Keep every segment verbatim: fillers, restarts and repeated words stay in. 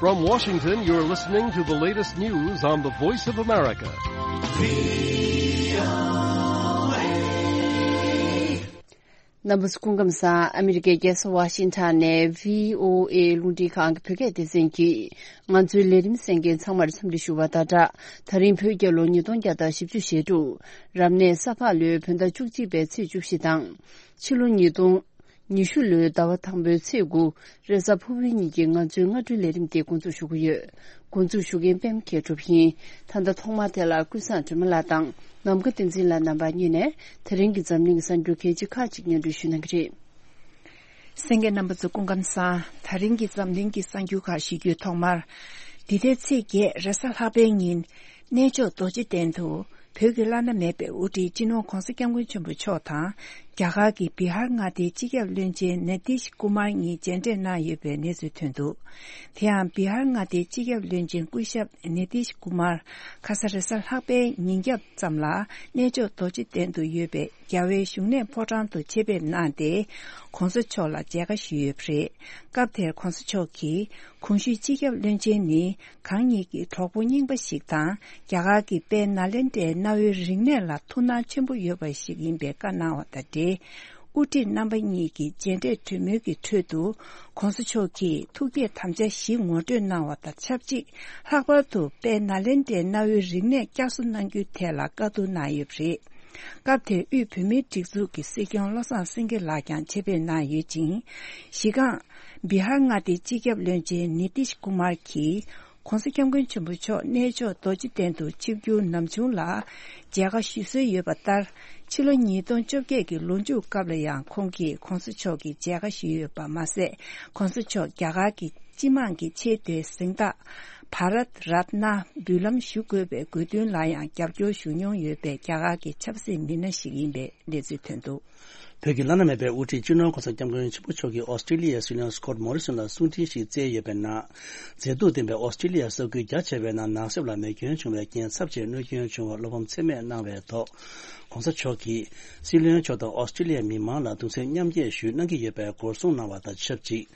From Washington, you're listening to the latest news on the Voice of America. རྣམ་པ་ཚོ་སྐུ་ཁམས་བཟང་། ཨ་མི་རི་ཀའི་རྒྱལ་ས་ཝ་ཤིང་ཊོན་ནས་བྷི་ཨོ་ཨེ་རླུང་འཕྲིན་ཁང་གི་བོད་སྐད་སྡེ་ཚན་གྱིས་ང་ཚོའི་ལས་རིམ་གསན་མཁན་ཚང་མར་འཚམས་འདྲི་ཞུ་བ་དང་སྦྲགས། ད་རིང་བོད་རྒྱལ་ལོ་ཉིས་སྟོང་བརྒྱ་དང་བཞི་བཅུ་ཞེ་དྲུག་རབ་གནས་ས་ཕག་ལོའི་བོད་ཟླ་བཅུ་གཅིག་པའི་ཚེས་བཅུ་བཞི་དང་། ཕྱི་ལོ་ཉིས་སྟོང་ཉི་ཤུ་ལོའི་ཟླ་བ་དང་པོའི་ཚེས་དགུ། རེས་གཟའ་ཕུར་བུའི་ཉིན་གྱི་ང་ཚོའི་སྔ་དྲོའི་ལས་རིམ་འདི་འགོ་འཛུགས་ཞུ་གི་ཡོད། འགོ་འཛུགས་ཞུ་མཁན་པད་མ་མཁས་གྲུབ་ཡིན། ད་ལྟ་ཐོག་མར་དེ་ལ་ཀུན་བཟང་སྒྲོལ་མ་ལགས་དང་ནམ་མཁའ་བསྟན་འཛིན་ལགས་རྣམ་པ་གཉིས་ནས་དེ་རིང་གི་འཛམ་གླིང་གི་གསར་འགྱུར་གལ་ཆེ་ཁག་ཅིག་སྙན་སྒྲོན་ཞུ་གནང་གི་རེད། གསན་མཁན་རྣམ་པ་ཚོ་སྐུ་ཁམས་བཟང་། ད་རིང་གི་འཛམ་གླིང་གི་གསར་འགྱུར་ཁག་ཞུ་རྒྱུའི་ཐོག་མར། འདི་ཟླའི་ཚེས་བརྒྱད་རེས་གཟའ་ལྷག་པའི་ཉིན། གནས་མཆོག་རྡོ་རྗེ་གདན་དུ་བོད་ཀྱི་བླ་ན་མེད་པའི་དབུ་ཁྲིད་སྤྱི་ནོར་༧གོང་ས་༧སྐྱབས་མགོན་ཆེན་པོ་མཆོག་དང་། རྒྱ་གར་གྱི་བི་ཧར་མངའ་སྡེའི་སྤྱི་ཁྱབ་བློན་ཆེན་ནི་ཏིཤ་ཀུ་མར་གཉིས་མཇལ་འཕྲད་གནང་ཡོད་པའི་གནས་ཚུལ་ཐོན་འདུག་དེ་ཡང་བི་ཧར་མངའ་སྡེའི་སྤྱི་ཁྱབ་བློན་ཆེན་སྐུ་ཞབས་ནི་ཏིཤ་ཀུ་མར་ཁ་ས་རེས་གཟའ་ལྷག་པའི་ཉིན་རྒྱབ་ཙམ་ལ་གནས་མཆོག་རྡོ་རྗེ་གདན་དུ་ཡོད་པའི་རྒྱལ་བའི་བཞུགས་གནས་ཕོ་བྲང་དུ་ཆེད་ཕེབས་གནང་སྟེ། ༸གོང་ས་མཆོག་ལ་མཇལ་ཁ་ཞུས་ཡོད་པ་རེད། སྐབས་དེར་༸གོང་ས་མཆོག་གིས་གོང་ཞུས་སྤྱི་ཁྱབ་བློན་ཆེན་ནི་གང་ཉིད་ཀྱི་གྲོགས་པོ་རྙིང་པ་ཞིག་དང་། རྒྱ་གར་གྱི་དཔལ་ནཱ་ལེནྡྲའི་གནའ་བོའི་རིག་གནས་ལ་ཐུགས་སྣང་ཆེན་པོ་ཡོད་པ་ཞིག་ཡིན་པའི་བཀའ་གནང་བ་དང་འབྲེལ། དབུ་ཁྲིད་རྣམ་པ་གཉིས་ཀྱི་མཇལ་འཕྲད་གྲོས་མོལ་གྱི་ཁྲོད་དུ། ༸གོང་ས་མཆོག་གིས་ཐུགས་བསྐྱེད་དམ་བཅའ་བཞི་ངོ་སྤྲོད་གནང་བ་དང་ཆབས་ཅིག་ལྷག་པར་དུ་དཔལ་ནཱ་ལེནྡྲའི་གནའ་བོའི་རིག་གནས་བསྐྱར་གསོ་གནང་རྒྱུའི་ཐད་ལ་བཀའ་བསྡུར་གནང་ཡོད་པ་རེད། སྐབས་དེར་དབུས་བོད་མིའི་སྒྲིག་འཛུགས་ཀྱི་སྲིད་སྐྱོང་བློ་བཟང་སེང་གེ་ལགས་ཀྱང་ཆེད་ཕེབས་གནང་ཡོད་ཅིང་། གཞི་རྐང་། བི་ཧར་མངའ་སྡེའི་སྤྱི་ཁྱབ་བློན་ཆེན་ནི་ཏིཤ་ཀུ་མར་གྱིས། ༸གོང་ས་༸སྐྱབས་མགོན་ཆེན་པོ་མཆོག་གནས་མཆོག་རྡོ་རྗེ་གདན་དུ་ཆིབས་བསྒྱུར་ནམ་བྱུང་ལ། མཇལ་ཁ་ཞུ་སྲོལ་ཡོད་པ་ལྟར། ཕྱི་ལོ་ཉིས་སྟོང་བཅོ་བརྒྱད་ཀྱི་ལོ་མཇུག་སྐབས་ལ་ཡང་ཁོང་གིས་༸གོང་ས་མཆོག་གི་མཇལ་ཁ་ཞུས་ཡོད་པ་མ་ཟད། ༸གོང་ས་མཆོག་རྒྱ་གར་གྱི་སྤྱི་དམངས་ཀྱི་ཆེས་མཐོའི་གཟེངས་རྟགས། བྷ་རཏ་རཏྣ་འབུལ་ལམ་ཞུ་དགོས་པའི་དགོས་འདུན་ལ་ཡང་རྒྱབ་སྐྱོར་ཞུ་མྱོང་ཡོད་པའི་རྒྱ་གར་གྱི་ཆབ་སྲིད་མི་སྣ་ཞིག་ཡིན་པའི་གནས་ཚུལ་ཐོན་འདུག་བོད་ཀྱི་བླ་ན་མེད་པའི་དབུ་ཁྲིད་སྤྱི་ནོར་༸གོང་ས་༸སྐྱབས་མགོན་ཆེན་པོ་མཆོག་གིས་ཨོ་སི་ཀྲི་ལི་ཡའི་སྲིད་བློན་སི་ཀོད་མོ་རི་སོན་ལ་གསུང་འཕྲིན་ཞིག་བསྩལ་ཡོད་པའི་ནང་། མཛེས་སྡུག་ལྡན་པའི་ཨོ་སི་ཀྲི་ལི་ཡ་ས་ཁུལ་རྒྱ་ཆེ་བའི་ནང་ནགས་གསེབ་ལ་མེ་སྐྱོན་བྱུང་བའི་རྐྱེན་ཚབས་ཆེའི་གནོད་སྐྱོན་བྱུང་བར་བློ་ཕམ་ཚད་མེད་གནང་བའི་ཐོག ༸གོང་ས་མཆོག་གིས་སྲིད་བློན་མཆོག་དང་ཨོ་སི་ཀྲི་ལི་ཡའི་མི་མང་ལ་གདུང་སེམས་མཉམ་སྐྱེད་ཞུ་གནང་གི་ཡོད་པའི་སྐོར་གསུངས་གནང་བ་དང་ཆབས་ཅིག་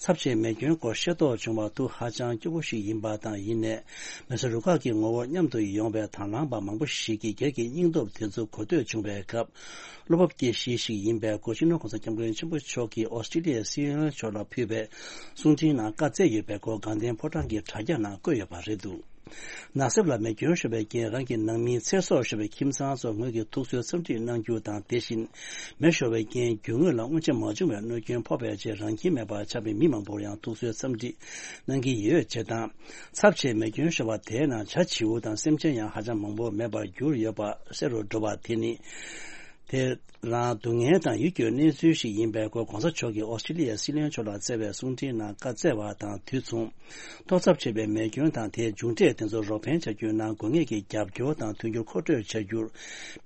ཚབས་ཆེའི་མེ་སྐྱོན་སྐོར་ཤེས་རྟོགས་བྱུང་བར་ཐུགས་ཧ་ཅང་སྐྱོ་པོ་ཞིག་ཡིན་པ་དང་། ཡིན་ནའི། མེ་གསོད་རུ་ཁག་གི་ངོ་བོར་མཉམ་དུ་ཡོང་བའི་དང་བླངས་པ་མང་པོ་ཞིག་གིས་སྒེར་གྱི་སྙིང་སྟོབས་དེ་ཚོ་གོ་ཐོས་བྱུང་བའི་སྐབས། བློ་སྤོབས་སྐྱེ་གཞི་ཞིག་ཡིན་པའི་སྐོར་སྤྱི་ནོར་༸གོང་ས་༸སྐྱབས་མགོན་ཆེན་པོ་མཆོག་གིས་ཨོ་སི་ཀྲི་ལི་ཡའི་སྲིད་བློན་མཆོག་ལ་ཕུལ་བའི་གསུང་འཕྲིན་ནང་བཀའ་སྩལ་ཡོད་པའི་སྐོར་དགའ་ལྡན་ཕོ་བྲང་གི་དྲ་རྒྱ་ནང་བཀོད་ཡོད་པ་རེད་འདུག་ནགས་གསེབ་ལ་མེ་སྐྱོན་ཤོར་བའི་རྐྱེན། རང་གི་ནང་མིའི་ཚེ་སྲོག་ཤོར་བའི་ཁྱིམ་ཚང་ཚོར་ངོས་ཀྱིས་ཐུགས་གསོའི་འཚམས་འདྲི་གནང་རྒྱུ་དང་། དེ་བཞིན། མེ་ཤོར་བའི་རྐྱེན། རྒྱུ་དངོས་ལ་སྔོན་ཆད་མ་བྱུང་བའི་གནོད་སྐྱོན་ཕོག་པའི་རྗེས། རང་ཁྱིམ་མེད་པར་ཆགས་པའི་མི་མང་པོར་ཡང་ཐུགས་གསོའི་འཚམས་འདྲི་གནང་གི་ཡོད་ཅེས་དང་། ཚབས་ཆེའི་མེ་སྐྱོན་ཤོར་བ་དེའི་ནང་བྱ་བྱིའུ་དང་སེམས་ཅན་ཡང་ཧ་ཅང་མང་པོ་མེད་པར་གྱུར་ཡོད་པ་གསལ་རུ་འགྲོ་བ་དེ་ནི། དེ་རང་སྡུག་བསྔལ་དང་ཡིད་སྐྱོའི་གནས་ཚུལ་ཞིག་ཡིན་པའི་སྐོར། ༸གོང་ས་མཆོག་གིས་ཨོ་སི་ཀྲི་ལི་ཡའི་སྲིད་བློན་མཆོག་ལ་བསྩལ་བའི་གསུང་འཕྲིན་ནང་བཀའ་སྩལ་བ་དང་དུས་མཚུངས། གཏོར་ཚབས་ཆེ་བའི་མེ་སྐྱོན་དང་དེའི་མཇུག་འབྲས་དེ་ཚོར་རོགས་ཕན་བྱ་རྒྱུའི་ནང་དགོས་ངེས་ཀྱི་རྒྱབ་སྐྱོར་དང་མཐུན་འགྱུར་མཁོ་སྤྲོད་བྱ་རྒྱུར།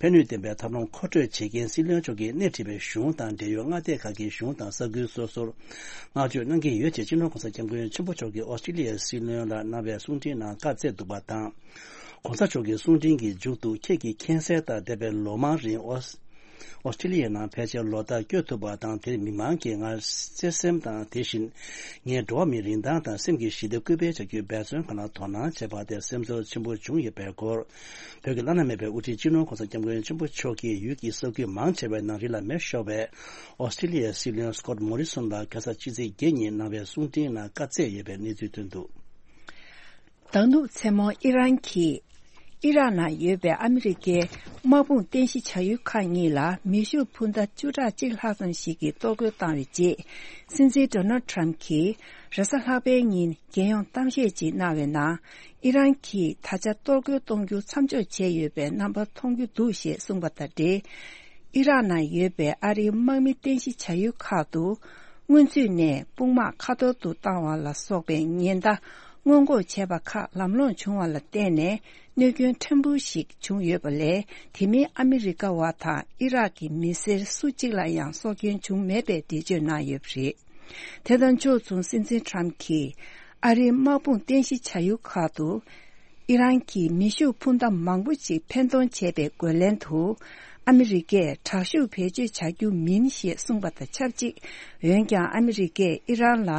ཕན་ནུས་ལྡན་པའི་ཐབས་ལམ་མཁོ་སྤྲོད་བྱེད་མཁན་སྲིད་བློན་མཆོག་གིས་སྣེ་ཁྲིད་པའི་གཞུང་དང་འབྲེལ་ཡོད་མངའ་སྡེ་ཁག་གི་གཞུང་དང་ས་ཁུལ་སོ་སོར། བསྔགས་བརྗོད་གནང་གི་ཡོད་ཅེས་སྤྱི་ནོར་༸གོང་ས་༸སྐྱབས་མགོན་ཆེན་པོ་མཆོག་གིས་ཨོ་སི་ཀྲི་ལི་ཡའི་སྲིད་བློན་ལ་གནང་བའི་གསུང་འཕྲིན་ནང་བཀའ་སྩལ་འདུག་པ་དང་། ༸གོང་ས་མཆོག་གི་གསུང་འཕྲིན་གྱི་མཇུག་ཏུ། ཁྱེད་ཀྱིས་མཁྱེན་གསལ་ལྟར། འདས་པའི་ལོ་མང་རིང་ཨོ་ཨོ་སི་ཀྲི་ལི་ཡའི་ནང་ཕལ་ཆེར་ལོ་ལྟར་བསྐྱོད་ཐུབ་པ་དང་། དེར་མི་མང་གིས་ང་བརྩེ་སེམས་དང་། དེ་བཞིན་ངས་འགྲོ་བ་མིའི་རིན་ཐང་དང་སེམས་ཀྱི་ཞི་བདེ་སྐུལ་སྤེལ་བྱ་རྒྱུའི་འབད་བརྩོན་ཁག་ལ་དོ་སྣང་བྱས་པ་དེར་སེམས་ཚོར་ཆེན་པོ་བྱུང་ཡོད་པའི་སྐོར། བོད་ཀྱི་བླ་ན་མེད་པའི་དབུ་ཁྲིད་སྤྱི་ནོར་༸གོང་ས་༸སྐྱབས་མགོན་ཆེན་པོ་མཆོག་གིས་ཡུལ་གྱི་ས་ཁུལ་མང་ཆེ་བའི་ནང་རི་ལ་མེ་ཤོར་བའི་ཨོ་སི་ཀྲི་ལི་ཡའི་སྲིད་བློན་སི་ཀོད་མོ་རི་སོན་ལ་ཁ་ས་ཕྱི་ཚེས་བརྒྱད་ཉིན་གནང་བའི་གསུང་འཕྲིན་ནང་བཀའ་སྩལ་ཡོད་པའི་གནས་ཚུལ་ཐོན་འདུག། ཟླ་ནུབ་མཚན་མོར་ཨི་རན་གྱིས་ཨི་རག་ནང་ཡོད་པའི་ཨ་མི་རི་ཀའི་དམག་དཔུང་རྟེན་གཞི་བྱ་ཡུལ་ཁག་གཉིས་ལ་མེ་ཤུགས་འཕུར་མདའ་བཅུ་ཕྲག་གཅིག་ལྷག་ཙམ་ཞིག་གིས་གཏོར་རྒོལ་བཏང་བའི་རྗེས། སྲིད་འཛིན་ཌོ་ནལ་ཊམ་གྱིས་རེས་གཟའ་ལྷག་པའི་ཉིན་རྒྱལ་ཡོངས་གཏམ་བཤད་ཅིག་གནང་བའི་ནང་། ཨི་རན་གྱིས་ད་ཆ་གཏོར་རྒོལ་གཏོང་རྒྱུ་མཚམས་འཇོག་བྱས་ཡོད་པའི་རྣམ་པ་མཐོང་རྒྱུ་འདུག་ཞེས་གསུངས་པ་དང་འབྲེལ། ཨི་རག་ནང་ཡོད་པའི་ཨ་རིའི་དམག་མི་རྟེན་གཞི་བྱ་ཡུལ་ཁག་ཏུ། སྔོན་ཚུད་ནས་དཔུང་དམག་ཁ་ཐོར་དུ་བཏང་བ་ལ་སོགས་པའི་ཉེན་བརྡ་སྔོན་འགོག་བྱས་པ་ཁག་ལམ་ལྷོང་བྱུང་བ་ལ་བརྟེན་ནས། གནོད་སྐྱོན་ཕྲན་བུ་ཞིག་བྱུང་ཡོད་པ་ལས། དེ་མིན་ཨ་མི་རི་ཀ་བ་དང་ཨི་རག་གི་མི་སེར་སུ་གཅིག་ལ་ཡང་སྲོག་སྐྱོན་བྱུང་མེད་པའི་འགྲེལ་བརྗོད་གནང་ཡོད་པ་རེད། དེ་དང་ཕྱོགས་མཚུངས། སྲིད་འཛིན་ཊམ་གྱིས་ཨ་རིའི་དམག་དཔུང་རྟེན་གཞི་བྱ་ཡུལ་ཁག་ཏུ། ཨི་རན་གྱིས་མེ་ཤུགས་འཕུར་མདའ་མང་པོ་ཞིག་འཕེན་གཏོང་བྱས་པའི་རྒོལ་ལན་དུ། ཨ་མི་རི་ཀས་དྲག་ཤུགས་བེད་སྤྱོད་བྱ་རྒྱུ་མིན་ཞེས་གསུངས་པ་དང་ཆབས་ཅིག་འོན་ཀྱང་ཨ་མི་རི་ཀས་ཨི་རན་ལ་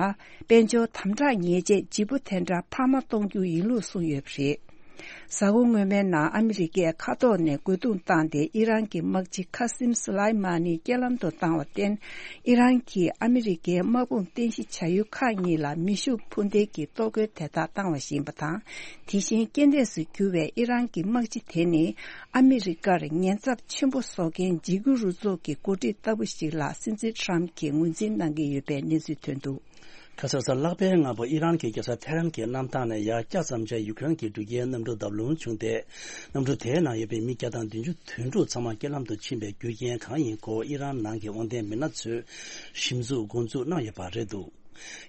དཔལ་འབྱོར་དམ་དྲག་ཉེས་ཆད་ལྗིད་པོ་དེ་འདྲ་འཕར་མ་གཏོང་རྒྱུ་ཡིན་ལུགས་གསུངས་ཡོད་པ་རེད། གཟའ་འཁོར་སྔོན་མའི་ནང་ཨ་མི་རི་ཀས་མཁའ་ཐོག་ནས་རྒོལ་རྡུང་བཏང་སྟེ་ཨི་རན་གྱི་དམག་སྤྱི་ཁ་སིམ་སུ་ལའི་མ་ནི་རྐྱེན་ལམ་དུ་བཏང་བར་བརྟེན། ཨི་རན་གྱིས་ཨ་མི་རི་ཀའི་དམག་དཔུང་རྟེན་གཞི་བྱ་ཡུལ་ཁག་གཉིས་ལ་མེ་ཤུགས་འཕུར་མདེལ་གྱི་གཏོར་རྒོལ་དེ་དག་བཏང་བ་ཞིག་ཡིན་པ་དང་། དེ་བཞིན་རྐྱེན་འདས་སུ་གྱུར་བའི་ཨི་རན་གྱི་དམག་སྤྱི་དེ་ནི་ཨ་མི་རི་ཀར་ཉེན་ཚབས་ཆེན་པོ་བཟོ་མཁན་འཇིགས་སྐུལ་རུ་ཚོགས་ཀྱི་འགོ་ཁྲིད་ལྟ་བུ་ཞིག་ལ་སྲིད་འཛིན་ཊམ་གྱིས་ངོས་འཛིན་གནང་གི་ཡོད་པའི་གནས་ཚུལ་ཐོན་འདུག་ཁ་སང་གཟའ་ལྷག་པའི་སྔ་པོ་ཨི་རན་གྱི་རྒྱལ་ས་ཐེ་རན་གྱི་གནམ་ཐང་ནས་ཡར་བསྐྱར་མཚམས་ཆད་ཡུཀ་རེན་གྱི་འགྲུལ་སྐྱེལ་གནམ་གྲུ་བརྡབ་ལྷུང་བྱུང་སྟེ། གནམ་གྲུ་དེའི་ནང་ཡོད་པའི་མི་བརྒྱ་དང་བདུན་ཅུ་དོན་དྲུག་ཚང་མ་རྐྱེན་ལམ་དུ་ཕྱིན་པའི་རྒྱུ་རྐྱེན་གང་ཡིན་སྐོར་ཨི་རན་ནང་གི་དབང་ལྡན་མི་སྣ་ཚོས་ཞིབ་འཇུག་འགོ་འཛུགས་གནང་ཡོད་པ་རེད་འདུག་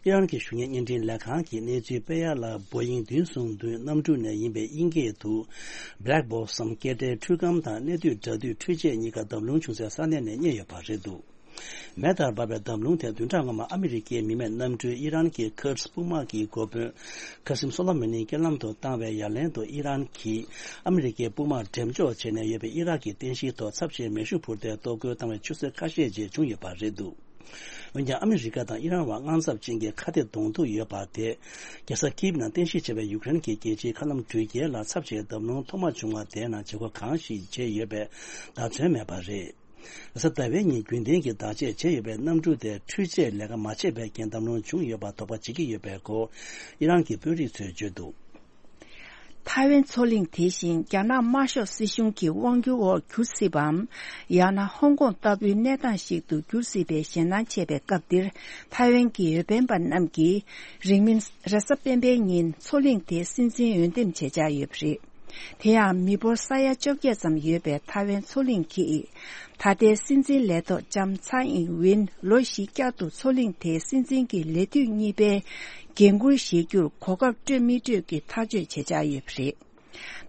ཨི་རན་གྱི་གཞུང་གཉེར་བརྙན་འཕྲིན་ལས་ཁང་གིས་གནས་ཚུལ་སྤེལ་ཡ་ལ། བོ་ཡིང་བདུན་གསུམ་བདུན་གནམ་གྲུ་ནས་ཡིན་པའི་དབྱིན་སྐད་དུ་Black Box སམ་སྐད་སྒྲའི་འཕྲུལ་སྒམ་དང་གནས་སྡུད་འདྲ་དུས་འཕྲུལ་ཆས་གཉིས་ཀ་བརྡབ་ལྷུང་བྱུང་སའི་ས་གནས་ནས་རྙེད་ཡོད་པ་རེད་འདུག་མེ་ལྟར་འབར་བའི་བརྡབ་ལྷུང་དེ་བདུན་ཕྲག་སྔོན་མ་ཨ་མི་རི་ཀའི་མི་མེད་གནམ་གྲུས་ཨི་རན་གྱི་ཁུར་དཔུང་དམག་གི་འགོ་དཔོན་ཁ་སིམ་སོ་ལ་མ་ནི་རྐྱེན་ལམ་དུ་བཏང་བའི་ཡ་ལན་དུ་ཨི་རན་གྱིས་ཨ་མི་རི་ཀའི་དཔུང་དམག་འགྲེམས་འཇོག་བྱས་ནས་ཡོད་པའི་ཨི་རག་གི་རྟེན་གཞིའི་ཐོག་ཚབས་ཆེའི་མེ་ཤུགས་འཕུར་མདེལ་གཏོར་རྒོལ་བཏང་བའི་ཆུ་ཚོད་ཁ་ཤས་རྗེས་བྱུང་ཡོད་པ་རེད་འདུག་འོན་ཀྱང་ཨ་མི་རི་ཀ་དང་ཨི་རན་བར་དངངས་འཚབ་ཅན་གྱི་ཁ་གཏད་གདོང་ཐུག་ཡོད་པ་དེ། རྒྱལ་ས་ཀིབ་ནང་རྟེན་གཞི་བྱས་པའི་ཡུཀ་རེན་གྱི་རྒྱལ་སྤྱིའི་མཁའ་ལམ་འགྲུལ་སྐྱེལ་ལ་ཚབས་ཆེའི་བརྡབ་ལྷུང་ཐོག་མ་བྱུང་བ་དེའི་ནང་བྱེད་སྒོ་གང་ཞིག་བྱས་ཡོད་པའི་བརྡ་མཚོན་མེད་པ་རེད། རེས་གཟའ་ཟླ་བའི་ཉིན་རྒྱུན་ལྡན་གྱི་བརྡ་ཆད་བྱས་ཡོད་པའི་གནམ་གྲུ་དེ་འཕྲུལ་ཆས་ལས་ཀ་མ་བྱས་པའི་རྐྱེན་བརྡབ་ལྷུང་བྱུང་ཡོད་པར་དོགས་པ་བྱེད་ཀྱི་ཡོད་པའི་སྐོར་ཨི་རན་གྱི་དཔོན་རིགས་ཚོས་བརྗོད་འདུག་ཐའེ་ཝན་མཚོ་གླིང་དེ་བཞིན་རྒྱ་ནག་དམར་ཤོག་སྲིད་གཞུང་གི་དབང་སྒྱུར་འོག་འགྱུར་སྲིད་པའམ། ཡང་ན་ཧོང་ཀོང་ལྟ་བུའི་གནས་སྟངས་ཤིག་ཏུ་འགྱུར་སྲིད་པའི་ཞེད་སྣང་ཆེ་བའི་སྐབས་འདིར། ཐའེ་ཝན་གྱི་འོས་འཕེན་པ་རྣམས་ཀྱིས་རིང་མིན་རེས་གཟའ་སྤེན་པའི་ཉིན་མཚོ་གླིང་དེའི་སྲིད་འཛིན་འོས་འདེམས་བྱེད་འཆར་ཡོད་པ་རེད། དེ་ཡང་མི་འབོར་ས་ཡ་བཅོ་བརྒྱད་ཙམ་ཡོད་པའི་ཐའེ་ཝན་མཚོ་གླིང་གིས། ད་ལྟའི་སྲིད་འཛིན་ལས་ཐོག་ལྕམ་ཚའེ་ཨིན་ཝིན་ལོ་བཞི་བསྐྱར་དུ་མཚོ་གླིང་དེའི་སྲིད་འཛིན་གྱི་ལས་དུས་གཉིས་པའི་འགན་འཁུར་བཞེས་རྒྱུར་གོ་སྐབས་སྤྲོད་མི་སྤྲོད་ཀྱི་ཐག་གཅོད་བྱེད་འཆར་ཡོད་པ་རེད།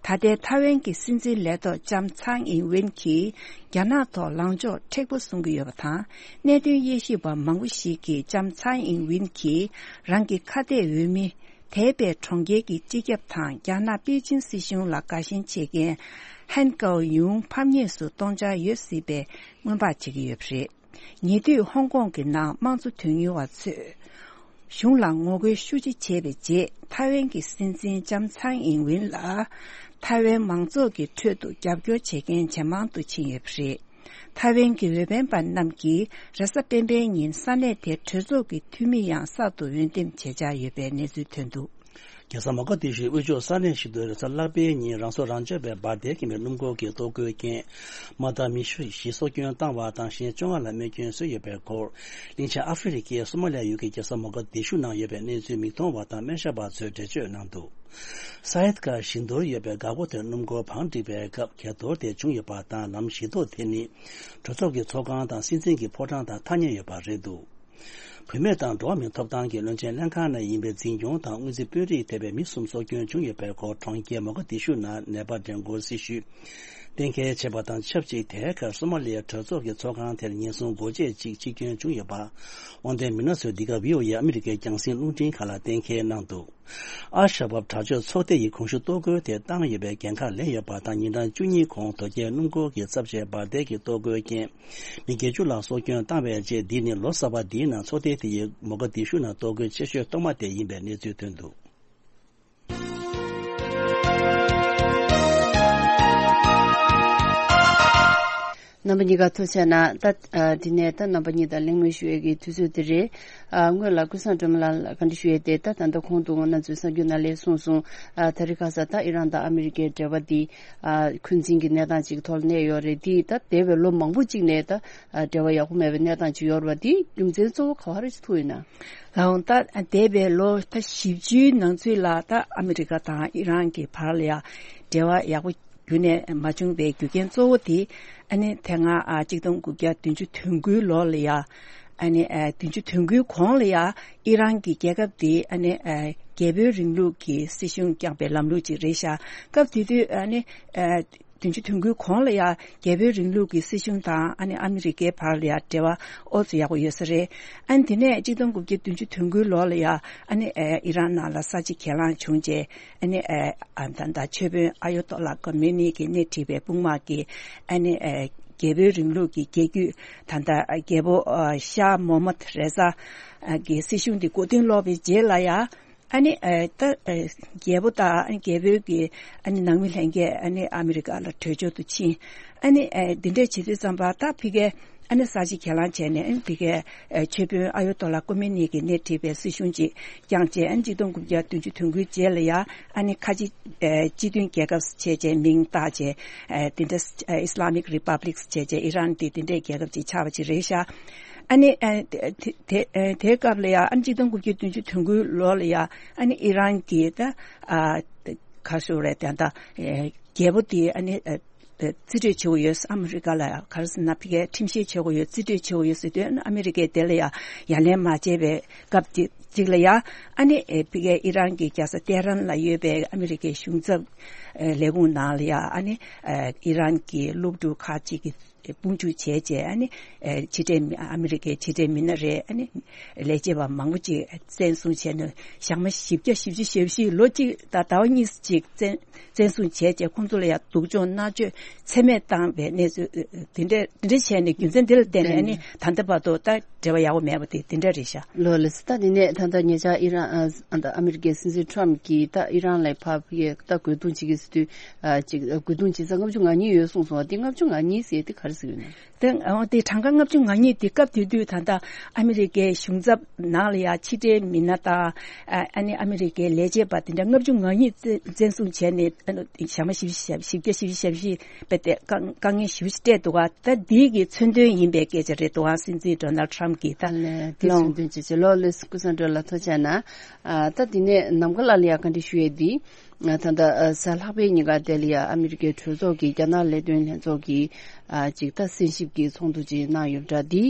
ད་ལྟའི་ཐའེ་ཝན་གྱི་སྲིད་འཛིན་ལས་ཐོག་ལྕམ་ཚའེ་ཨིན་ཝིན་གྱིས་རྒྱ་ནག་ཐོག་ལངས་ཕྱོགས་མཁྲེགས་པོ་བཟུང་གི་ཡོད་པ་དང་། གནད་དོན་དབྱེ་ཞིབ་པ་མང་པོ་ཞིག་གིས་ལྕམ་ཚའེ་ཨིན་ཝིན་གྱིས་རང་གི་ཁ་གཏད་འོས་མི། ཐའེ་པེ་གྲོང་ཁྱེར་གྱི་སྤྱི་ཁྱབ་དང་རྒྱ་ནག་པེ་ཅིན་སྲིད་གཞུང་ལ་དགའ་ཞེན་བྱེད་མཁན་ཧན་ཀའོ་ཡུང་ཕམ་ཉེས་སུ་གཏོང་འཆར་ཡོད་སྲིད་པའི་སྔོན་དཔག་བྱེད་ཀྱི་ཡོད་པ་རེད། ཉེ་དུས་ཧོང་ཀོང་གི་ནང་དམངས་གཙོ་དོན་གཉེར་བ་ཚོས་གཞུང་ལ་ངོ་རྒོལ་ཤུགས་ཆེ་བྱས་པའི་རྗེས། ཐའེ་ཝན་གྱི་སྲིད་འཛིན་ལྕམ་ཚའེ་ཨིན་ཝིན་ལ་ཐའེ་ཝན་མང་ཚོགས་ཀྱི་ཁྲོད་དུ་རྒྱབ་སྐྱོར་བྱེད་མཁན་ཇེ་མང་དུ་ཕྱིན་ཡོད་པ་རེད། ཐའེ་ཝན་གྱི་འོས་འཕེན་པ་རྣམས་ཀྱིས་རེས་གཟའ་སྤེན་པའི་ཉིན་ས་གནས་དེར་གྲོས་ཚོགས་ཀྱི་འཐུས་མི་ཡང་གསར་དུ་འོས་འདེམས་བྱེད་འཆར་ཡོད་པའི་གནས་ཚུལ་ཐོན་འདུག་རྒྱལ་ས་མོ་ག་དི་ཤུའི་དབུས་ཕྱོགས་ས་གནས་ཤིག་ཏུ་རེས་གཟའ་ལྷག་པའི་ཉིན་རང་སྲོག་རང་གཅོད་པའི་འབར་མདེལ་འཁེལ་བའི་སྣུམ་འཁོར་གྱི་གཏོར་རྒོལ་རྐྱེན། དམག་དར་མི་བཞི་སྲོག་སྐྱོན་བཏང་བ་དང་གཞན་བཅོ་ལྔ་ལ་རྨས་སྐྱོན་བཟོས་ཡོད་པའི་སྐོར། གླིང་ཆེན་ཨ་ཧྥེ་རི་ཁའི་སོ་མ་ལི་ཡ་ཡུལ་གྱི་རྒྱལ་ས་མོ་ག་དི་ཤུ་ནང་ཡོད་པའི་གནས་ཚུལ་མིག་མཐོང་བ་དང་སྨན་ཞབས་པ་ཚོས་འགྲེལ་བརྗོད་གནང་འདུག་ས་ཡད་ཀར་བཞི་མདོར་ཡོད་པའི་འགག་སྒོ་དེར་སྣུམ་འཁོར་བང་བསྒྲིགས་པའི་སྐབས་འགས་གཏོར་དེ་བྱུང་ཡོད་པ་དང་། ལམ་བཞི་ཐོག་དེ་ནི་གྲོས་ཚོགས་ཀྱི་ཚོགས་ཁང་དང་སྲིད་འཛིན་གྱི་ཕོ་བྲང་དང་ཐག་ཉེ་ཡོད་པ་རེད་འདུག་བུད་མེད་དང་འགྲོ་བ་མིའི་ཐོབ་ཐང་གི་བློན་ཆེན་ལྷན་ཁང་ནས་ཡིན་པའི་འཛིན་སྐྱོང་དང་སྔོན་རྩིས་དཔོན་རིགས་ཐེ་བའི་མི་གསུམ་སྲོག་སྐྱོན་བྱུང་ཡོད་པའི་སྐོར། གྲོང་ཁྱེར་མོ་ག་དི་ཤུ་ནང་ནད་པ་འགྲན་སྐོར་སྲི་ཞུ་གཏན་འཁེལ་བྱས་པ་དང་ཆབས་ཅིག་དེའི་ཁར་སོ་མ་ལི་ཡའི་གྲོས་ཚོགས་ཀྱི་ཚོགས་ཁང་དེར་ཉེན་སྲུང་སྒོ་འབྱེད་ཅིག་འཆི་སྐྱོན་བྱུང་ཡོད་པ། དབང་ལྡན་མི་སྣ་ཚོས་འདི་ག་བྷི་ཨོ་ཨེ་ཨ་མི་རི་ཀའི་རྒྱང་སྲིང་རླུང་འཕྲིན་ཁང་ལ་གཏན་འཁེལ་གནང་འདུག་ཨལ་ཤ་བབ་དྲག་སྤྱོད་ཚོགས་སྡེ་ཡིས་གོང་ཞུ་གཏོར་རྒོལ་དེ་བཏང་ཡོད་པའི་འགན་ཁག་ལེན་ཡོད་པ་དང་། ཉིན་གྲངས་བཅུ་གཉིས་གོང་དོལ་རྒྱལ་སྣུམ་འཁོར་གྱི་ཚབས་ཆེའི་འབར་མདེལ་གྱི་གཏོར་རྒོལ་རྐྱེན་མི་བརྒྱད་ཅུ་ལ་སྲོག་སྐྱོན་བཏང་བའི་རྗེས། འདི་ནི་ལོ་གསར་པ་འདིའི་ནང་ཚོགས་སྡེ་དེ་ཡིས་མོ་ག་དི་ཤུ་ནང་གཏོར་རྒོལ་ཆེ་ཤོས་ཐོག་མ་དེ་ཡིན་པའི་གནས་ཚུལ་ཐོན་འདུག་རྣམ་པ་གཉིས་ཀ་ཐུགས་རྗེ་གནང་། ད་ཨ་དེ་ནས་ད་རྣམ་པ་གཉིས་དང་གླེང་མོལ་ཞུ་ཡས་ཀྱི་དུས་ཚོད་དེ་རེད། ཨ་སྔོན་ལ་ཀུན་བཟང་སྒྲོལ་མ་ལགས་ལ་བཀའ་འདྲི་ཞུ་ཡས་དེ། ད་ད་ལྟ་གོང་དུ་ང་ཚོའི་གསར་འགྱུར་ནང་ལ་གསུངས་སོང་། ཨ་ད་རེས་ཁ་སང་ད་ཨི་རན་དང་ཨ་མི་རི་ཀའི་འབྲེལ་བ་འདི་ཨ་འཁོན་འཛིན་གྱི་གནས་སྟངས་ཅིག་ཐོག་ལ་གནས་ཡོད་རེད། འདི་ད་འདས་པའི་ལོ་མང་པོ་ཅིག་ནས་ད་ཨ་འབྲེལ་བ་ཡག་པོ་མེད་པའི་གནས་སྟངས་ཅིག་ཡོད་རེད་པ། འདི་རྒྱུ་མཚན་གཙོ་བོ་ག་བ་རེ་ཅིག་ཐུག་ཡོད་ན། ལགས་འོང་། ད་འདས་པའི་ལོ་ད་བཞི་བཅུའི་ནང་ཚུད་ལ་ད་ཨ་མི་རི་ཀ་དང་ཨི་རན་གྱི་བར་ལ་ཡ་འབྲེལ་བ་ཡག་པོ་རྒྱུན་ནས་མ་བྱུང་བའི་རྒྱུ་རྐྱེན་གཙོ་བོ་དེ། ཨ་ནི་དེ་སྔ་ཨ་གཅིག་སྟོང་དགུ་བརྒྱ་བདུན་ཅུ་དོན་དགུའི་ལོ་ལ་ཡ། ཨ་ནི་ཨ་བདུན་ཅུ་དོན་དགུའི་གོང་ལ་ཡ་ཨི་རན་གྱི་རྒྱལ་ཁབ་དེ་ཨ་ནི་ཨ་རྒྱལ་པོའི་རིང་ལུགས་ཀྱི་སྲིད་གཞུང་བསྐྱངས་པའི་ལམ་ལུགས་ཅིག་རེད་ཤག་སྐབས་དེ་དུས་ཨ་ནི་ཨ་བདུན་ཅུ་དོན་དགུའི་གོང་ལ་ཡ་རྒྱལ་པོའི་རིང་ལུགས་ཀྱི་སྲིད་གཞུང་དང་ཨ་ནི་ཨ་མི་རི་ཀའི་བར་ལ་ཡ་འབྲེལ་བ་ཨོ་ཙམ་ཡག་པོ་ཡོད་ས་རེད། ཨ་ནི་དེ་ནས་གཅིག་སྟོང་དགུ་བརྒྱ་བདུན་ཅུ་དོན་དགུའི་ལོ་ལ་ཡ་ཨ་ནི་ཨ་ཨི་རན་ནང་ལ་ས་བྱི་གྱེན་ལངས་བྱུང་རྗེས། ཨ་ནི་ཨ་ཨ་ད་ད་ཆོས་དཔོན་ཨ་ཡོ་ཏོ་ལ་ཁོ་མེ་ནི་གིས་སྣེ་ཁྲིད་པའི་དཔུང་དམག་གིས་ཨ་ནི་ཨ་ རྒྱལ་པོའི་རིང་ལུགས་ཀྱི་རྒྱལ་བརྒྱུད་ད་ལྟ་རྒྱལ་པོ་ཨ་ཤཱ་མོ་མད་རེ་ཛ་ཨ་གི་སྲིད་གཞུང་དེ་མགོ་རྟིང་སློག་པའི་རྗེས་ལ་ཡ། ཨ་ནི་ཨ་ད་ཨ་རྒྱལ་པོ་དང་ཨ་ནི་རྒྱལ་པོའི་གི་ཨ་ནི་ནང་མི་ལྷན་རྒྱས་ཨ་ནི་ཨ་མི་རི་ཀ་ལ་བྲོས་བྱོལ་དུ་ཕྱིན། ཨ་ནི་ཨ་འདི་འདྲས་བྱེད་དུས་ཙམ་པ་ད་ཕི་གའི་ཨ་ནི་ས་བྱི་གྱེན་ལངས་བྱས་ནས་ཨ་ནི་ཕི་གའི་ཨ་ཆོས་དཔོན་ཨ་ཡོ་ཏོ་ལ་ཀོ་མེ་ནི་གིས་སྣེ་ཁྲིད་པའི་སྲིད་གཞུང་ཅིག་བསྐྱངས་བྱས། ཨ་ནི་གཅིག་སྟོང་དགུ་བརྒྱ་བདུན་ཅུ་དོན་དགུའི་རྗེས་ལ་ཡ་ཨ་ནི་ཁ་ཆེ་ཨ་སྤྱི་མཐུན་རྒྱལ་ཁབ་བྱས་བྱས་མིང་བཏགས་བྱས་ཨ་འདི་འདྲ་ཨ་Islamic Republics་བྱས་བྱས་ཨི་རན་དེ་འདི་འདྲའི་རྒྱལ་ཁབ་ཅིག་ཆགས་པ་ཅིག་རེད་ཤག་ཨ་ནི་ཨ་དེ་དེ་དེ་དེའི་སྐབས་ལ་ཡ་ཨ་ནི་གཅིག་སྟོང་དགུ་བརྒྱ་བདུན་ཅུ་དོན་དགུའི་ལོ་ལ་ཡ་ཨ་ནི་ཨི་རན་གྱི་ད་ཨ་ག་ཞུ་རེད་དེ་ད་ཨ་རྒྱལ་པོ་དེ་ཨ་ནི་ཨ་རྩིས་སྤྲོད་བྱེད་དགོས་ཡོད། ཨ་མི་རི་ཀ་ལ་ཡ་ག་རེ་ཟེར་ན་ཕ་གིའི་ཁྲིམས་བཤེར་བྱེད་དགོས་ཡོད། རྩིས་སྤྲོད་བྱེད་དགོས་ཡོད་ཟེར་དུས་ཨ་མི་རི་ཀས་དེ་ལ་ཡ་ཡ་ལན་མ་བྱས་པའི་སྐབས་དེ་གཅིག་ལ་ཡ་ཨ་ནི་ཨེ་ཕ་གིའི་ཨི་རན་གྱི་རྒྱལ་ས་ཏེ་ཧ་རན་ལ་ཡོད་པའི་ཨ་མི་རི་ཀའི་གཞུང་ཚབ་ཨེ་ལས་ཁུངས་ནང་ལ་ཡ་ཨ་ནི་ཨེ་ཨི་རན་གྱི་སློབ་ཕྲུག་ཁག་ཅིག་གིས་དཔུང་འཇུག་བྱས་རྗེས་ཨ་ནི་ཨེ་ཕྱི་འབྲེལ་མི་ཨ་མི་རི་ཀའི་ཕྱི་འབྲེལ་མི་སྣ་རེད། ཨ་ནི་ལས་བྱེད་པ་མང་པོ་ཅིག་བཙན་བཟུང་བྱས་ནས་ཞག་མ་བཞི་བརྒྱ་བཞི་བཅུ་ཞེ་བཞི་ལོ་གཅིག་དང་ཟླ་བ་གཉིས་ཅིག་བཙན་བཙན་བཟུང་བྱས་རྗེས་ཁོང་ཚོ་ལ་ཡང་སྡུག་སྦྱོང་མནར་གཅོད་ཚད་མེད་བཏང་བའི་གནས་ཚུལ་དེ་འདྲ་དེ་འདྲ་བྱས་ནས་རྒྱུ་མཚན་དེ་ལ་བརྟེན་ནས་ཨ་ནི་ད་ལྟ་བར་དུ་ད་འབྲེལ་བ་ཡག་པོ་མེད་པ་དེ་དེ་འདྲ་རེད་ཤག་ལོ་ལེ་སི་ད་དེ་ནས་ད་ལྟ་ཉེ་ཆར་ཨི་རན་ཨ་ཨ་ཨ་མི་རི་ཀའི་སྲིད་འཛིན་ཁྲམ་གྱིས་ད་ཨི་རན་ལ་ཕར་ཕ་གིར་ད་རྒོལ་རྡུང་བྱེད་ཀྱི་ཟེར་དུས་ཨ་ཅིག་རྒོལ་རྡུང་བྱེད་ས་ལྔ་བཅུ་ང་གཉིས་ཡོད་གསུངས་སོང་བ། དེ་ལྔ་བཅུ་ང་གཉིས་ཟེར་དེ་ག་རེ་ཟེར་ཡོད་ན། དེ་འོ་དེ་གྲངས་ཀ་ལྔ་བཅུ་ང་གཉིས་དེ་སྐབས་དེ་དུས་ད་ལྟ་ཨ་མི་རི་ཀའི་གཞུང་ཚབ་ནང་ལ་ཡ་ཕྱི་འབྲེལ་མི་སྣ་དང་ཨ་ཨ་ནི་ཨ་མི་རི་ཀའི་ལས་བྱེད་པ་དེ་འདྲ་ལྔ་བཅུ་ང་གཉིས་བཙན་བཙན་བཟུང་བྱས་ནས་ཨ་ནི་ཞག་མ་བཞི་བཅུ་ཞེ་བཞི་བརྒྱ་བཞི་བཅུ་ཞེ་བཞི་པའི་དེ་དཀའ་དཀའ་ངལ་ཞེ་པོ་ཞིག་སྤྲད་འདུག་ག་ད་འདི་གི་མཚོན་དོན་ཡིན་པའི་སྐད་ཆ་རེད་འདུག་ག་སྲིད་འཛིན་ཌོ་ནལ་ཁྲམ་གྱིས་ད་ཨ་ལས་དེ་ལོ་མཚོན་དོན་ཅི་ཅི་ལོ་ལེ་སི་ཀུ་སན་ཏྲོ་ལ་ཐུགས་རྗེ་ཆེ་གནང་། ཨ་ད་དེ་ནས་ནམ་མཁའ་ལགས་ལ་ཡ་བཀའ་འདྲི་ཞུ་ཡས་འདི། ད་ལྟ་གཟའ་ལྷག་པའི་ཉིན་ཀ་དེ་ལ་ཡ་ཨ་མི་རི་ཀའི་གྲོས་ཚོགས་ཀྱི་རྒྱ་ནག་ལས་དོན་ལྷན་ཚོགས་ཀྱི་ཨ་ཅིག་ད་གསན་ཞིབ་ཀྱི་ཚོགས་འདུ་ཅིག་གནང་ཡོད་པ་འདྲ། འདི་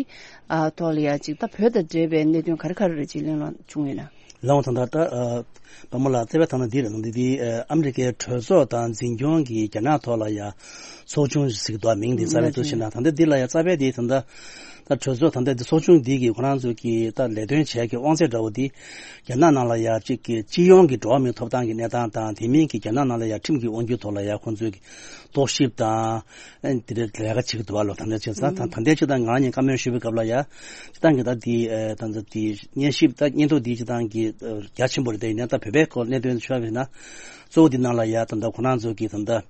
ཨ་ཐོག་ལ་ཡ་ཅིག་ད་བོད་དང་འབྲེལ་བའི་གནད་དོན་ག་རེ་ག་རེ་རེ་ཅིག་གླེང་སློང་བྱུང་ཡོད་ན། ལགས་འོང་། ད་ལྟ་ད་ཨ་པདྨ་ལགས་རྩ་བའི་ཐ་ན་འདི་རེད། ད་འདི་འདི་ཨ་ཨ་མི་རི་ཀའི་གྲོས་ཚོགས་དང་འཛིན་སྐྱོང་གི་རྒྱ་ནག་ཐོག་ལ་ཡ་ཚོགས་ཆུང་ཞིག་འདུག་མིང་འདི་རྩ་བའི་ཐུགས་ཞེ་གནང་། ད་ལྟ་འདི་ལ་ཡ་རྩ་བའི་འདི་ད་ལྟ་ད་གྲོས་ཚོགས་ད་ལྟ་འདི་ཚོགས་ཆུང་འདི་གི་ཁོ་རང་ཚོ་གི་ད་ལས་དོན་བྱེད་ཀྱི་དབང་ཚད་འདྲ་བོ་འདི་རྒྱ་ནག་ནང་ལ་ཡ་གཅིག་གི་སྤྱི་ཡོངས་ཀྱི་འགྲོ་བ་མིའི་ཐོབ་ཐང་གི་གནས་སྟངས་དང་དེ་མིན་གྱི་རྒྱ་ནག་ནང་ལ་ཡ་ཁྲིམས་ཀྱི་དབང་སྒྱུར་ཐོག་ལ་ཡ་ཁོང་ཚོས་ཀྱི་རྟོག་ཞིབ་དང་ཨ་ནི་དེ་འདྲའི་ལས་ཀ་བྱེད་ཀྱི་འདུག་བ་ལོ། ད་ལྟའི་ཆ་ཚང་ད་ད་ལྟའི་ཆ་ཚང་ང་རང་གཉིས་བཀའ་མོལ་ཞུས་པའི་སྐབས་ལ་ཡ་སྤྱིར་བཏང་གི་ད་འདི་ཨ་ད་ད་འདི་སྙན་ཞིབ་ད་སྙན་ཐོ་འདི་སྤྱིར་བཏང་གི་ཨ་རྒྱ་ཆེན་པོ་རེད། དེ་ཡིན་ན་ད་བོད་པའི་སྐོར་གནད་དོན་ཤོད་པ་ཡིན་ན་གཙོ་བོ་འདི་ནང་ལ་ཡ་ད་ད་ཁོ་རང་ཚོ་གི་ད་ད་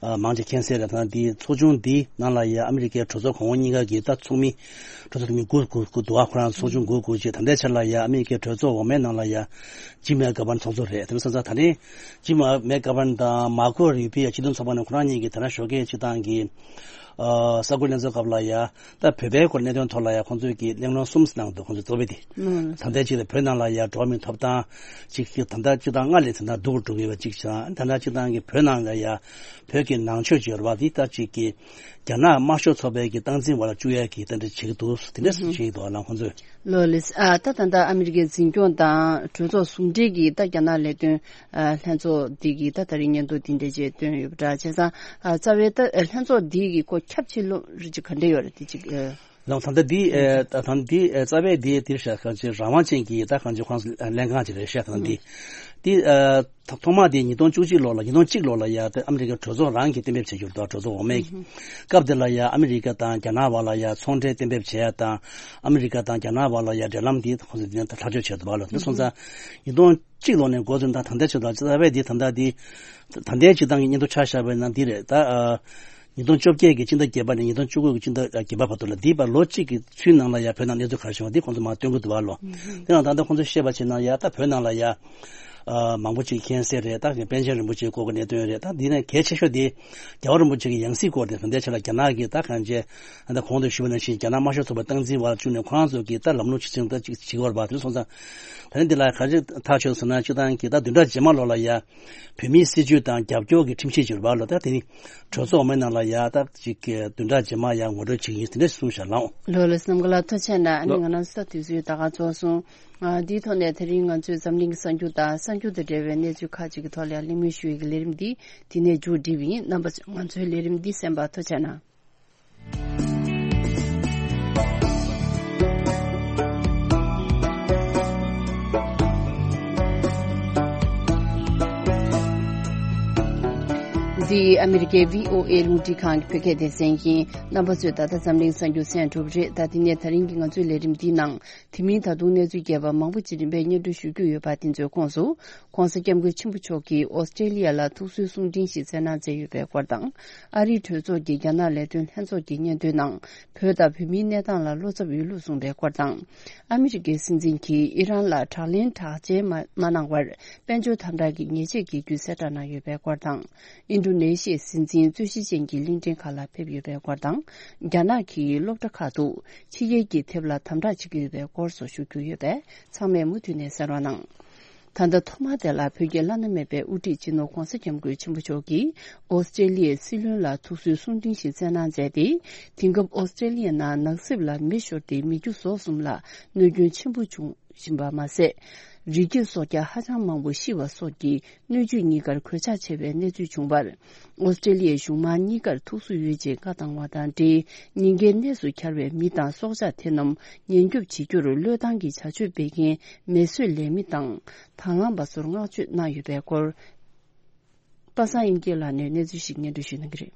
ཨ་མང་ཆེ་མཁྱེན་གསལ་རེད། ད་འདི་ཚོགས་ཆུང་འདི་ནང་ལ་ཡ་ཨ་མི་རི་ཀའི་གྲོས་ཚོགས་གོང་འོག་གཉིས་ཀ་གི་ད་ཚོགས་མི་གྲོས་ཚོགས་འཐུས་མི་དགུ་དགུ་དགུ་འདུག་བ། ཁོ་རང་ཚོགས་ཆུང་དགུ་དགུ་བྱས། ད་ལྟའི་ཆར་ལ་ཡ་ཨ་མི་རི་ཀའི་གྲོས་ཚོགས་འོག་མའི་ནང་ལ་ཡ་ཇིམ་མེག་གྷ་བྷན་ཚོགས་གཙོ་རེད། དེ་མིན་སོང་ཙང་ད་ནི་ཇིམ་མེག་གྷ་བྷན་དང་མར་ཁོ་རུ་པི་ཡ་སྤྱི་མཐུན་ཚོགས་པ་ནས་ཁོ་རང་གཉིས་ཀྱིས་དེ་རིང་ཞོགས་ཀས་སྤྱིར་བཏང་གི་ཨ་གསར་འགོད་ལྷན་ཚོགས་སྐབས་ལ་ཡ་ད་བོད་པའི་སྐོར་གནད་དོན་ཐོག་ལ་ཡ་ཁོང་ཚོས་ཀྱི་གླེང་སློང་གསུམ་གནང་འདུག་ཁོང་ཚོས་གཙོ་བོ་དེ་ད་ལྟའི་ཆ་ལ་བོད་ནང་ལ་ཡ་འགྲོ་བ་མིའི་ཐོབ་ཐང་ཅིག་ད་ལྟ་སྤྱིར་བཏང་སྔར་ལས་ད་ལྟ་སྡུག་རུ་འགྲོ་གི་ཡོད་པ་གཅིག་བྱས། ད་ལྟ་སྤྱིར་བཏང་གི་བོད་ནང་ལ་ཡ་བོད་ཀྱི་ནང་ཆོས་ཀྱི་རེད་བ། འདི་ལྟ་ཅིག་གི་རྒྱ་ནག་དམར་ཤོག་ཚོགས་པའི་གི་སྟངས་འཛིན་འོག་ལ་བཅུག་ཡས་ཀྱི་ད་འདྲ་བྱེད་ཀྱི་འདུག་དེ་འདྲ་བྱེད་ཀྱི་འདུག་ལ་ཁོང་ཚོས། ལོ་ལེ་སི་ཨ་ད་ད་ལྟ་ཨ་མི་རི་ཀའི་འཛིན་སྐྱོང་དང་གྲོས་ཚོགས་ཟུང་འབྲེལ་གྱིས་ད་རྒྱ་ནག་ལས་དོན་ཨ་ལྷན་ཚོགས་འདི་གིས་ད་ད་རེས་སྙན་ཐོ་འདི་འདྲ་བྱས་བཏོན་ཡོད་པ་འདྲ། བྱས་ཙང་ཨ་རྩ་བའི་ད་ལྷན་ཚོགས་འདི་གི་སྐོར་ཁྱབ་ཆེ་ལོ་རེ་ཅིག་ག་འདྲ་ཡོད་རེད་དེ་ཅིག་ཨ། ལགས་ད་ལྟ་འདི་ཨ་ད་ད་འདི་ཨ་རྩ་བའི་འདི་འདིར་བཞག་གང་ཅི་རང་དབང་ཅན་གྱི་ད་གང་ཅི་ཁོང་ཚོ་ལྷན་ཁང་ཅིག་རེད་བཞག་ད་འདི་འདི་ཨ་ཐོག་མ་དེ་ཉིས་སྟོང་བཅུ་གཅིག་ལོ་ལ་ཉིས་སྟོང་གཅིག་ལོ་ལ་ཡ་དེ་ཨ་མི་རི་ཀའི་གྲོས་ཚོགས་རང་གིས་གཏན་འབེབས་བྱས་ཡོད་དོ། གྲོས་ཚོགས་འོག་མའི་སྐབས་དེ་ལ་ཡ་ཨ་མི་རི་ཀ་དང་རྒྱ་ནག་བར་ལ་ཡ་ཚོང་འབྲེལ་གཏན་འབེབས་བྱས་ཡ་དང་ཨ་མི་རི་ཀ་དང་རྒྱ་ནག་བར་ལ་ཡ་འབྲེལ་ལམ་འདི་ཁོང་ཚོས་འདི་ནས་ཐག་གཅོད་བྱས་འདུག་བ་ལོ། དེ་སོང་ཙང་ཉིས་སྟོང་གཅིག་ལོ་ནས་འགོ་བཙུགས་ད་ད་ལྟའི་ཆ་ལ་རྩ་བའི་འདི་ད་ལྟ་འདི་ད་ལྟའི་སྤྱིར་བཏང་གི་སྙན་ཐོ་ཆ་བཞག་པ་ཡིན་ན་འདི་རེད་ད། ཉིས་སྟོང་བཅོ་བརྒྱད་ཀྱི་སྤྱི་ཟླ་བརྒྱད་པ་ནས་ཉིས་སྟོང་བཅུ་དགུ་གི་སྤྱི་ཟླ་བརྒྱད་པ་བར་དུ་ལ་འདི་བར་ལོ་གཅིག་གི་ཚུན་ནང་ལ་ཡ་བོད་ནང་གནས་ཚུལ་ག་རེ་བྱུང་བ་འདི་ཁོང་ཚོ་མར་སྟོན་གྱི་འདུག་བ་ལོ། དེ་ནང་ད་ལྟ་ཁོང་ཚོས་བཤད་པ་བྱས་ན་ཡ་ད་བོད་ནང་ལ་ཡ་མང་པོ་ཅིག་མཁྱེན་གསལ་རེད། ད་པཎ་ཆེན་རིན་པོ་ཆེའི་སྐོར་གྱི་གནད་དོན་རེད། ད་འདི་ནས་གལ་ཆེ་ཤོས་དེ་རྒྱལ་བ་རིན་པོ་ཆེ་གི་ཡང་སྲིད་སྐོར་དེ་ད་ལྟའི་ཆ་ལ་རྒྱ་ནག་གིས་ད་གང་བྱས་ད་གོང་དུ་ཞུས་པ་ནང་བཞིན་རྒྱ་ནག་དམར་ཤོག་ཚོགས་པ་སྟངས་འཛིན་འོག་ལ་བཅུག་ནས་ཁོ་རང་ཚོ་གིས་ད་ལམ་ལུགས་ཇི་བཞིན་ད་ཅིག་བྱེད་ཀྱི་ཡོད་རེད་པ། དེ་སོང་ཙང་ད་ནི་འདི་ལ་ག་རེ་ཐག་ཆོད་ཟེར་ན་སྤྱིར་བཏང་གི་ད་བདུན་ཕྲག་རྗེས་མ་ལོ་ལ་ཡ། བོད་མིའི་སྲིད་བྱུས་དང་རྒྱབ་སྐྱོར་གྱི་ཁྲིམས་གཞི་བསྒྱུར་བ་ལོ། ད་དེ་ནི་གྲོས་ཚོགས་འོག་མའི་ནང་ལ་ཡ་ད་ཅིག་གི་བདུན་ཕྲག་རྗེས་མ་ཡ་ངོ་སྤྲོད་བྱེད་ཀྱི་ཡིན་དེ་འདྲ་གསུངས་བཞག་ལགས། ལོ་ལ་སྣམ་ག་ལ་ཐུགས་རྗེ་ཆེ་གནང་། ཨ་ནི་ལོ། ང་རང་ཚོ་ད་དུས་ཚོད་ད་ག་རྫོགས་སོང་། ཨ་འདིའི་ཐོག་ནས་དེ་རིང་ང་ཚོས་འཛམ་གླིང་གི་གསར་འགྱུར་དང་གསར་འགྱུར་དང་འབྲེལ་བའི་གནས་ཚུལ་ཁག་ཅིག་གི་ཐོག་ལ་ཡང་གླེང་མོལ་ཞུ་ཡས་ཀྱི་ལས་རིམ་འདི་འདི་ནས་མཇུག་སྒྲིལ་བ་ཡིན། རྣམ་པ་ཚོས་ང་ཚོའི་ལས་རིམ་འདི་གསན་པར་ཐུགས་རྗེ་ཆེ་གནང་། འདི་ཨ་མི་རི་ཀའི་བྷི་ཨོ་ཨེ་རླུང་འཕྲིན་ཁང་གི་བོད་སྐད་སྡེ་ཚན་ཡིན། རྣམ་པ་ཚོས་ད་ལྟ་འཛམ་གླིང་གསར་འགྱུར་གསན་གྲུབ་རེད། ད་དེ་ནས་ད་རིང་གི་ང་ཚོའི་ལས་རིམ་འདིའི་ནང་། དེ་མིན་ད་དུང་གནས་ཚུལ་རྒྱས་པ་མང་པོ་ཅིག་རིམ་པས་སྙན་སྒྲོན་ཞུ་རྒྱུ་ཡོད་པ་དེ་ཚོའི་ཁོངས་སུ། ྋགོང་ས་ྋསྐྱབས་མགོན་ཆེན་པོ་མཆོག་གིས་ཨོ་སི་ཀྲེ་ལི་ཡ་ལ་ཐུགས་གསོའི་གསུང་འཕྲིན་ཞིག་སྩལ་གནང་མཛད་ཡོད་པའི་སྐོར་དང་། ཨ་རིའི་གྲོས་ཚོགས་ཀྱི་རྒྱ་ནག་ལས་དོན་ལྷན་ཚོགས་ཀྱི་སྙན་ཐོའི་ནང་། བོད་དང་བོད་མིའི་གནས་སྟངས་ལ་བློ་འཚབ་ཡོད་ལུགས་གསུངས་པའི་སྐོར་དང་། ཨ་མི་རི་ཀའི་སྲིད་འཛིན་གྱིས་ཨི་རན་ལ་དྲག་ལན་དྲག་ཅན་མ་མ་གནང་བར། དཔལ་འབྱོར་དམ་དྲག་གི་ཉེས་ཆད་འགེལ་རྒྱུའི་གསལ་བསྒྲགས་གནང་ཡོད་པའི་སྐོར་དང་། ཨིན་ཌོ་ནེ་ཤི་ཡའི་སྲིད་འཛིན་རྩོད་གཞི་ཅན་གྱི་གླིང་ཕྲན་ཁག་ལ་ཕེབས་ཡོད་པའི་སྐོར་དང་། རྒྱ་ནག་གིས་སློབ་གྲྭ་ཁག་ཏུ་ཕྱི་རྒྱལ་གྱི་དེབ་ལ་དམ་དྲག་བྱེད་ཀྱི་ཡོད་པའི་སྐོར་སོགས་ཞུ་རྒྱུ་ཡོད་པས། ཚང་མས་མུ་མཐུད་ནས་གསན་རོགས་གནང་། ད་ལྟ་ཐོག་མ་དེ་ལ་བོད་ཀྱི་བླ་ན་མེད་པའི་དབུ་ཁྲིད་སྤྱི་ནོར་ྋགོང་ས་ྋསྐྱབས་མགོན་ཆེན་པོ་མཆོག་གིས་ཨོ་སི་ཀྲེ་ལི་ཡའི་སྲིད་བློན་ལ་ཐུགས་གསོའི་གསུང་འཕྲིན་ཞིག་སྩལ་གནང་མཛད་དེ། དེང་སྐབས་ཨོ་སི་ཀྲེ་ལི་ཡའི་ནང་ནགས་གསེབ་ལ་མེ་ཤོར་ཏེ་མི་རྒྱུ་ཟོག་གསུམ་ལ་གནོད་སྐྱོན་ཆེན་པོ་བྱུང་བཞིན་པ་མ་ཟད། རི་སྐྱེས་སྲོག་ཆགས་ཧ་ཅང་མང་པོ་ཤི་བ་སོགས་ཀྱི་སྣོད་བཅུད་གཉིས་ཀར་གོད་ཆག་ཆེ་བའི་གནས་ཚུལ་བྱུང་བར། ཨོ་སི་ཀྲེ་ལི་ཡའི་གཞུང་མང་གཉིས་ཀར་ཐུགས་སུན་ཡོད་ཅེས་བཀའ་བཏང་བ་དང་འབྲེལ། ཉེན་ཁའི་གནས་སུ་གྱར་བའི་མི་དང་སྲོག་ཆགས་དེ་རྣམས་ཉེན་སྐྱོབ་བྱེད་རྒྱུར་བློས་བཏང་གིས་བྱ་སྤྱོད་སྤེལ་མཁན་མེ་གསོད་ལས་མི་དང་དང་བླངས་པ་ཚོར་བསྔགས་བརྗོད་གནང་ཡོད་པའི་སྐོར། པ་སངས་དབྱངས་སྐྱིད་ལགས་ནས་གནས་ཚུལ་ཞིག་སྙན་སྒྲོན་ཞུ་གནང་གི་རེད།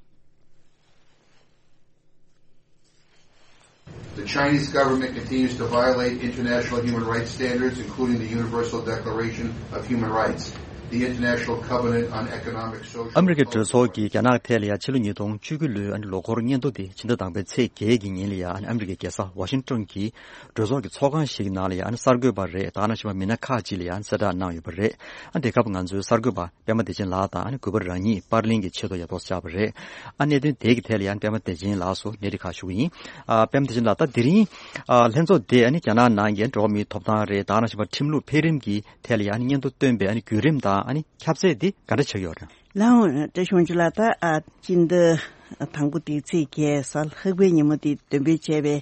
The Chinese government continues to violate international human rights standards, including the Universal Declaration of Human Rights, the International Covenant on Economic, Social, ཨ་མི་རི་ཀའི་གྲོས་ཚོགས་ཀྱིས་རྒྱ་ནག་ཐད་ལ་ཡང་ཕྱི་ལོ་ཉིས་སྟོང་བཅུ་དགུ་ལོའི་ཨ་ནི་ལོ་འཁོར་སྙན་ཐོ་དེ་ཕྱི་ཟླ་དང་པོའི་ཚེས་བརྒྱད་ཀྱི་ཉིན་ལ་ཡང་ཨ་ནི་ཨ་མི་རི་ཀའི་རྒྱལ་ས་ཝ་ཤིང་ཊོན་གྱི་གྲོས་ཚོགས་ཀྱི་ཚོགས་ཁང་ཞིག་ནང་ལ་ཡང་ཨ་ནི་གསར་འགོད་པ་རེད། ད་ག་ནང་བཞིན་པ་མི་སྣ་ཁག་ཅིག་ལ་ཡང་གསལ་བསྒྲགས་གནང་ཡོད་པ་རེད། ཨ་དེ་སྐབས་ང་ཚོའི་གསར་འགོད་པ་པད་མ་བདེ་ཆེན་ལགས་དང་ཨ་ནི་གུས་པ་རང་ཉིད་པར་ལེན་གྱི་ཆེད་དུ་ཡ་ཏོག་བཅར་བ་རེད། ཨ་གནད་དོན་དེ་གི་ཐད་ལ་ཡང་པད་མ་བདེ་ཆེན་ལགས་སུ་གནས་འདྲི་ཁག་ཞུ་གི་ཡིན། ཨ་པད་མ་བདེ་ཆེན་ལགས། ད་དེ་རིང་ཨ་ལྷན་ཚོགས་དེ་ཨ་ནི་རྒྱ་ནག་ནང་གི་འགྲོ་བ་མིའི་ཐོབ་ཐང་རེད། ད་ག་ནང་བཞིན་པ་ཁྲིམས་ལུགས་འཕེལ་རིམ་གྱི་ཐད་ལ་ཡང་ཨ་ནི་སྙན་ཐོ་བཏོན་པའི་ཨ་ནི་བརྒྱུད་རིམ་དང་ཨ་ནི་ཁྱབ་ཚད་དེ་ག་འདྲ་ཆགས་ཡོད་རེད། ལགས་འོང་། བཀྲ་ཤིས་དབང་ཕྱུག་ལགས། ད་ཨ་སྤྱི་ཟླ་དང་པོ་དེའི་ཚེས་བརྒྱད་གཟའ་ལྷག་པའི་ཉིན་མོ་དེ་འདོན་སྤེལ་བྱས་པའི་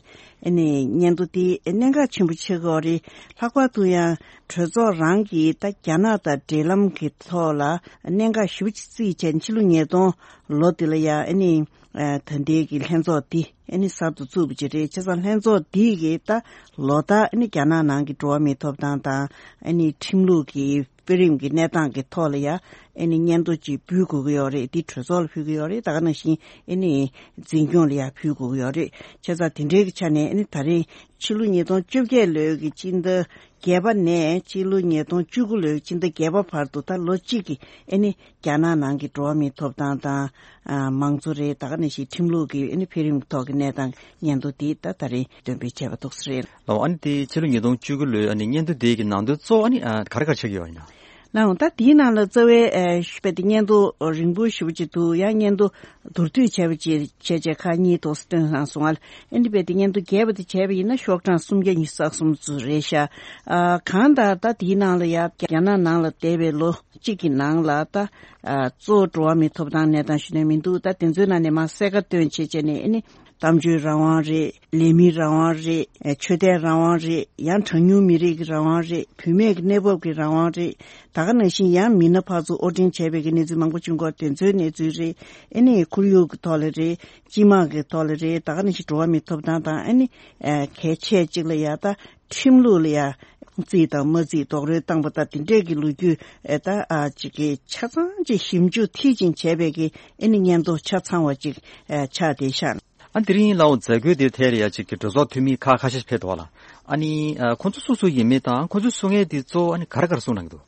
ཨ་ནི་སྙན་ཐོ་དེ་གནད་འགག་ཆེན་པོ་ཆགས་ཀྱི་ཡོད་རེད། ལྷག་པར་དུ་ཡང་གྲོས་ཚོགས་རང་གིས་ད་རྒྱ་ནག་དང་འབྲེལ་ལམ་གྱི་ཐོག་ལ་གནད་འགག་ཞེ་པོ་ཅིག་བརྩིས་བྱས་ནས་ཕྱི་ལོ་ཉིས་སྟོང་ལོ་དེ་ལ་ཡང་ཨ་ནི་ཨ་ད་ལྟའི་གི་ལྷན་ཚོགས་འདི་ཨ་ནི་གསར་དུ་བཙུགས་པ་ཅིག་རེད། བྱས་ཙང་ལྷན་ཚོགས་འདི་གིས་ད་ལོ་ལྟར་ཨ་ནི་རྒྱ་ནག་ནང་གི་འགྲོ་བ་མིའི་ཐོབ་ཐང་དང་ཨ་ནི་ཁྲིམས་ལུགས་ཀྱི་དཔེ་རིམ་གྱི་གནས་སྟངས་ཀྱི་ཐོག་ལ་ཡ་ཨ་ནི་སྙན་ཐོ་ཅིག་ཕུལ་དགོས་ཀྱི་ཡོད་རེད། འདི་གྲོས་ཚོགས་ལ་ཕུལ་གྱི་ཡོད་རེད། ད་ག་ནང་བཞིན་ཨ་ནི་འཛིན་སྐྱོང་ལ་ཡ་ཕུལ་དགོས་ཀྱི་ཡོད་རེད། བྱས་ཙང་དེ་འདྲའི་གི་ཆ་ནས་ཨ་ནི་ད་རེས་ཕྱི་ལོ་ཉིས་སྟོང་བཅོ་བརྒྱད་ལོའི་གི་སྤྱི་ཟླ་བརྒྱད་པ་ནས་ཕྱི་ལོ་ཉིས་སྟོང་བཅུ་དགུ་ལོའི་སྤྱི་ཟླ་བརྒྱད་པ་བར་དུ་ད་ལོ་གཅིག་གི་ཨ་ནི་རྒྱ་ནག་ནང་གི་འགྲོ་བ་མིའི་ཐོབ་ཐང་དང་ཨ་མང་གཙོ་རེད། ད་ག་ནང་བཞིན་ཁྲིམས་ལུགས་ཀྱི་ཨ་ནི་འཕེལ་རིམ་ཐོག་གི་གནས་སྟངས་སྙན་ཐོ་དེ་ད་ད་རེས་འདོན་སྤེལ་བྱས་པ་འདུག་ས་རེད། ལགས་འོང་། ཨ་ནི་དེ་ཕྱི་ལོ་ཉིས་སྟོང་བཅུ་དགུ་ལོའི་ཨ་ནི་སྙན་ཐོ་དེ་གི་ནང་དོན་གཙོ་བོ་ཨ་ནི་ཨ་ག་རེ་ག་རེ་ཆགས་ཀྱི་ཡོད་ཡིན་ན། ལགས་འོང་། ད་དེའི་ནང་ལ་རྩ་བའི་ཨ་ཞུ་བའི་དེ་སྙན་ཐོ་རིང་པོ་ཞེ་པོ་ཅིག་འདུག། ཡང་སྙན་ཐོ་མདོར་བསྡུས་བྱས་པ་ཅིག་བྱས་བྱས་ཁག་གཉིས་ཐོག་བཏོན་གནང་སོང་ང་། ཨ་ནི་དཔེ་དེ་སྙན་ཐོ་རྒྱས་པ་དེ་བྱས་པ་ཡིན་ན་ཤོག་གྲངས་སུམ་བརྒྱ་ཉི་ཤུ་རྩ་གསུམ་ཙམ་རེད་ཤག། ཨ་གང་ལྟར་ད་དེའི་ནང་ལ་ཡ་རྒྱ་ནག་ནང་ལ་བསྡད་པའི་ལོ་གཅིག་གི་ནང་ལ་ད་ཨ་གཙོ་བོ་འགྲོ་བ་མིའི་ཐོབ་ཐང་གནས་སྟངས་ཞུ་ནས་མི་འདུག། ད་དེ་ཚོའི་ནང་ནས་མར་གསལ་ཁ་བཏོན་བྱས་བྱས་ནས་ཨ་ནི་གཏམ་བརྗོད་རང་དབང་རེད། ལས་མིའི་རང་དབང་རེད། ཨ་ཆོས་དད་རང་དབང་རེད། ཡང་གྲངས་ཉུང་མི་རིགས་ཀྱི་རང་དབང་རེད། བུད་མེད་ཀྱི་གནས་བབ་ཀྱི་རང་དབང་རེད། ད་ག་ནང་བཞིན་ཡང་མི་སྣ་ཕར་ཚུར་དབོར་འདྲེན་བྱས་པའི་གི་གནས་ཚུལ་མང་པོ་བྱུང་གི་ཡོད། དེ་ཚོའི་གནས་ཚུལ་རེད། ཨ་ནི་ཁོར་ཡུག་གི་ཐོག་ལ་རེད། སྤྱི་དམངས་ཀྱི་ཐོག་ལ་རེད། ད་ག་ནང་བཞིན་འགྲོ་བ་མིའི་ཐོབ་ཐང་དང་ཨ་ནི་ཨ་གལ་ཆེ་གཅིག་ལ་ཡ་ད་ཁྲིམས་ལུགས་ལ་ཡ་རྩིས་དང་མ་རྩིས་རྡོག་རོལ་བཏང་པ་དང་དེ་འདྲས་ཀྱི་ལོ་རྒྱུས་ཨ་ད་ཨ་ཅིག་གི་ཆ་ཚང་ཅིག་ཞིབ་འཇུག་མཐིལ་ཕྱིན་བྱས་པའི་གི་ཨ་ནི་སྙན་ཐོ་ཆ་ཚང་བ་ཅིག་ཨ་ཆགས་བསྡད་ཤག། ཨ་དེ་རིང་ལའོ་མཛད་སྒོའི་དེར་ཐད་ལ་ཡ་གཅིག་གི་གྲོས་ཚོགས་འཐུས་མི་ཁག་ཁ་ཤས་ཕེབས་འདུག་ལ། ཨ་ནི་ཨ་ཁོང་ཚོ་སུ་སུ་ཡིན་མིན་དང་ཁོང་ཚོས་གསུང་མཁན་དེ་གཙོ་བོ་ཨ་ནི་ག་རེ་ག་རེ་གསུང་གནང་གི་འདུག།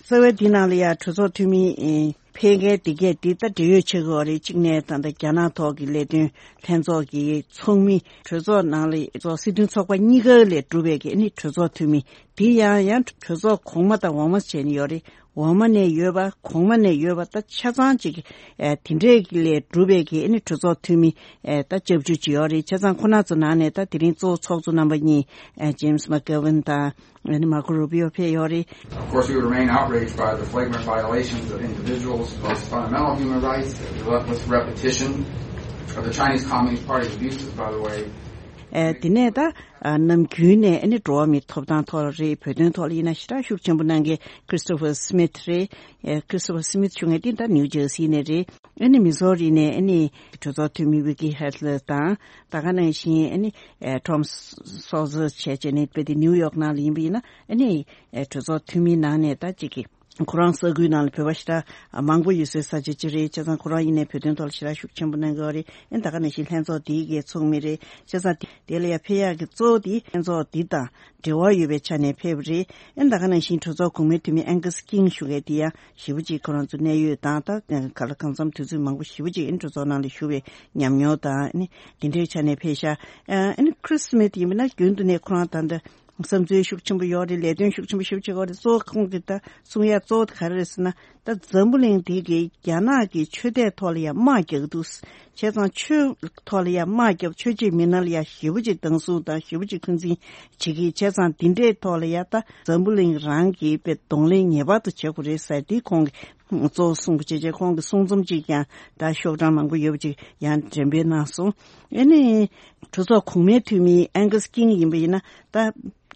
རྩ་བའི་འདི་ནང་ལ་ཡ་གྲོས་ཚོགས་འཐུས་མི་ཨེ་ཕེབས་མཁན་དེ་གས་དེ་ད་འབྲེལ་ཡོད་ཆེ་གི་ཡོད་རེད། གཅིག་ནས་ད་ལྟ་རྒྱ་ནག་ཐོག་གི་ལས་དོན་ལྷན་ཚོགས་ཀྱི་ཚོགས་མི། གྲོས་ཚོགས་ནང་ལ་གྲོས་ཚོགས་སྲིད་དོན་ཚོགས་པ་གཉིས་ཀ་ལས་གྲུབ་པའི་གི་ཨ་ནི་གྲོས་ཚོགས་འཐུས་མི། དེ་ཡང་ཡང་གྲོས་ཚོགས་གོང་མ་དང་འོག་མ་བྱས་ནས་ཡོད་རེད། འོག་མ་ནས་ཡོད་པ་གོང་མ་ནས་ཡོད་པ་ད་ཆ་ཚང་གཅིག་ཨ་དེ་འདྲས་ཀྱི་ལས་གྲུབ་པའི་གི་ཨ་ནི་གྲོས་ཚོགས་འཐུས་མི་ཨ་ད་སྐྱབས་བཅོལ་གྱི་ཡོད་རེད། བྱས་ཙང་ཁོ་ན་ཚོ་ནང་ནས་ད་དེ་རིང་གཙོ་བོ་ཚོགས་གཙོ་རྣམ་པ་གཉིས་ཨ་ཇེམ་སི་མག་གྷེ་ཝན་དང་ཨ་ནི་མར་ཀོ་རུ་པི་ཨོ་ཕེབས་ཡོད་རེད། Of course, we remain outraged by the flagrant violations of individuals' most fundamental human rights, the relentless repetition of the Chinese Communist Party's abuses, by the way. ཨ་དེ་ནས་ད་ཨ་ནམ་རྒྱུན་ནས་ཨ་ནི་འགྲོ་བ་མིའི་ཐོབ་ཐང་ཐོག་ལ་རེད། བོད་དོན་ཐོག་ལ་ཡིན་ན་ཞེ་དྲག་ཤུགས་ཆེན་པོ་གནང་མཁན་Christopher Smith་རེད། ཨ་Christopher Smith་ཞུ་མཁན་དེ་ད་ནིའུ་ཇར་སི་ནས་རེད། ཨ་ནི་མི་ཟོ་རི་ནས་ཨ་ནི་གྲོས་ཚོགས་འཐུས་མི་ཝི་ཀི་ཧེ་ལ་དང་། ད་ག་ནང་བཞིན་ཨ་ནི་ཨ་Tom Saussure་བྱས་བྱས་ནས་དཔེ་དེ་ནིའུ་ཡོག་ནང་ལ་ཡིན་པ་ཡིན་ན་ཨ་ནི་ཨ་གྲོས་ཚོགས་འཐུས་མིའི་ནང་ནས་ད་ཅིག་གི་ ཁོ་རང་ས་ཁུལ་ནང་ལ་བོད་པ་ཞེ་དྲག་མང་པོ་ཡོད་སའི་ས་ཆ་ཅིག་རེད། བྱས་ཙང་ཁོ་རང་ཡིན་ནའི་བོད་དོན་ཐོག་ལ་ཞེ་དྲག་ཤུགས་ཆེན་པོ་གནང་གི་ཡོད་རེད། ཨེ་ད་ག་ནང་བཞིན་ལྷན་ཚོགས་དེའི་གི་ཚོགས་མི་རེད། བྱས་ཙང་དེ་ལ་ཡ་ཕེབས་ཡག་གི་གཙོ་བོ་དེ་ལྷན་ཚོགས་འདི་དང་འབྲེལ་བ་ཡོད་པའི་ཆ་ནས་ཕེབས་པ་རེད། ཨེ་ད་ག་ནང་བཞིན་གྲོས་ཚོགས་གོང་མའི་འཐུས་མི་ཨན་ཀཱ་སི་ཀིང་ཞུ་མཁན་དེ་ཡང་ཞེ་པོ་ཅིག་ཁོ་རང་ཚོ་གནད་ཡོད་དང་ད་ག་ལ་གང་འཚམ་དུས་ཚོད་མང་པོ་ཞེ་པོ་ཅིག་ཨེ་གྲོས་ཚོགས་ནང་ལ་ཞུགས་པའི་ཉམས་མྱོང་དང་ཨེ་དེ་འདྲའི་ཆ་ནས་ཕེབས་ཤག་ཨེ་ཁྲི་སི་མེད་ཡིན་པ་ན་རྒྱུན་དུ་ནས་ཁོ་རང་ད་ལྟ་བསམ་ཚུལ་ཤུགས་ཆེན་པོ་ཡོད་རེད། ལས་དོན་ཤུགས་ཆེན་པོ་ཞེ་པོ་ཅིག་ཡོད་རེད། གཙོ་བོ་ཁོང་གི་ད་གསུང་ཡ་གཙོ་བོ་དེ་ག་རེ་རེད་ཟེར་ན། ད་འཛམ་བུ་གླིང་འདི་གི་རྒྱ་ནག་གི་ཆོས་དད་ཐོག་ལ་ཡ་དམག་རྒྱག་གི་འདུག་བྱས་ཙང་ཆོས་ཐོག་ལ་ཡ་དམག་རྒྱབ། ཆོས་བྱེད་མི་སྣ་ལ་ཡ་ཞེ་པོ་ཅིག་སྡང་ཟུག་དང་ཞེ་པོ་ཅིག་འཁོན་འཛིན་བྱེད་ཀྱི། བྱས་ཙང་འདི་འདྲའི་ཐོག་ལ་ཡ་ད་འཛམ་བུ་གླིང་རང་གི་དཔེ་གདོང་ལེན་ངེས་པར་དུ་བྱེད་དགོས་རེད་ཟེར་འདི་ཁོང་གི་གཙོ་བོ་གསུང་གི་བྱས་བྱས་ཁོང་གི་གསུང་རྩོམ་ཅིག་ཀྱང་ད་ཤོག་གྲངས་མང་པོ་ཡོད་པ་ཅིག་ཡང་འགྲེམས་སྤེལ་གནང་སོང་། ཨེ་ནི་གྲོས་ཚོགས་གོང་མའི་འཐུས་མི་ཨན་ཀཱ་སི་ཀིང་ཡིན་པ་ཡིན་ན་ད་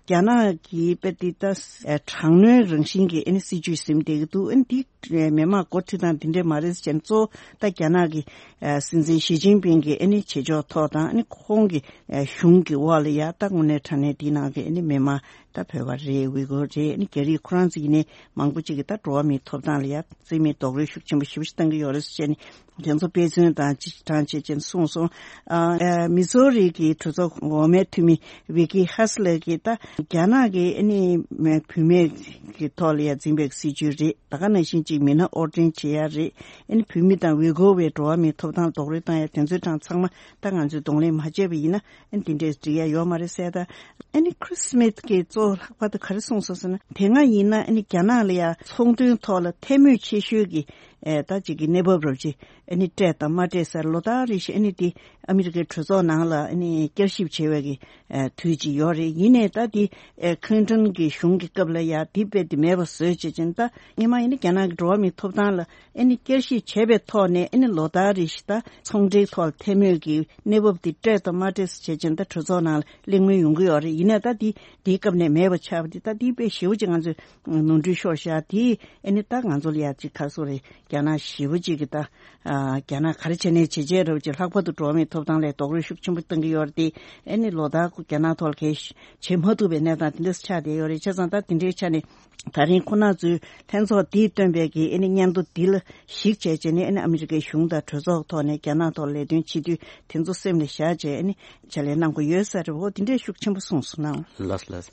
རྒྱ་ནག་གི་དཔེ་འདི་ད་ཨེ་དྲག་གནོན་རང་བཞིན་གྱི་ཨེ་ནི་སྲིད་ཇུས་ཟིན་བསྡད་ཀྱི་འདུག་ཨེ་ནི་འདི་མི་མང་འགོ་ཁྲིད་སྟངས་འདི་འདྲས་མ་རེད་ཟེར་བྱས་ནས་གཙོ་བོ་ད་རྒྱ་ནག་གི་ཨེ་སྲིད་འཛིན་ཞི་ཅིན་ཕིང་གི་ཨེ་ནི་བྱེད་ཕྱོགས་ཐོག་དང་ཨེ་ནི་ཁོང་གི་ཨེ་གཞུང་གི་འོག་ལ་ཡ་ད་དངོས་གནས་དྲང་གནས་འདི་ནང་གི་ཨེ་ནི་མི་མང་ད་བོད་པ་རེད། ཝི་གོ་རེད། ཨེ་ནི་རྒྱ་རིགས་ཁོ་རང་ཚོ་ཡིན་ནའི་མང་པོ་ཅིག་གིས་ད་འགྲོ་བ་མིའི་ཐོབ་ཐང་ལ་ཡ་རྩིས་མེད་རྡོག་རོལ་ཤུགས་ཆེན་པོ་ཞེ་པོ་ཞིག་བཏང་གི་ཡོད་རེད་ཟེར་བྱས་ནས། དེ་ཚོ་དཔེ་མཚོན་དང་སྤྱི་དྲངས་བྱེད་ཅེས་གསུངས་སོང་། ཨ་ཨ་མི་སོ་རི་གི་གྲོས་ཚོགས་འོག་མའི་འཐུས་མི་ཝི་ཀི་ཧ་སི་ལེ་གིས་ད་རྒྱ་ནག་གི་ཨ་ནི་བུད་མེད་ཀྱི་ཐོག་ལ་ཡ་འཛིན་པའི་སྲིད་ཇུས་རེད། ད་ག་ནང་བཞིན་གཅིག་མི་སྣ་དབོར་འདྲེན་བྱེད་ཡ་རེད། ཨ་ནི་བོད་མི་དང་ཝི་གོ་བའི་འགྲོ་བ་མིའི་ཐོབ་ཐང་རྡོག་རོལ་བཏང་ཡ་དེ་ཚོའི་གྲངས་ཚང་མ་ད་ང་ཚོས་གདོང་ལེན་མ་བྱས་པ་ཡིན་ན་ཨ་ནི་དེ་འདྲས་འགྲིག་ཡ་ཡོད་མ་རེད་ཟེར། ད་ཨ་ནི་ཁྲི་སི་མེད་ཀྱིས་གཙོ་བོ་ལྷག་པར་དུ་ག་རེ་གསུངས་སོང་ཟེར་ན། དེ་སྔ་ཡིན་ན་ཨ་ནི་རྒྱ་ནག་ལ་ཡ་ཚོང་དོན་ཐོག་ལ་ཐལ་མོད་ཆེ་ཤོས་ཀྱི་ཨེ་ད་ཅིག་གི་གནས་བབ་རབ་ཅིག་ཨ་ནི་སྤྲད་དང་མ་སྤྲད་ཟེར་ལོ་ལྟར་རེ་བཞིན་ཨ་ནི་དེ་ཨ་མི་རི་ཀའི་གྲོས་ཚོགས་ནང་ལ་ཨ་ནི་བསྐྱར་ཞིབ་བྱེད་པའི་གི་ཨེ་དུས་ཅིག་ཡོད་རེད། ཡིན་ནའི་ད་དེ་ཨེ་ཁིན་ཏོན་གྱི་གཞུང་གི་སྐབས་ལ་ཡ་དེ་དཔེ་དེ་མེད་པ་བཟོས་བྱས་ཅིང་ད་སྔོན་མ་ཡིན་ན་རྒྱ་ནག་གི་འགྲོ་བ་མིའི་ཐོབ་ཐང་ལ་ཨ་ནི་བསྐྱར་ཞིབ་བྱས་པའི་ཐོག་ནས་ཨ་ནི་ལོ་ལྟར་རེ་བཞིན་ད་ཚོང་འབྲེལ་ཐོག་ལ་ཐལ་མོད་ཀྱི་གནས་བབ་དེ་སྤྲད་དང་མ་སྤྲད་བྱས་ཅིང་ད་གྲོས་ཚོགས་ནང་ལ་གླེང་མོལ་ཡོང་གི་ཡོད་རེད། ཡིན་ནའི་ད་དེ་དེའི་སྐབས་ནས་མེད་པ་ཆགས་པ་དེ་ད་དེ་དཔེ་ཞེ་པོ་ཅིག་ང་ཚོས་ནོར་འཁྲུལ་ཤོར་ཤག་དེ་ཨ་ནི་ད་ང་ཚོ་ལ་ཡ་ཅིག་ག་སོ་རེད། རྒྱ་ནག་ཞེ་པོ་ཅིག་གི་ད་ཨ་རྒྱ་ནག་ག་རེ་བྱས་ནའི་བྱས་རྗེས་རབ་ཅིག་ལྷག་པར་དུ་འགྲོ་བ་མིའི་ཐོབ་ཐང་ལ་རྡོག་རོལ་ཤུགས་ཆེན་པོ་བཏང་གི་ཡོད་རེད་དེ། ཨ་ནི་ལོ་ལྟར་རྒྱ་ནག་ཐོག་ལ་གས་བྱེད་མ་ཐུབ་པའི་གནས་སྟངས་དེ་འདྲ་ཆགས་བསྡད་ཡོད་རེད། བྱས་ཙང་ད་དེ་འདྲའི་ཆ་ནས་ད་རིང་ཁོ་ན་ཚོའི་ལྷན་ཚོགས་འདིས་བཏོན་པའི་གི་ཨ་ནི་སྙན་ཐོ་འདི་ལ་གཞིགས་བྱས་བྱས་ནས་ཨ་ནི་ཨ་མི་རི་ཀའི་གཞུང་དང་གྲོས་ཚོགས་ཐོག་ནས་རྒྱ་ནག་ཐོག་ལས་དོན་བྱེད་དུས་དེ་ཚོ་སེམས་ལ་བཞག་བྱས་ཨ་ནི་ཕྱག་ལས་གནང་དགོས་ཡོད་ས་རེད། འོ་དེ་འདྲའི་ཤུགས་ཆེན་པོ་གསུངས་སོང་ན། ལགས་ལགས།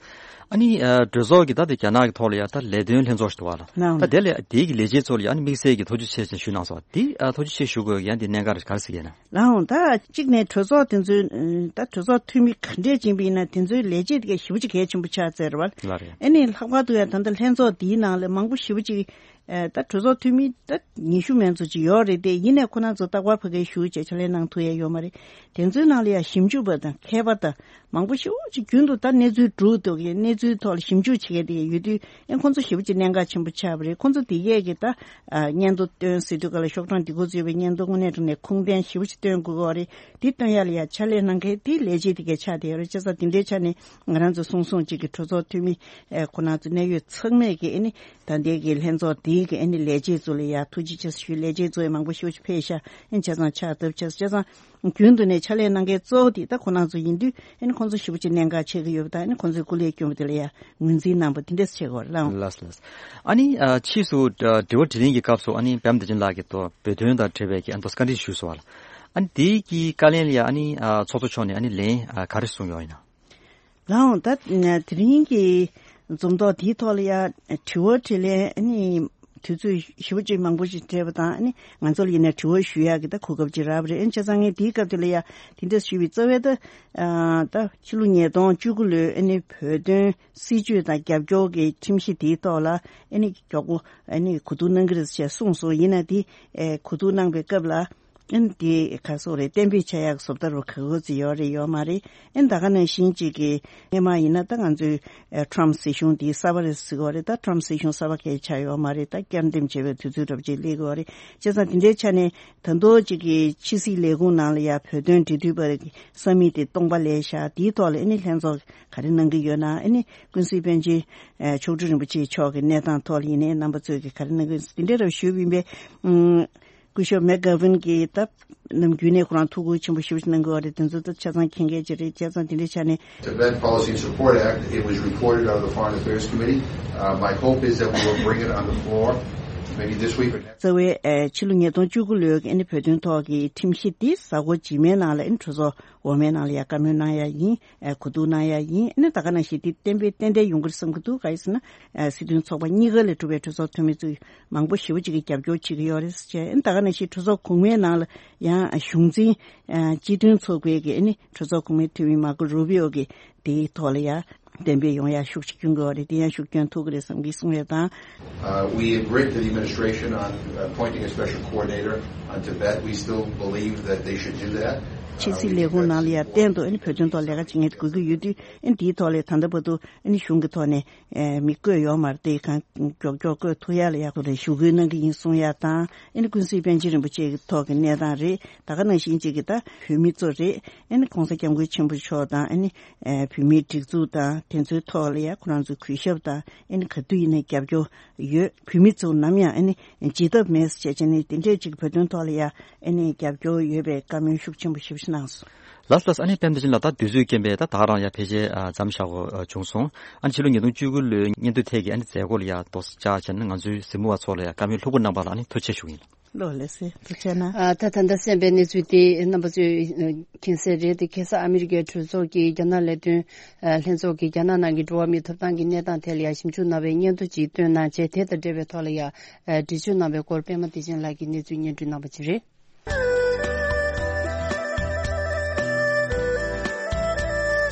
ཨ་ནི་ཨ་གྲོས་ཚོགས་ཀྱི་ད་དེ་རྒྱ་ནག་གི་ཐོག་ལ་ཡ་ད་ལས་དོན་ལྷན་ཚོགས་ཤིག་འདུག་བ་ལ། ད་དེ་ལས་དེའི་གི་ལས་བྱེད་ཚོ་ལ་ཡ་ཨ་ནི་དམིགས་བསལ་གྱི་ཐུགས་རྗེ་ཆེ་ཞེས་ཞུ་གནང་སོང་བ་དེ་ཨ་ཐུགས་རྗེ་ཆེ་ཞུ་དགོས་ཡ་དེ་གནད་འགག་ག་རེ་ཟེར་གྱི་ཡིན་ན། ལའང་ད་གཅིག་ནས་གྲོས་ཚོགས་དེ་ཚོའི་ད་གྲོས་ཚོགས་འཐུས་མི་ག་འདྲས་ཅིག་ཡིན་ན་དེ་ཚོའི་ལས་བྱེད་དེ་ག་ཞེ་པོ་ཅིག་གལ་ཆེན་པོ་ཆགས་ཚར་བ། ལགས་རེད། ཨ་ནི་ལྷག་པར་དུ་ཡང་ད་ལྟ་ལྷན་ཚོགས་འདིའི་ནང་ལ་མང་པོ་ཞེ་པོ་ཅིག་ཨེ་ད་གྲོས་ཚོགས་འཐུས་མི་ད་ཉི་ཤུ་མན་ཙམ་ཅིག་ཡོད་རེད་དེ། ཡིན་ནའི་ཁོ་རང་ཚོ་རྟག་པར་ཕ་གིར་བཞུགས་བྱས་ཕྱག་ལས་གནང་ཐུབ་ཡ་ཡོད་མ་རེད། དེ་ཚོའི་ནང་ལ་ཡང་ཞིབ་འཇུག་པ་དང་མཁས་པ་དང་མང་པོ་ཞེ་པོ་ཅིག་རྒྱུན་དུ་ད་གནས་ཚུལ་སྒྲུག་འདུག་གི་གནས་ཚུལ་ཐོག་ལ་ཞིབ་འཇུག་བྱེད་མཁན་དེ་ཡོད་དུས་ཨེ་ཁོང་ཚོ་ཞེ་པོ་ཅིག་གནད་འགག་ཆེན་པོ་ཆགས་པ་རེད། ཁོང་ཚོ་དེ་གས་ཀྱི་ད་ཨ་སྙན་ཐོ་བཏོན་ཟེར་དུས་ག་ལ་ཤོག་གྲངས་འདི་འགོ་འཛུགས་པའི་སྙན་ཐོ་དངོས་གནས་དྲང་གནས་ཁུངས་ལྡན་ཞེ་པོ་ཅིག་བཏོན་དགོས་ཀྱི་རེད། འདི་བཏོན་ཡ་ལ་ཡ་ཕྱག་ལས་གནང་མཁན་དེ་ལས་བྱེད་དེ་གས་ཆགས་བསྡད་ཡོད་རེད། བྱས་ཙང་དེ་འདྲའི་ཆ་ནས་ང་རང་ཚོ་སོང་སོང་ཅིག་གི་གྲོས་ཚོགས་འཐུས་མི་ཨེ་ཁོ་རང་ཚོ་གནད་ཡོད་ཚང་མས་ཀྱི་ཨེ་ནི་ད་ལྟའི་གི་ལྷན་ཚོགས་འདིའི་གི་ཨེ་ནི་ལས་བྱེད་ཚོ་ལ་ཡ་ཐུགས་རྗེ་ཆེ་ཞུ། ལས་བྱེད་ཚོ་ཡང་མང་པོ་ཞེ་པོ་ཅིག་ཕེབས་ཤག་ཨེ་བྱས་ཙང་ཕྱག་བཏབ་བྱས། བྱས་ཙང་རྒྱུན་དུ་ནས་ཕྱག་ལས་གནང་མཁན་གཙོ་བོ་དེ་ད་ཁོ་རང་ཚོ་ཡིན་དུས་ཨེ་ནི་ཁོང་ཚོ་ཞེ་པོ་ཅིག་གནད་འགག་ཆེ་གི་ཡོད་པ་དང་ཨེ་ནི་ཁོང་ཚོའི་སྐུ་ལས་བསྐྱོན་པ་དེ་ལ་ཡ་ངོས་འཛིན་གནང་པ་དེ་འདྲས་བྱེད་དགོས་རེད་ལགས། ལགས་ལགས། ཨ་ནི་ཨ་ཕྱིས་སུ་ཨ་དྲི་བ་དྲིས་ལན་གྱི་སྐབས་སུ་ཨ་ནི་པད་མ་བདེ་ཆེན་ལགས་ཀྱིས་ཏོ་བོད་དོན་དང་འབྲེལ་བའི་གི་ཨ་མདོ་བཀའ་འདྲི་ཞུས་སོང་བ་ལ། ཨ་ནི་དེའི་གི་བཀའ་ལན་ལ་ཡ་ཨ་ནི་ཨ་ཚོགས་གཙོ་མཆོག་ནས་ཨ་ནི་ལན་ཨ་ག་རེ་གསུངས་ཡོད་ཡིན་ན། ལའང་ད་དེ་རིང་གི་འཛོམས་ཐོག་དེའི་ཐོག་ལ་ཡ་དྲི་བ་དྲིས་ལན་ཨ་ནི་དུས་ཚོད་ཞེ་པོ་ཅིག་མང་པོ་ཞིག་སྤྲད་པ་དང་ཨ་ནི་ང་ཚོ་ལ་ཡིན་ན་དྲི་བ་ཞུ་ཡག་གི་ད་གོ་སྐབས་ཅིག་རག་པ་རེད། ཨ་ནི་བྱས་ཙང་ངས་དེའི་སྐབས་དེ་ལ་ཡ་དེ་འདྲ་ཞུས་པའི་རྩ་བའི་ད་ཨ་ད་ཕྱི་ལོ་ཉིས་སྟོང་བཅུ་དགུ་ལོའི་ཨ་ནི་བོད་དོན་སྲིད་བྱུས་དང་རྒྱབ་སྐྱོར་གྱི་ཁྲིམས་གཞི་དེའི་ཐོག་ལ་ཨ་ནི་མགྱོགས་པོ་ཨ་ནི་གོ་བསྡུར་གནང་གི་རེད་ཅེས་གསུངས་སོང་། ཡིན་ན་དེ་ཨེ་གོ་བསྡུར་གནང་པའི་སྐབས་ལ་ཨ་ནི་དེ་ག་སོགས་རེད། གཏན་འབེབས་བྱ་ཡག་བཟོ་ལྟ་རུ་ག་གོ་ཚི་ཡོད་རེད་ཡོད་མ་རེད། ཨ་ནི་ད་ག་ནང་བཞིན་ཅིག་གི་སྔོན་མ་ཡིན་ན་ད་ང་ཚོའི་ཨེ་ཊམ་སྲིད་གཞུང་དེ་གསར་པ་རེད་ཟེར་གི་ཡོད་རེད། ད་ཊམ་སྲིད་གཞུང་གསར་པ་གས་ཆགས་ཡོད་མ་རེད། ད་བསྐྱར་འདེམས་བྱེད་པའི་དུས་ཚོད་འདྲ་པོ་ཅིག་སླེབས་གི་ཡོད་རེད། བྱས་ཙང་དེ་འདྲའི་ཆ་ནས་ད་དུང་ཅིག་གི་ཕྱི་སྲིད་ལས་ཁུངས་ནང་ལ་ཡ་བོད་དོན་འབྲེལ་མཐུད་པ་རེད། ས་མིག་དེ་སྟོང་པ་ལས་བཞག་དེའི་ཐོག་ལ་ཨ་ནི་ལྷན་ཚོགས་ག་རེ་གནང་གི་ཡོད་ན། ཨ་ནི་ཀུན་གཟིགས་པཎ་ཆེན་མཆོག་སྤྲུལ་རིན་པོ་ཆེ་མཆོག་གི་གནས་སྟངས་ཐོག་ལ་ཡིན་ནའི་རྣམ་པ་ཚོས་ཀྱི་ག་རེ་གནང་གི་ཡོད་དེ་འདྲ་རབ་ཞུས་པ་ཡིན་པས། ཨུམ། སྐུ་ཞབས་མེག་གྷ་ཝིན་གྱིས་ད་ནམ་རྒྱུན་ནས་ཁོ་རང་ཐུགས་ཁུར་ཆེན་པོ་ཞེ་པོ་ཅིག་གནང་གི་ཡོད་རེད། དེ་ཚོ་ད་ཆ་ཚང་མཁྱེན་གྱི་ཅིག་རེད། བྱས་ཙང་དེ་འདྲའི་ཆ་ནས། Tibet Policy and Support Act, it was reported out of the Foreign Affairs Committee. Uh, my hope is that we will bring it on the floor, maybe this week or next. རྩ་བའི་ཨེ་ཕྱི་ལོ་ཉིས་སྟོང་བཅུ་དགུ་ལོའི་ཨ་ནི་བོད་དོན་ཐོག་གི་ཁྲིམས་གཞི་འདི་གཟའ་འཁོར་རྗེས་མའི་ནང་ལ་ཨ་ནི་གྲོས་ཚོགས་འོག་མའི་ནང་ལ་ཡ་བཀའ་མོལ་གནང་ཡ་ཡིན། ཨེ་གོ་བསྡུར་གནང་ཡ་ཡིན། ཨ་ནི་ད་ག་ནང་བཞིན་འདི་གཏན་འབེབས་ཏན་ཏན་ཡོང་གི་རེད་བསམ་གྱི་འདུག་ག་ཡིན་ཟེར་ན། ཨེ་སྲིད་དོན་ཚོགས་པ་གཉིས་ཀ་ལས་གྲུབ་པའི་གྲོས་ཚོགས་འཐུས་མི་ཚོས་མང་པོ་ཞེ་པོ་ཅིག་གིས་རྒྱབ་སྐྱོར་བྱེད་ཀྱི་ཡོད་རེད་ཟེར་བྱས། ཨ་ནི་ད་ག་ནང་བཞིན་གྲོས་ཚོགས་གོང་མའི་ནང་ལ་ཡང་གཞུང་འཛིན་ཨེ་སྤྱི་མཐུན་ཚོགས་པའི་གི་ཨ་ནི་གྲོས་ཚོགས་གོང་མའི་འཐུས་མི་མར་ཀོ་རུ་བི་ཨོ་གིས་དེའི་ཐོག་ལ་ཡ་གཏན་འབེབས་ཡོང་ཡ་ཤུགས་ཆེ་སྐྱོན་གྱི་ཡོད་རེད། དེ་ཡང་ཤུགས་སྐྱོན་ཐུབ་ཀྱི་རེད་བསམ་གྱི་གསུང་ཡ་དང་། Uh, we agree to the administration on appointing a special coordinator on Tibet. We still believe that they should do that. ཕྱི་སྲིད་ལས་ཁུངས་ནང་ལ་ཡ་གཏན་དུ་ཨ་ནི་བོད་དོན་ཐོག་ལས་ཀ་བྱེད་མཁན་དེ་དགོས་ཀྱི་ཡོད་དུས། ཨ་ནི་དེའི་ཐོག་ལ་ད་ལྟ་བར་དུ་ཨ་ནི་གཞུང་གི་ཐོག་ནས་ཨེ་མི་བསྐོས་ཡོད་མ་རེད། དེ་གང་མགྱོགས་མགྱོགས་བསྐོས་ཐུབ་ཡ་ལ་ཡ་ཁོ་རང་ཞུ་སྐུལ་གནང་གི་ཡིན་གསུང་ཡ་དང་། ཨ་ནི་ཀུན་གཟིགས་པཎ་ཆེན་རིན་པོ་ཆེ་གི་ཐོག་གི་གནས་སྟངས་རེད། ད་ག་ནང་བཞིན་ཅིག་གི་ད་བོད་མི་ཚོ་རེད། ཨ་ནི་༸གོང་ས་༸སྐྱབས་མགོན་ཆེན་པོ་མཆོག་དང་། ཨ་ནི་ཨེ་བོད་མིའི་སྒྲིག་འཛུགས་དང་དེ་ཚོའི་ཐོག་ལ་ཡ་ཁོ་རང་ཚོའི་གུས་ཞབས་དང་། ཨ་ནི་ག་དུས་ཡིན་ནའི་རྒྱབ་སྐྱོར་ཡོད། བོད་མི་ཚོ་ནམ་ཡང་ཨ་ནི་བརྗེད་ཐབས་མེད་ཟེར་བྱས་བྱས་ནས་དེ་འདྲས་ཅིག་བོད་དོན་ཐོག་ལ་ཡ་ཨ་ནི་རྒྱབ་སྐྱོར་ཡོད་པའི་བཀའ་མོལ་ཤུགས་ཆེན་པོ་ཞེ་པོ་ཅིག་གནང་སོང་། ལགས་ལགས། ཨ་ནི་པཎ་ཆེན་ལགས་ད་དུས་ཚོད་རྐྱེན་པས་ད་ད་ག་རང་ཡ་ཕལ་ཆེར་ཨ་མཚམས་བཞག་དགོས་ཨ་བྱུང་སོང་། ཨ་ནི་ཕྱི་ལོ་ཉིས་སྟོང་བཅུ་དགུ་ལོའི་སྙན་ཐོ་ཐད་ཀྱི་ཨ་ནི་མཛད་སྒོ་ལ་ཡ་རྡོག་རྩ་བཅག་བྱས་ནས་ང་ཚོའི་གཟིགས་མོ་བ་ཚོ་ལ་ཡ་བཀའ་མོལ་ལྷུག་པོ་གནང་པ་ལ་ཨ་ནི་ཐུགས་རྗེ་ཆེ་ཞུ་གི་ཡིན། ལགས་ལགས་སེ། ཐུགས་རྗེ་གནང་། ཨ་ད་ད་ལྟ་གསན་པའི་གནས་ཚུལ་དེ་རྣམ་པ་ཚོས་མཁྱེན་གསལ་རེད། དེ་ཁ་སང་ཨ་མི་རི་ཀའི་གྲོས་ཚོགས་ཀྱི་རྒྱ་ནག་ལས་དོན་ཨ་ལྷན་ཚོགས་ཀྱིས་རྒྱ་ནག་ནང་གི་འགྲོ་བ་མིའི་ཐོབ་ཐང་གི་གནས་སྟངས་ཐད་ལ་ཡང་ཞིབ་འཇུག་གནང་བའི་སྙན་ཐོ་ཅིག་བཏོན་གནང་བྱས། དེ་དང་འབྲེལ་བའི་ཐོག་ལ་ཡང་ཨ་འགྲེལ་བརྗོད་གནང་བའི་སྐོར་པད་མ་བདེ་ཆེན་ལགས་ཀྱིས་གནས་ཚུལ་སྙན་སྒྲོན་གནང་པ་ཅིག་རེད།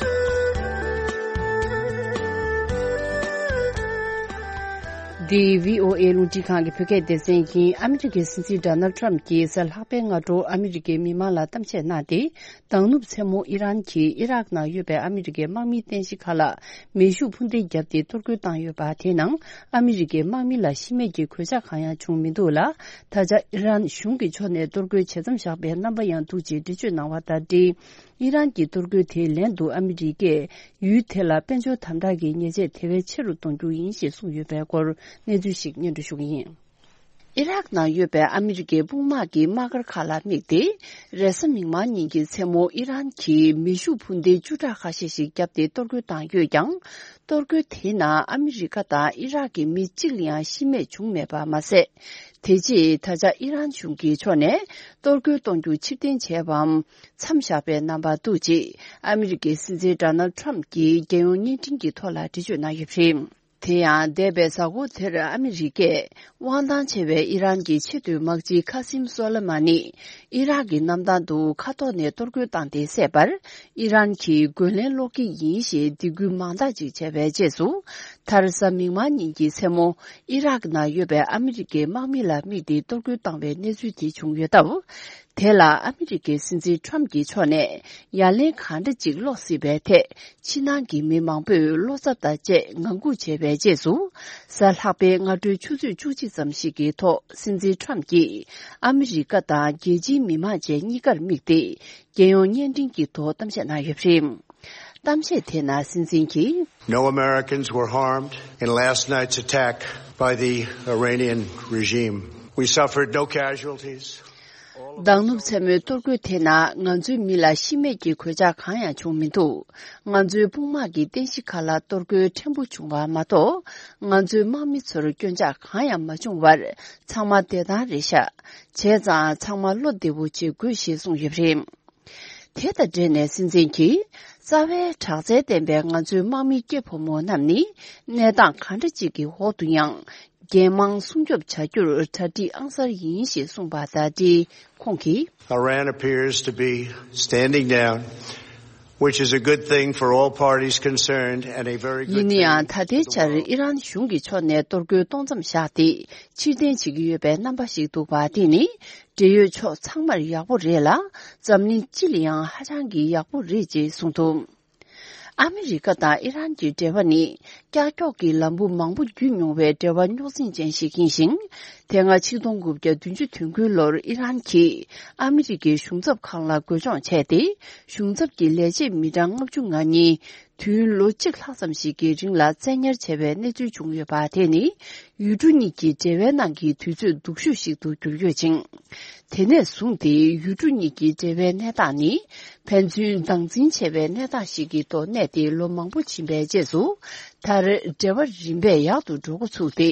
འདི་བྷི་ཨོ་ཨེ་རླུང་འཕྲིན་ཁང་གི་བོད་སྐད་སྡེ་ཚན་ཡིན། ཨ་མི་རི་ཀའི་སྲིད་འཛིན་ཌོ་ནལ་ཊམ་གྱིས་གཟའ་ལྷག་པའི་སྔ་དྲོ་ཨ་མི་རི་ཀའི་མི་མང་ལ་གཏམ་བཤད་གནང་སྟེ། མདང་ནུབ་མཚན་མོ་ཨི་རན་གྱིས་ཨི་རག་ནང་ཡོད་པའི་ཨ་མི་རི་ཀའི་དམག་མིའི་རྟེན་གཞི་ཁག་ལ་མེ་ཤུགས་འཕུར་མདེལ་བརྒྱབ་སྟེ་གཏོར་རྒོལ་བཏང་ཡོད་པ་དེའི་ནང་ཨ་མི་རི་ཀའི་དམག་མི་ལ་ཤི་རྨས་ཀྱི་གོད་ཆག་གང་ཡང་བྱུང་མི་འདུག་ལ། ད་ཆ་ཨི་རན་གཞུང་གི་ཕྱོགས་ནས་གཏོར་རྒོལ་ཇེ་མཚམས་བཞག་པའི་རྣམ་པ་ཡང་འདུག་ཅེས་འགྲེལ་བརྗོད་གནང་བ་དང་འབྲེལ། ཨི་རན་གྱི་གཏོར་རྒོལ་དེའི་ལན་དུ་ཨ་མི་རི་ཀས་ཡུལ་དེ་ལ་དཔལ་འབྱོར་དམ་དྲག་གི་ཉེས་ཆད་དེ་བས་ཆེ་རུ་གཏོང་རྒྱུ་ཡིན་ཞེས་གསུངས་ཡོད་པའི་སྐོར་གནས་ཚུལ་ཞིག་སྙན་སྒྲོན་ཞུ་གི་ཡིན། ཨི་རག་ནང་ཡོད་པའི་ཨ་མི་རི་ཀའི་དཔུང་དམག་གི་དམག་སྒར་ཁག་ལ་དམིགས་ཏེ། རེས་གཟའ་མིག་དམར་ཉིན་གྱི་མཚན་མོ་ཨི་རན་གྱིས་མེ་ཤུགས་འཕུར་མདེལ་བཅུ་ཕྲག་ཁ་ཤས་ཤིག་བརྒྱབ་སྟེ་གཏོར་རྒོལ་བཏང་ཡོད་ཀྱང་། གཏོར་རྒོལ་དེའི་ནང་ཨ་མི་རི་ཀ་དང་ཨི་རག་གི་མི་གཅིག་ལ་ཡང་ཤི་རྨས་བྱུང་མེད་པ་མ་ཟད། དེ་རྗེས་ད་ཆ་ཨི་རན་གཞུང་གི་ཕྱོགས་ནས་གཏོར་རྒོལ་གཏོང་རྒྱུ་ཕྱིར་འཐེན་བྱས་པའམ་མཚམས་བཞག་པའི་རྣམ་པ་འདུག་ཅེས་ཨ་མི་རི་ཀའི་སྲིད་འཛིན་ཌོ་ནལ་ཊམ་གྱིས་རྒྱལ་ཡོངས་བརྙན་འཕྲིན་གྱི་ཐོག་ལ་འགྲེལ་བརྗོད་གནང་ཡོད་པ་རེད། དེ་ཡང་འདས་པའི་གཟའ་འཁོར་དེར་ཨ་མི་རི་ཀས་དབང་ཐང་ཆེ་བའི་ཨི་རན་གྱི་ཆེས་མཐོའི་དམག་སྤྱི་ཁ་སིམ་སོ་ལེ་མ་ནི་ཨི་རག་གི་གནམ་ཐང་དུ་མཁའ་ཐོག་ནས་གཏོར་རྒོལ་བཏང་སྟེ་བསད་པར། ཨི་རན་གྱིས་རྒོལ་ལན་སློག་གི་ཡིན་ཞེས་སྡིགས་སྐུལ་མང་དག་ཅིག་བྱས་པའི་རྗེས་སུ། མཐར་གཟའ་མིག་དམར་ཉིན་གྱི་མཚན་མོ་ཨི་རག་ནང་ཡོད་པའི་ཨ་མི་རི་ཀའི་དམག་མི་ལ་དམིགས་ཏེ་གཏོར་རྒོལ་བཏང་བའི་གནས་ཚུལ་དེ་བྱུང་ཡོད་སྟབས། དེ་ལ་ཨ་མི་རི་ཀའི་སྲིད་འཛིན་ཊམ་གྱི་ཕྱོགས་ནས་ཡ་ལན་གང་འདྲ་ཅིག་སློག་སྲིད་པའི་ཐད། ཕྱི་ནང་གི་མི་མང་པོས་བློ་འཚབ་དང་བཅས་ངང་སྒུག་བྱས་པའི་རྗེས་སུ། གཟའ་ལྷག་པའི་སྔ་དྲོའི་ཆུ་ཚོད་བཅུ་གཅིག་ཙམ་ཞིག་གི་ཐོག་སྲིད་འཛིན་ཊམ་གྱིས་ཨ་མི་རི་ཀ་དང་རྒྱལ་སྤྱིའི་མི་མང་བཅས་གཉིས་ཀར་དམིགས་ཏེ། རྒྱལ་ཡོངས་བརྙན་འཕྲིན་གྱི་ཐོག་གཏམ་བཤད་གནང་ཡོད་པ་རེད། གཏམ་བཤད་དེ་ནང་སྲིད་འཛིན་གྱིས། No Americans were harmed in last night's attack by the Iranian regime. We suffered no casualties. མདང་ནུབ་མཚན་མོའི་གཏོར་རྒོལ་དེ་ནང་ང་ཚོའི་མི་ལ་ཤི་རྨས་ཀྱི་གོད་ཆག་གང་ཡང་བྱུང་མི་འདུག་ང་ཚོའི་དཔུང་དམག་གི་རྟེན་གཞི་ཁག་ལ་གཏོར་རྒོལ་ཕྲན་བུ་བྱུང་བ་མ་གཏོགས། ང་ཚོའི་དམག་མི་ཚོར་སྐྱོན་ཆག་གང་ཡང་མ་བྱུང་བར། ཚང་མ་བདེ་ཐང་རེད་ཤག་བྱས་ཙང་ཚང་མ་བློ་བདེ་པོ་བྱེད་དགོས་ཞེས་གསུངས་ཡོད་པ་རེད། དེ་དང་འབྲེལ་ནས་སྲིད་འཛིན་གྱིས། རྩ་བའི་དྲག་རྩལ་ལྡན་པའི་ང་ཚོའི་དམག་མི་སྐྱེ་ཕོ་མོ་རྣམས་ནི། གནས་སྟངས་གང་འདྲ་ཅིག་གི་འོག་ཏུ་ཡང་། འགན་མང་སྲུང་སྐྱོབ་བྱ་རྒྱུར་གྲ་སྒྲིག་ཨང་གསར་ཡིན་ཞེས་གསུངས་པ་དང་འབྲེལ། ཁོང་གིས། Iran appears to be standing down, which is a good thing for all parties concerned and a very good thing. ཡིན་ན་ཡང་ད་ལྟའི་ཆར་ཨི་རན་གཞུང་གི་ཕྱོགས་ནས་གཏོར་རྒོལ་གཏོང་མཚམས་བཞག་སྟེ། ཕྱིར་འཐེན་བྱེད་ཀྱི་ཡོད་པའི་རྣམ་པ་ཞིག་འདུག་པ་དེ་ནི། འབྲེལ་ཡོད་ཕྱོགས་ཚང་མར་ཡག་པོ་རེད་ལ། འཛམ་གླིང་སྤྱི་ལ་ཡང་ཧ་ཅང་གི་ཡག་པོ་རེད་ཅེས་གསུངས་འདུག་ཨ་མི་རི་ཀ་དང་ཨི་རན་གྱི་འབྲེལ་བ་ནི་ཀྱག་ཀྱོག་གི་ལམ་བུ་མང་པོ་བརྒྱུད་མྱོང་བའི་འབྲེལ་བ་རྙོག་འཛིང་ཅན་ཞིག་ཡིན་ཞིང་། དེ་སྔ་ཆིག་སྟོང་དགུ་བརྒྱ་བདུན་ཅུ་དོན་དགུ་ལོར་ཨི་རན་གྱིས་ཨ་མི་རི་ཀའི་གཞུང་ཚབ་ཁང་ལ་རྒོལ་སྐྱོང་བྱས་ཏེ། གཞུང་ཚབ་ཀྱི་ལས་བྱེད་མི་གྲངས་ལྔ་བཅུ་ང་གཉིས་ དུས་ཡུན་ལོ་གཅིག་ལྷག་ཙམ་ཞིག་གི་རིང་ལ་བཙན་ཉར་བྱས་པའི་གནས་ཚུལ་བྱུང་ཡོད་པ་དེ་ནི། ཡུལ་གྲུ་གཉིས་ཀྱི་འབྲེལ་བའི་ནང་གི་དུས་ཚོད་སྡུག་ཤོས་ཤིག་ཏུ་གྱུར་ཡོད་ཅིང་། དེ་ནས་བཟུང་སྟེ་ཡུལ་གྲུ་གཉིས་ཀྱི་འབྲེལ་བའི་གནས་སྟངས་ནི། ཕན་ཚུན་སྡང་འཛིན་ཆེ་བའི་གནས་སྟངས་ཤིག་གི་ཐོག་གནས་ཏེ་ལོ་མང་པོ་ཕྱིན་པའི་རྗེས་སུ། མཐར་འབྲེལ་བ་རིམ་པས་ཡག་ཏུ་འགྲོ་འགོ་ཚུགས་ཏེ།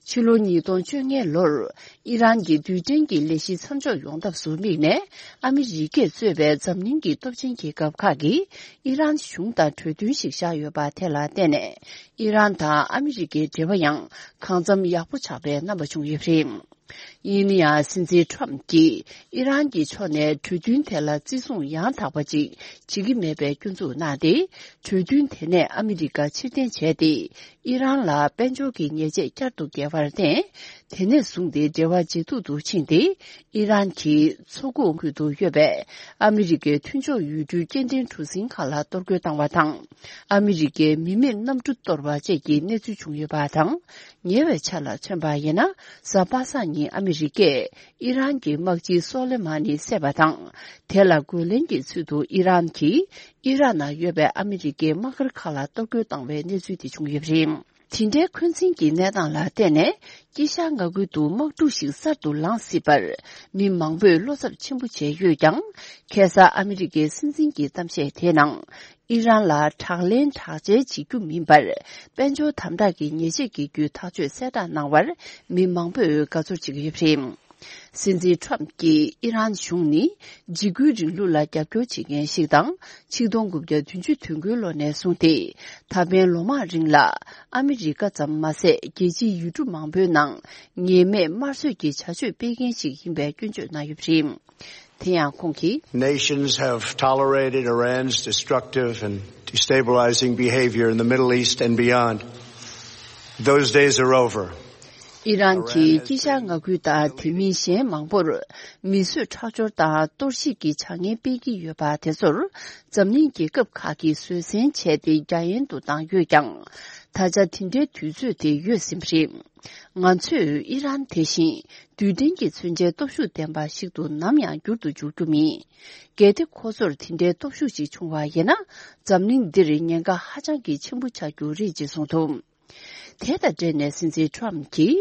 ཕྱི་ལོ་ཉིས་སྟོང་བཅོ་ལྔའི་ལོར། ཨི་རན་གྱི་རྡུལ་ཕྲན་གྱི་ལས་གཞི་མཚམས་འཇོག་ཡོང་ཐབས་སུ་དམིགས་ནས། ཨ་མི་རི་ཀས་གཙོས་པའི་འཛམ་གླིང་གི་སྟོབས་ཆེན་རྒྱལ་ཁབ་ཁག་གིས་ཨི་རན་གཞུང་དང་གྲོས་མཐུན་ཞིག་བཞག་ཡོད་པ་དེ་ལ་བརྟེན་ནས། ཨི་རན་དང་ཨ་མི་རི་ཀའི་འབྲེལ་བ་ཡང་གང་འཚམ་ཡག་པོ་ཆགས་པའི་རྣམ་པ་བྱུང་ཡོད་པ་རེད། ཡིན་ན་ཡང་། སྲིད་འཛིན་ཁྲོམ་གྱིས་ཨི་རན་གྱི་ཕྱོགས་ནས་གྲོས་མཐུན་དེ་ལ་བརྩི་སྲུང་ཡང་དག་པ་ཅིག་བྱེད་ཀྱི་མེད་པའི་སྐྱོན་འཛུགས་གནང་སྟེ། གྲོས་མཐུན་དེ་ནས་ཨ་མི་རི་ཀ་ཕྱིར་འཐེན་བྱས་ཏེ། ཨི་རན་ལ་དཔལ་འབྱོར་གྱི་ཉེས་ཆད་བསྐྱར་དུ་བཀལ་བར་བརྟེན། དེ་ནས་བཟུང་སྟེ་འབྲེལ་བ་ཇེ་སྡུག་ཏུ་ཕྱིན་ཏེ། ཨི་རན་གྱི་མཚོ་ཁུག་ཁུལ་དུ་ཡོད་པའི་ཨ་མི་རི་ཀའི་མཐུན་ཕྱོགས་ཡུལ་གྲུའི་སྐྱེལ་འདྲེན་གྲུ་གཟིངས་ཁག་ལ་གཏོར་རྒོལ་བཏང་བ་དང་། ཨ་མི་རི་ཀའི་མི་མེད་གནམ་གྲུ་གཏོར་བ་བཅས་ཀྱི་གནས་ཚུལ་བྱུང་ཡོད་པ་དང་། ཉེ་བའི་ཆར་ལ་མཚོན་པ་ཡིན་ན། གཟའ་པ་སངས་ཉིན་ཨ་མི་རི་ཀས་ཨི་རན་གྱི་དམག་སྤྱི་སོ་ལེ་མ་ནི་བསད་པ་དང་། དེ་ལ་རྒོལ་ལན་གྱི་ཚུལ་དུ་ཨི་རན་གྱིས་ཨི་རག་ནང་ཡོད་པའི་ཨ་མི་རི་ཀའི་དམག་སྒར་ཁག་ལ་གཏོར་རྒོལ་བཏང་བའི་གནས་ཚུལ་དེ་བྱུང་ཡོད་པ་རེད། དེ་འདྲའི་འཁོན་འཛིན་གྱི་གནས་སྟངས་ལ་བརྟེན་ནས། དཀྱིལ་ཤར་མངའ་ཁུལ་དུ་དམག་འཁྲུག་ཞིག་གསར་དུ་ལངས་སྲིད་པར། མི་མང་པོས་བློ་འཚབ་ཆེན་པོ་བྱས་ཡོད་ཀྱང་། ཁ་སང་ཨ་མི་རི་ཀའི་སྲིད་འཛིན་གྱི་གཏམ་བཤད་དེའི་ནང་། ཨི་རན་ལ་དྲག་ལན་དྲག་འཇལ་བྱེད་རྒྱུ་མིན་པར། དཔལ་འབྱོར་དམ་དྲག་གི་ཉེས་ཆད་འགེལ་རྒྱུའི་ཐག་གཅོད་གསལ་བསྒྲགས་གནང་བར། མི་མང་པོས་དགའ་ཚོར་བྱེད་ཀྱི་ཡོད་པ་རེད། སྲིད་འཛིན་ཁྲོམ་གྱིས་ཨི་རན་གཞུང་ནི་འཇིགས་སྐུལ་རིང་ལུགས་ལ་རྒྱབ་སྐྱོར་བྱེད་མཁན་ཞིག་དང་། ཆིག་སྟོང་དགུ་བརྒྱ་བདུན་ཅུ་དོན་དགུའི་ལོ་ནས་བཟུང་སྟེ། ད་ཕན་ལོ་མང་རིང་ལ་ཨ་མི་རི་ཀ་ཙམ་མ་ཟད། རྒྱལ་སྤྱིའི་ཡུལ་གྲུ་མང་པོའི་ནང་ངེས་མེད་དམར་གསོད་ཀྱི་བྱ་སྤྱོད་སྤེལ་མཁན་ཞིག་ཡིན་པའི་སྐྱོན་བརྗོད་གནང་ཡོད་པ་རེད། དེ་ཡང་ཁོང་གིས། Nations have tolerated Iran's destructive and destabilizing behavior in the Middle East and beyond. Those days are over. ཨི་རན་གྱིས་དཀྱིལ་ཤར་མངའ་ཁུལ་དང་དེ་མིན་གཞན་མང་པོར་མི་གསོད་ཁྲག་སྦྱོར་དང་གཏོར་བཤིག་གི་བྱ་ངན་སྤེལ་གྱི་ཡོད་པ་དེ་ཚོར་འཛམ་གླིང་རྒྱལ་ཁབ་ཁག་གིས་བཟོད་བསྲན་བྱས་ཏེ་རྒྱ་ཡན་དུ་བཏང་ཡོད་ཀྱང་། ད་ཆ་དེ་འདྲའི་དུས་ཚོད་དེ་ཡོལ་ཟིན་པ་རེད། ང་ཚོས་ཨི་རན་དེ་བཞིན་རྡུལ་ཕྲན་གྱི་མཚོན་ཆའི་སྟོབས་ཤུགས་ལྡན་པ་ཞིག་ཏུ་ནམ་ཡང་འགྱུར་དུ་འཇུག་རྒྱུ་མིན། གལ་ཏེ་ཁོ་ཚོར་དེ་འདྲའི་སྟོབས་ཤུགས་ཤིག་བྱུང་བ་ཡིན་ན། འཛམ་གླིང་འདིར་ཉེན་ཁ་ཧ་ཅང་གི་ཆེན་པོ་ཆགས་རྒྱུ་རེད་ཅེས་གསུངས་འདུག་དེ་དང་འབྲེལ་ནས་སྲིད་འཛིན་ཁྲོམ་གྱིས་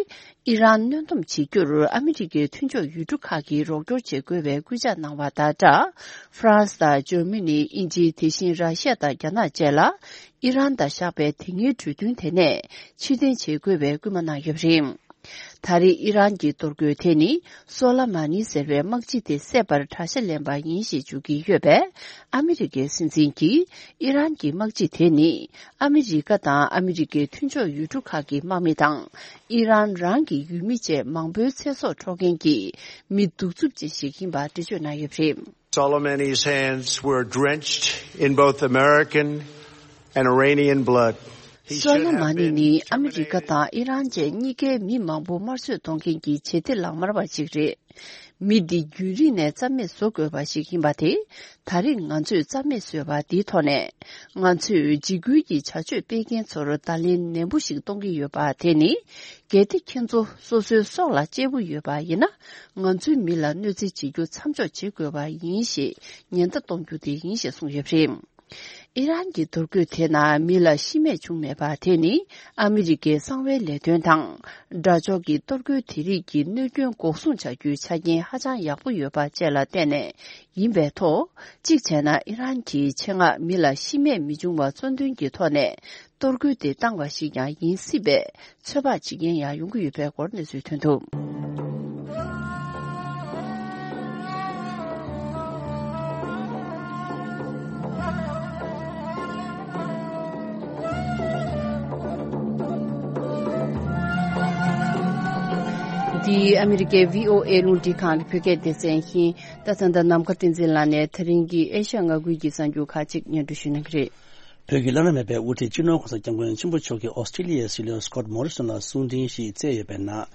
ཨི་རན་གནོན་སྡོམ་བྱེད་རྒྱུར་ཨ་མི་རི་ཀའི་མཐུན་ཕྱོགས་ཡུལ་གྲུ་ཁག་གིས་རོགས་སྐྱོར་བྱེད་དགོས་པའི་སྐུལ་ལྕག་གནང་བ་དང་སྦྲགས། ཧྥ་རན་སི་དང་ཇར་མ་ནི། དབྱིན་ཇི། དེ་བཞིན་ར་ཤི་ཡ་དང་རྒྱ་ནག་བཅས་ལ་ཨི་རན་དང་བཞག་པའི་དེ་སྔའི་གྲོས་མཐུན་དེ་ནས་ཕྱིར་འཐེན་བྱེད་དགོས་པའི་སྐུལ་མ་གནང་ཡོད་པ་རེད། ད་རེས་ཨི་རན་གྱི་གཏོར་རྒོལ་དེ་ནི་སོ་ལ་མ་ནི་ཟེར་བའི་དམག་སྤྱི་དེ་བསད་པར་གྲྭ་ཤ་ལེན་པ་ཡིན་ཞེས་བརྗོད་ཀྱི་ཡོད་པས། ཨ་མི་རི་ཀའི་སྲིད་འཛིན་གྱིས་ཨི་རན་གྱི་དམག་སྤྱི་དེ་ནི་ཨ་མི་རི་ཀ་དང་ཨ་མི་རི་ཀའི་མཐུན་ཕྱོགས་ཡུལ་གྲུ་ཁག་གི་དམག་མི་དང་། ཨི་རན་རང་གི་ཡུལ་མི་བཅས་མང་པོའི་ཚེ་སྲོག་འཕྲོག་མཁན་གྱི་མི་གདུག་རྩུབ་ཅན་ཞིག་ཡིན་པ་འགྲེལ་བརྗོད་གནང་ཡོད་པ་རེད། Soleimani's hands were drenched in both American and Iranian blood. He should have been terminated. སོ་ལེ་མ་ནི་ནི་ཨ་མི་རི་ཀ་དང་ཨི་རན་བཅས་གཉིས་ཀའི་མི་མང་པོ་དམར་གསོད་གཏོང་མཁན་གྱི་བྱེད་གཏེ་ལག་དམར་བ་ཞིག་རེད། མི་འདི་རྒྱུན་རིང་ནས་རྩ་མེད་བཟོ་དགོས་པ་ཞིག་ཡིན་པ་དེ། ད་རེས་ང་ཚོས་རྩ་མེད་བཟོས་པ་འདིའི་ཐོག་ནས། ང་ཚོས་འཇིགས་སྐུལ་གྱི་བྱ་སྤྱོད་སྤེལ་མཁན་ཚོར་བརྡ་ལན་ནན་པོ་ཞིག་གཏོང་གི་ཡོད་པ་དེ་ནི། གལ་ཏེ་ཁྱེད་ཚོ་སོ་སོའི་སྲོག་ལ་གཅེས་པོ་ཡོད་པ་ཡིན་ན། ང་ཚོའི་མི་ལ་གནོད་འཚེ་བྱེད་རྒྱུ་མཚམས་འཇོག་བྱེད་དགོས་པ་ཡིན་ཞེས་ཉེན་བརྡ་གཏོང་རྒྱུ་དེ་ཡིན་ཞེས་གསུངས་ཡོད་པ་རེད། ཨི་རན་གྱི་གཏོར་རྒོལ་དེ་ནང་མི་ལ་ཤི་རྨས་བྱུང་མེད་པ་དེ་ནི་ཨ་མི་རི་ཀའི་གསང་བའི་ལས་དོན་དང་། དགྲ་ཕྱོགས་ཀྱི་གཏོར་རྒོལ་དེ་རིགས་ཀྱི་གནོད་སྐྱོན་འགོག་སྲུང་བྱ་རྒྱུའི་ཆ་རྐྱེན་ཧ་ཅང་ཡག་པོ་ཡོད་པ་བཅས་ལ་བརྟེན་ནས་ཡིན་པའི་ཐོག་གཅིག་བྱས་ན། ཨི་རན་གྱིས་ཆེད་མངགས་མི་ལ་ཤི་རྨས་མི་འབྱུང་བ་གཙོ་འདོན་གྱི་ཐོག་ནས་གཏོར་རྒོལ་དེ་བཏང་བ་ཞིག་ཀྱང་ཡིན་སྲིད་པའི་ཚོད་དཔག་བྱེད་མཁན་ཡང་ཡོང་གི་ཡོད་པའི་སྐོར་གནས་ཚུལ་ཐོན་འདུག་འདི་ཨ་མི་རི་ཀའི་བྷི་ཨོ་ཨེ་རླུང་འཕྲིན་ཁང་གི་བོད་སྐད་སྡེ་ཚན་ཡིན། ད་ད་ལྟ་ནམ་མཁའ་བསྟན་འཛིན་ལགས་ནས་ད་རིང་གི་ཨེ་ཤ་ཡ་མངའ་ཁུལ་གྱི་གསར་འགྱུར་ཁག་ཅིག་སྙན་སྒྲོན་ཞུ་གནང་གི་རེད། བོད་ཀྱི་བླ་ན་མེད་པའི་དབུ་ཁྲིད་སྤྱི་ནོར་༸གོང་ས་༸སྐྱབས་མགོན་ཆེན་པོ་མཆོག་གིས་ཨོ་སི་ཀྲི་ལི་ཡའི་སྲིད་བློན་སི་ཀོཊ་མོ་རི་སོན་ལ་གསུང་འཕྲིན་ཞིག་བསྩལ་ཡོད་པའི་ནང་།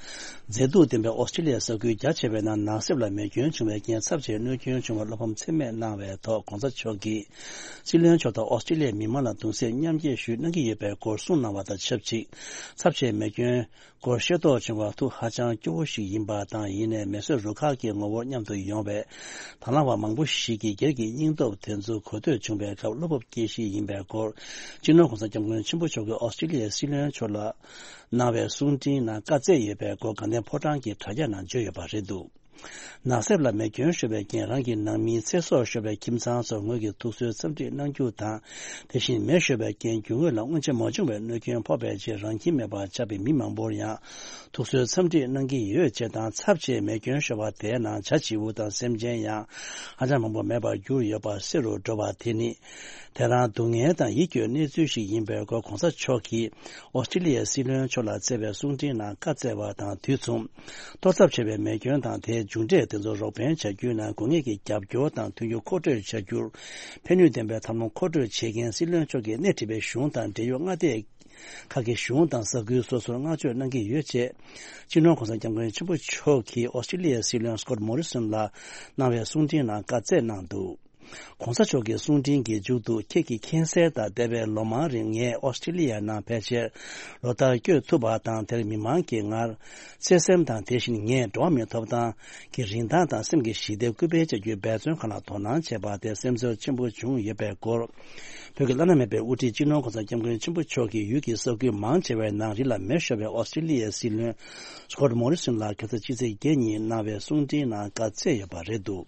མཛེས་སྡུག་ལྡན་པའི་ཨོ་སི་ཀྲི་ལི་ཡའི་ས་ཁུལ་རྒྱ་ཆེ་བའི་ནང་ནགས་གསེབ་ལ་མེ་སྐྱོན་བྱུང་བའི་རྐྱེན་ཚབས་ཆེའི་གནོད་སྐྱོན་བྱུང་བར་བློ་ཕམ་ཚད་མེད་གནང་བའི་ཐོག་༸གོང་ས་མཆོག་གིས་སྲིད་བློན་མཆོག་དང་ཨོ་སི་ཀྲི་ལི་ཡའི་མི་མང་ལ་གདུང་སེམས་མཉམ་སྐྱེད་ཞུ་གནང་གི་ཡོད་པའི་སྐོར་གསུངས་གནང་བ་དང་ཆབས་ཅིག་ཚབས་ཆེའི་མེ་སྐྱོན་སྐོར་ཤེས་རྟོགས་བྱུང་བ་ཐུགས་ཧ་ཅང་སྐྱོ་བོ་ཞིག་ཡིན་པ་དང་། ཡིན་ནའི་མེ་གསོད་རུ་ཁག་གི་ངོ་བོར་མཉམ་དུ་ཡོང་བའི་དང་བླངས་པ་མང་པོ་ཞིག་གིས་སྒེར་གྱི་སྙིང་སྟོབས་དེ་ཚོ་གོ་ཐོས་བྱུང་བའི་སྐབས་བློ་སྤོབས་སྐྱེ་གཞི་ཡིན་པའི་སྐོར། སྐོར། སྤྱི་ནོར་༸གོང་ས་༸སྐྱབས་མགོན་ཆེན་པོ་མཆོག་གིས་ཨོ་སི་ཀྲི་ལི་ཡའི་སྲིད་བློན་མཆོག་ལ་གནང་བའི་གསུང་འཕྲིན་ནང་བཀའ་སྩལ་ཡོད་པའི་སྐོར་དགའ་ལྡན་ཕོ་བྲང་གི་དྲ་རྒྱ་ནང་བརྗོད་ཡོད་པ་རེད་འདུག། ནགས་གསེབ་ལ་མེ་སྐྱོན་ཤོར་བའི་རྐྱེན་རང་གི་ནང་མིའི་ཚེ་སྲོག་ཤོར་བའི་ཁྱིམ་ཚང་ཚོར་ངོས་ཀྱིས་ཐུགས་གསོའི་འཚམས་འདྲི་གནང་རྒྱུ་དང་། དེ་བཞིན་མེ་ཤོར་བའི་རྐྱེན་རྒྱུ་དངོས་ལ་སྔོན་ཆད་མ་བྱུང་བའི་གནོད་སྐྱོན་ཕོག་པའི་རྗེས་རང་ཁྱིམ་མེད་པར་ཆགས་པའི་མི་མང་པོར་ཡང་ཐུགས་གསོའི་འཚམས་འདྲི་གནང་གི་ཡོད་ཅེས་དང་། ཚབས་ཆེའི་མེ་སྐྱོན་ཤོར་བ་དེའི་ནང་བྱ་བྱིའུ་དང་སེམས་ཅན་ཡང་ཧ་ཅང་མང་པོ་མེད་པར་གྱུར་ཡོད་པ་གསལ་རུ་འགྲོ་བ་དེ་ནི། དེ་རང་སྡུག་བསྔལ་དང་ཡིད་སྐྱོའི་གནས་ཚུལ་ཞིག་ཡིན་པའི་སྐོར་༸གོང་ས་མཆོག་གིས་ཨོ་སི་ཀྲི་ལི་ཡའི་སྲིད་བློན་མཆོག་ལ་བསྩལ་བའི་གསུང་འཕྲིན་ནང་བཀའ་སྩལ་བ་དང་དུས་མཚུངས། གཏོར་ཚབས་ཆེ་བའི་མེ་སྐྱོན་དང་དེའི་མཇུག་འབྲས་དེ་ཚོར་རོགས་ཕན་བྱ་རྒྱུའི་ནང་དགོས་ངེས་ཀྱི་རྒྱབ་སྐྱོར་དང་མཐུན་འགྱུར་མཁོ་སྤྲོད་བྱ་རྒྱུར་ཕན་ནུས་ལྡན་པའི་ཐབས་ལམ་མཁོ་སྤྲོད་བྱེད་མཁན་སྲིད་བློན་མཆོག་གིས་སྣེ་ཁྲིད་པའི་གཞུང་དང་འབྲེལ་ཡོད་མངའ་སྡེ་ཁག་གི་གཞུང་དང་ས་ཁུལ་སོ་སོར་བསྔགས་བརྗོད་གནང་གི་ཡོད་ཅེས། སྤྱི་ནོར་༸གོང་ས་༸སྐྱབས་མགོན་ཆེན་པོ་མཆོག་གིས་ཨོ་སི་ཀྲི་ལི་ཡའི་སྲིད་བློན་སྐོཊ་མོ་རི་སོན་ལ་གནང་བའི་གསུང་འཕྲིན་ནང་བཀའ་སྩལ་གནང་འདུག། ༸གོང་ས་མཆོག་གི་གསུང་འཕྲིན་གྱི་མཇུག་ཏུ། ཁྱེད་ཀྱི་མཁྱེན་གསལ་ལྟར་འདས་པའི་ལོ་མང་རིང་ངས་ཨོ་སི་ཀྲི་ལི་ཡ་ནང་ཕལ་ཆེར་ལོ་ལྟར་བསྐྱོད་ཐུབ་པ་དང་། དེར་མི་མང་གིས་ངར་བརྩེ་སེམས་དང་། དེ་བཞིན་ངས་འགྲོ་བ་མིའི་ཐོབ་ཐང་གི་རིན་ཐང་དང་སེམས་ཀྱི་ཞི་བདེར་སྐུལ་སྤེལ་བྱ་རྒྱུའི་འབད་བརྩོན་ཁག་ལ་དོ་སྣང་བྱས་པ་དེ་སེམས་ཚོར་ཆེན་པོ་བྱུང་ཡོད་པའི་སྐོར། བོད་ཀྱི་བླ་ན་མེད་པའི་དབུ་ཁྲིད་སྤྱི་ནོར་༸གོང་ས་༸སྐྱབས་མགོན་ཆེན་པོ་མཆོག་གིས་ཡུལ་གྱི་ས་ཁུལ་མང་ཆེ་བའི་ནང་རི་ལ་མེ་ཤོར་བའི་ཨོ་སི་ཀྲི་ལི་ཡའི་སྲིད་བློན་སྐོཊ་མོ་རི་སོན་ལ་ཁ་སང་ཕྱི་ཚེས་བརྒྱད་ཉིན་གནང་བའི་གསུང་འཕྲིན་ནང་བཀའ་སྩལ་ཡོད་པ་རེད་འདུག།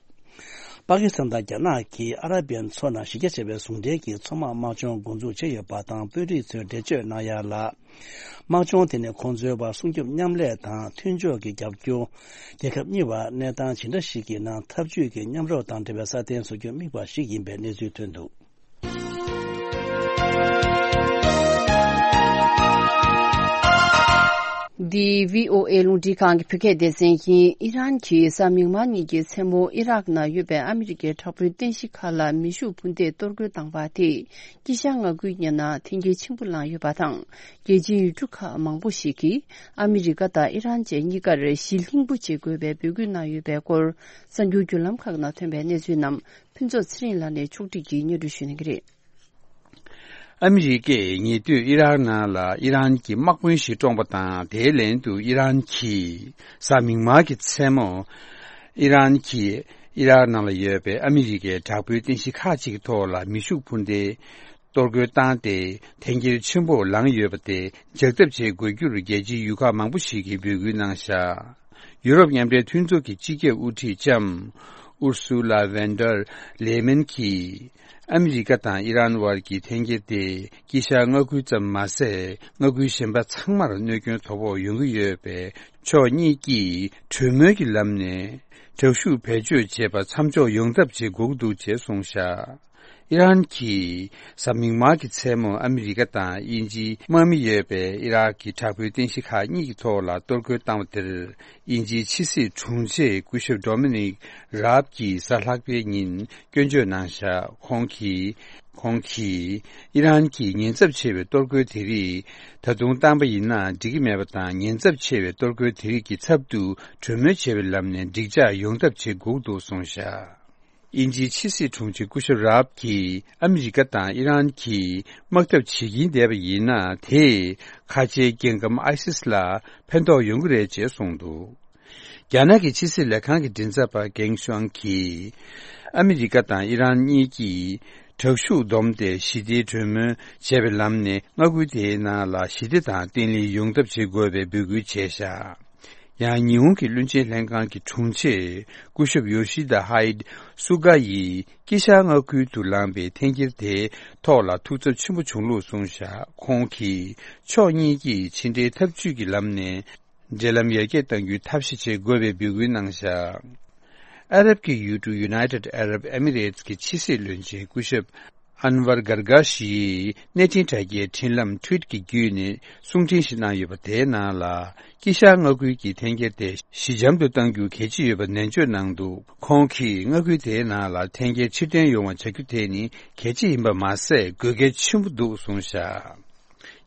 པ་ཀི་སི་ཐན་དང་རྒྱ་ནག་གིས་ཨ་ར་པན་མཚོ་ནང་གཞི་རྒྱ་ཆེ་བའི་ཟུང་འབྲེལ་གྱི་མཚོ་དམག་དམག་སྦྱོང་འགོ་འཛུགས་བྱས་ཡོད་པ་དང་། དཔོན་རིགས་ཚོས་འགྲེལ་བརྗོད་གནང་ཡ་ལ། དམག་སྦྱོང་དེ་ནི་ཁོང་ཚོའི་བར་སྲུང་སྐྱོབ་མཉམ་ལས་དང་མཐུན་ཕྱོགས་ཀྱི་རྒྱབ་སྐྱོར། རྒྱལ་ཁབ་གཉིས་བར་གནས་སྟངས་ཇི་འདྲ་ཞིག་གི་ནང་འཐབ་ཇུས་ཀྱི་མཉམ་རོགས་དང་འབྲེལ་བའི་སྲ་བརྟན་བཟོ་རྒྱུར་དམིགས་པ་ཞིག་ཡིན་པའི་གནས་ཚུལ་ཐོན་འདུག། འདི་བྷི་ཨོ་ཨེ་རླུང་འཕྲིན་ཁང་གི་བོད་སྐད་སྡེ་ཚན་ཡིན། ཨི་རན་གྱིས་གཟའ་མིག་དམར་ཉིན་གྱི་མཚན་མོ་ཨི་རག་ནང་ཡོད་པའི་ཨ་མི་རི་ཀའི་དྲག་པོའི་རྟེན་གཞི་ཁག་ལ་མེ་ཤུགས་འཕུར་མདེལ་གཏོར་རྒོལ་བཏང་བ་དེས་དཀྱིལ་ཤར་མངའ་ཁུལ་གཉིས་ནང་འཐེན་འཁྱེར་ཆེན་པོ་བསླངས་ཡོད་པ་དང་། རྒྱལ་སྤྱིའི་ཡུལ་གྲུ་ཁག་མང་པོ་ཞིག་གིས་ཨ་མི་རི་ཀ་དང་ཨི་རན་བཅས་གཉིས་ཀར་ཞི་ལྷིང་པོ་བྱེད་དགོས་པའི་འབོད་སྐུལ་གནང་ཡོད་པའི་སྐོར་གསར་འགྱུར་བརྒྱུད་ལམ་ཁག་ནང་ཐོན་པའི་གནས་ཚུལ་རྣམས་ཕུན་ཚོགས་ཚེ་རིང་ལགས་ནས་ཕྱོགས་སྒྲིག་གིས་སྙན་སྒྲོན་ཞུ་གནང་གི་རེད། ཨ་མི་རི་ཀས་ཉེ་དུས་ཨི་རག་ནང་ལ་ཨི་རན་གྱི་དམག་དཔོན་ཞིག་བཀྲོངས་པ་དང་། དེའི་ལན་དུ་ཨི་རན་གྱིས་གཟའ་མིག་དམར་གྱི་མཚན་མོ་ཨི་རན་གྱིས་ཨི་རག་ནང་ལ་ཡོད་པའི་ཨ་མི་རི་ཀའི་དྲག་པོའི་རྟེན་གཞི་ཁག་ཅིག་གི་ཐོག་ལ་མེ་ཤུགས་འཕུར་མདེལ་གཏོར་རྒོལ་བཏང་སྟེ། འཐེན་འཁྱེར་ཆེན་པོ་ལངས་ཡོད་པ་དེ་འཇགས་ཐབས་བྱེད་དགོས་རྒྱུར་རྒྱལ་སྤྱིའི་ཡུལ་ཁག་མང་པོ་ཞིག་གིས་འབོད་སྐུལ་གནང་བཞག། ཡུ་རོབ་མཉམ་འབྲེལ་མཐུན་ཚོགས་ཀྱི་སྤྱི་ཁྱབ་དབུ་ཁྲིད་ལྕམ་ཨུར་སུ་ལ་ཝན་ཌར་ལེ་མན་གྱིས། ཨ་མི་རི་ཀ་དང་ཨི་རན་བར་གྱི་འཐེན་འཁྱེར་དེ་དཀྱིལ་ཤར་མངའ་ཁུལ་ཙམ་མ་ཟད། མངའ་ཁུལ་གཞན་པ་ཚང་མར་གནོད་སྐྱོན་དོ་ཕོག་ཡོང་གི་ཡོད་པས། ཕྱོགས་གཉིས་ཀྱིས་གྲོས་མོལ་གྱི་ལམ་ནས་དྲག་ཤུགས་བེད་སྤྱོད་བྱེད་པ་མཚམས་འཇོག་ཡོང་ཐབས་བྱེད་དགོས་ཀྱི་འདུག་ཅེས་གསུངས་བཞག། ཨི་རན་གྱིས་གཟའ་མིག་དམར་གྱི་མཚན་མོ་ཨ་མི་རི་ཀ་དང་དབྱིན་ཇིའི་དམག་མི་ཡོད་པའི་ཨི་རག་གི་དྲག་པོའི་རྟེན་གཞི་ཁག་གཉིས་ཀྱི་ཐོག་ལ་གཏོར་རྒོལ་བཏང་བ་དེར། དབྱིན་ཇིའི་ཕྱི་སྲིད་དྲུང་ཆེ་སྐུ་ཞབས་ཌོ་མི་ནིག་རཱབ་ཀྱིས་གཟའ་ལྷག་པའི་ཉིན་སྐྱོན་བརྗོད་གནང་བཞག། ཁོང་གིས། ཁོང་གིས། ཨི་རན་གྱིས་ཉེན་ཚབས་ཆེ་བའི་གཏོར་རྒོལ་དེ་རིགས་ད་དུང་བཏང་པ་ཡིན་ན་འགྲིག་གི་མེད་པ་དང་། ཉེན་ཚབས་ཆེ་བའི་གཏོར་རྒོལ་དེ་རིགས་ཀྱི་ཚབ་ཏུ་གྲོས་མོལ་བྱེད་པའི་ལམ་ནས་འགྲིག་འཇགས་ཡོང་ཐབས་བྱེད་དགོས་འདུག་གསུངས་བཞག། དབྱིན་ཇིའི་ཕྱི་སྲིད་དྲུང་ཆེ་སྐུ་ཞབས་རཱབ་ཀྱིས་ཨ་མི་རི་ཀ་དང་ཨི་རན་གྱིས་དམག་འཐབ་བྱེད་ཀྱིན་བསྡད་པ་ཡིན་ན། དེས་ཁ་ཆེའི་རྒྱལ་ཁམས་ཨའི་སིས་ལ་ཕན་ཐོགས་ཡོང་གི་རེད་ཅེས་གསུངས་འདུག། རྒྱ་ནག་གི་ཕྱི་སྲིད་ལས་ཁང་གི་མགྲིན་ཚབ་པ་གེང་ཤུའང་གིས། ཨ་མི་རི་ཀ་དང་ཨི་རན་གཉིས་ཀྱིས་དྲག་ཤུགས་བསྡོམས་ཏེ་ཞི་བདེའི་གྲོས་མོལ་བྱས་པའི་ལམ་ནས་མངའ་ཁུལ་དེའི་ནང་ལ་ཞི་བདེ་དང་བརྟན་ལྷིང་ཡོང་ཐབས་བྱེད་དགོས་པའི་འབོད་སྐུལ་བྱས་བཞག། ཡང་ཉི་ཧོང་གི་བློན་ཆེན་ལྷན་ཁང་གི་དྲུང་ཆེ་སྐུ་ཞབས་ཡོ་ཤི་དཱ་ཧའེ་སུ་ག་ཡིས་དཀྱིལ་ཤར་མངའ་ཁུལ་དུ་ལངས་པའི་འཐེན་འཁྱེར་དེའི་ཐོག་ལ་ཐུགས་འཚབ་ཆེན་པོ་བྱུང་ལུགས་གསུངས་བཞག། ཁོང་གིས་ཕྱོགས་གཉིས་ཀྱིས་ཕྱི་འབྲེལ་འཐབ་ཇུས་ཀྱི་ལམ་ནས་འབྲེལ་ལམ་ཡར་རྒྱས་གཏང་རྒྱུའི་ཐབས་ཤེས་བྱེད་དགོས་པའི་འབོད་སྐུལ་གནང་བཞག། ཨ་རབ་ཀྱི་ཡུལ་གྲུ་United Arab Emirates གྱི་ཕྱི་སྲིད་བློན་ཆེན་སྐུ་ཞབས་ཨན་ཝར་གར་གྷ་ཤི་ཡིས་གནས་འཕྲིན་དྲ་རྒྱའི་འཕྲིན་ལམ་Twitter གྱི་བརྒྱུད་ནས་གསུང་འཕྲིན་ཞིག་གནང་ཡོད་པ། དེའི་ནང་ལ། དཀྱིལ་ཤར་མངའ་ཁུལ་གྱི་འཐེན་འཁྱེར་དེ་ཞི་འཇམ་དུ་གཏང་རྒྱུ་གལ་ཆེ་ཡོད་པ་ནན་བརྗོད་གནང་འདུག། ཁོང་གིས་མངའ་ཁུལ་དེའི་ནང་ལ་འཐེན་འཁྱེར་ཕྱིར་འཐེན་ཡོང་བ་བྱ་རྒྱུ་དེ་ནི་གལ་ཆེ་ཡིན་པ་མ་ཟད། དགོས་གལ་ཆེན་པོ་འདུག་གསུངས་བཞག།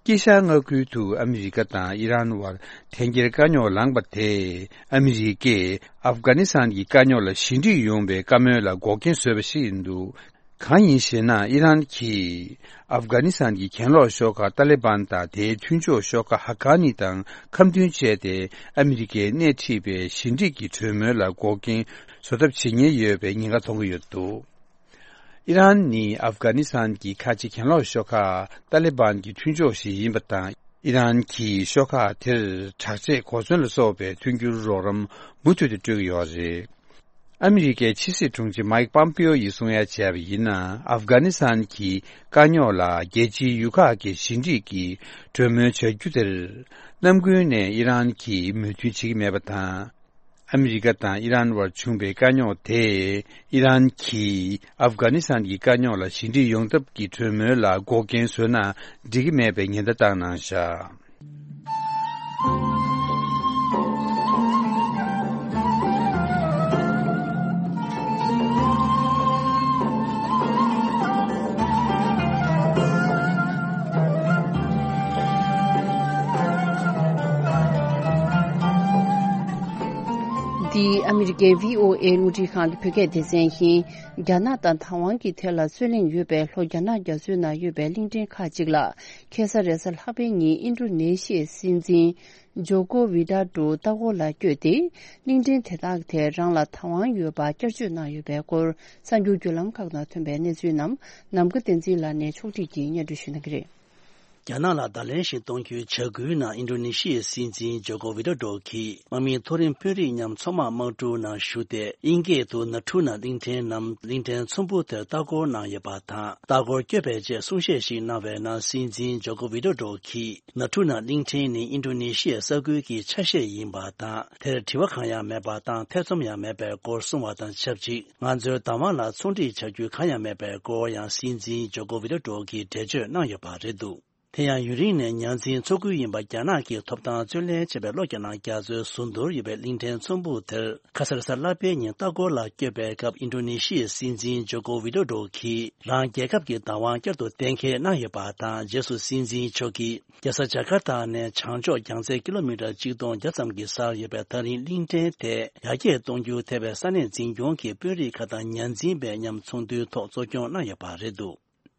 དཀྱིལ་ཤར་མངའ་ཁུལ་དུ་ཨ་མི་རི་ཀ་དང་ཨི་རན་བར་འཐེན་འཁྱེར་དཀའ་རྙོག་ལངས་པ་དེས། ཨ་མི་རི་ཀས་ཨབ་གྷ་ནི་སི་ཐན་གྱི་དཀའ་རྙོག་ལ་ཞི་འགྲིག་ཡོང་བའི་བཀའ་མོལ་ལ་འགོག་རྐྱེན་བཟོས་པ་ཞིག་ཡིན་འདུག། གང་ཡིན་ཞེ་ན། ཨི་རན་གྱིས་ཨབ་གྷ་ནི་སི་ཐན་གྱི་གྱེན་ལོག་ཤོག་ཁག་ཏཱ་ལི་བན་དང་དེའི་མཐུན་ཕྱོགས་ཤོག་ཁག་ཧ་ཀ་ནི་དང་ཁ་མཐུན་བྱས་ཏེ། ཨ་མི་རི་ཀས་སྣེ་ཁྲིད་པའི་ཞི་འགྲིག་གི་གྲོས་མོལ་ལ་འགོག་རྐྱེན་བཟོ་ཐབས་བྱེད་ཉེན་ཡོད་པའི་ཉེན་ཁ་མཐོང་གི་ཡོད་འདུག། ཨི་རན་ནི་ཨབ་གྷ་ནི་སི་ཐན་གྱི་ཁ་ཆེ་གྱེན་ལོག་ཤོག་ཁག་ཏཱ་ལི་བན་གྱི་མཐུན་ཕྱོགས་ཤིག་ཡིན་པ་དང་། ཨི་རན་གྱིས་ཤོག་ཁག་དེར་དྲག་ཆས་གོ་མཚོན་ལ་སོགས་པའི་མཐུན་འགྱུར་རོགས་རམ་མུ་མཐུད་དུ་སྤྲོད་ཀྱི་ཡོད་རེད། ཨ་མི་རི་ཀའི་ཕྱི་སྲིད་དྲུང་ཆེ་མའིག་པམ་པེའོ་ཡིས་གསུང་ཡ་བྱས་པ་ཡིན་ན། ཨབ་གྷ་ནི་སི་ཐན་གྱི་དཀའ་རྙོག་ལ་རྒྱལ་སྤྱིའི་ཡུལ་ཁག་གི་ཞི་འགྲིག་གི་གྲོས་མོལ་བྱ་རྒྱུ་དེར་གནམ་དགུན་ནས་ཨི་རན་གྱིས་མོས་མཐུན་བྱེད་ཀྱི་མེད་པ་དང་། ཨ་མི་རི་ཀ་དང་ཨི་རན་བར་བྱུང་པའི་དཀའ་རྙོག་དེས་ཨི་རན་གྱིས་ཨབ་གྷ་ནི་སི་ཐན་གྱི་དཀའ་རྙོག་ལ་ཞི་འགྲིག་ཡོང་ཐབས་ཀྱི་གྲོས་མོལ་ལ་འགོག་རྐྱེན་བཟོས་ན་འགྲིག་གི་མེད་པའི་ཉེན་བརྡ་བཏང་གནང་བཞག་འདི་ཨ་མི་རི་ཀའི་བྷི་ཨོ་ཨེ་རླུང་འཕྲིན་ཁང་གི་བོད་སྐད་སྡེ་ཚན་ཡིན། རྒྱ་ནག་དང་དང་ཝང་གི་ཐད་ལ་རྩོད་གླེང་ཡོད་པའི་ལྷོ་རྒྱ་ནག་རྒྱ་མཚོའི་ནང་ཡོད་པའི་གླིང་ཕྲན་ཁག་ཅིག་ལ། ཁ་སང་རེས་གཟའ་ལྷག་པའི་ཉིན་ཨིན་ཌོ་ནེ་ཤི་ཡའི་སྲིད་འཛིན་ཇོ་ཀོ་ཝི་ཌོ་ཌོ་ལྟ་སྐོར་ལ་བསྐྱོད་དེ། གླིང་ཕྲན་དེ་དག་དེ་རང་ལ་དང་ཝང་ཡོད་པ་བསྐྱར་བརྗོད་གནང་ཡོད་པའི་སྐོར། གསར་འགྱུར་བརྒྱུད་ལམ་ཁག་ནང་ཐོན་པའི་གནས་ཚུལ་རྣམས་ནམ་མཁའ་བསྟན་འཛིན་ལགས་ནས་ཕྱོགས་སྒྲིག་གིས་སྙན་སྒྲོན་ཞུ་གནང་གི་རེད། རྒྱ་ནག་ལ་བརྡ་ལན་ཞིག་གཏོང་རྒྱུའི་བྱ་འགུལ་ནང་ཨིན་ཌོ་ནེ་ཤི་ཡའི་སྲིད་འཛིན་ཇོ་ཀོ་ཝི་ཌོ་ཌོ་གིས་དམག་མི་མཐོ་རིམ་དཔོན་རིགས་མཉམ་མཚོ་དམག་དམག་གྲུ་ནང་ཞུགས་ཏེ། དབྱིན་སྐད་དུ་ན་ཊུ་ན་གླིང་ཕྲན་ནམ་གླིང་ཕྲན་ཚོམ་བུ་དེར་ལྟ་སྐོར་གནང་ཡོད་པ་དང་། ལྟ་སྐོར་བསྐྱོད་པའི་རྗེས་གསུང་བཤད་ཞིག་གནང་བའི་ནང་སྲིད་འཛིན་ཇོ་ཀོ་ཝི་ཌོ་ཌོ་གིས། ན་ཊུ་ན་གླིང་ཕྲན་ནི་ཨིན་ཌོ་ནེ་ཤི་ཡའི་ས་ཁུལ་གྱི་ཆ་ཤས་ཡིན་པ་དང་། དེར་དྲི་བ་གང་ཡང་མེད་པ་དང་། ཐེ་ཚོམ་ཡང་མེད་པའི་སྐོར་གསུངས་པ་དང་ཆབས་ཅིག་ང་ཚོའི་བདག་དབང་ལ་ཚོང་འགྲིག་བྱ་རྒྱུ་གང་ཡང་མེད་པའི་སྐོར་ཡང་སྲིད་འཛིན་ཇོ་ཀོ་ཝི་ཌོ་ཌོ་གིས་འགྲེལ་བརྗོད་གནང་ཡོད་པ་རེད་འདུག་དེ་ཡང་ཡུན་རིང་ནས་ཉ་འཛིན་མཚོ་ཁུལ་ཡིན་པ་རྒྱ་ནག་གིས་ཐོབ་ཐང་རྩོད་ལེན་བྱས་པའི་ལྷོ་རྒྱ་ནག་རྒྱ་མཚོའི་ཟུར་མདོར་ཡོད་པའི་གླིང་ཕྲན་ཚོམ་བུ་དེར། ཁ་སང་རེས་གཟའ་ལྷག་པའི་ཉིན་ལྟ་སྐོར་ལ་བསྐྱོད་པའི་སྐབས་ཨིན་ཌོ་ནེ་ཤི་ཡའི་སྲིད་འཛིན་ཇོ་ཀོ་ཝི་ཌོ་ཌོ་གིས་རང་རྒྱལ་ཁབ་ཀྱི་བདག་དབང་བསྐྱར་དུ་གཏན་འཁེལ་གནང་ཡོད་པ་དང་། རྗེས་སུ་སྲིད་འཛིན་མཆོག་གིས་རྒྱལ་ས་ཇ་ཀར་ཏ་ནས་བྱང་ཕྱོགས་རྒྱང་ཚད་ཀི་ལོ་མི་ཊར་ཆིག་སྟོང་བརྒྱ་ཙམ་གྱི་སར་ཡོད་པའི་ཐག་རིང་གླིང་ཕྲན་དེ་ཡར་རྒྱས་གཏོང་རྒྱུར་ཐེ་བའི་ས་གནས་འཛིན་སྐྱོང་གི་དཔོན་རིགས་ཁག་དང་ཉ་འཛིན་པས་མཉམ་ཚོགས་འདུའི་ཐོག་གཙོ་སྐྱོང་གནང་ཡོད་པ་རེད་འདུག་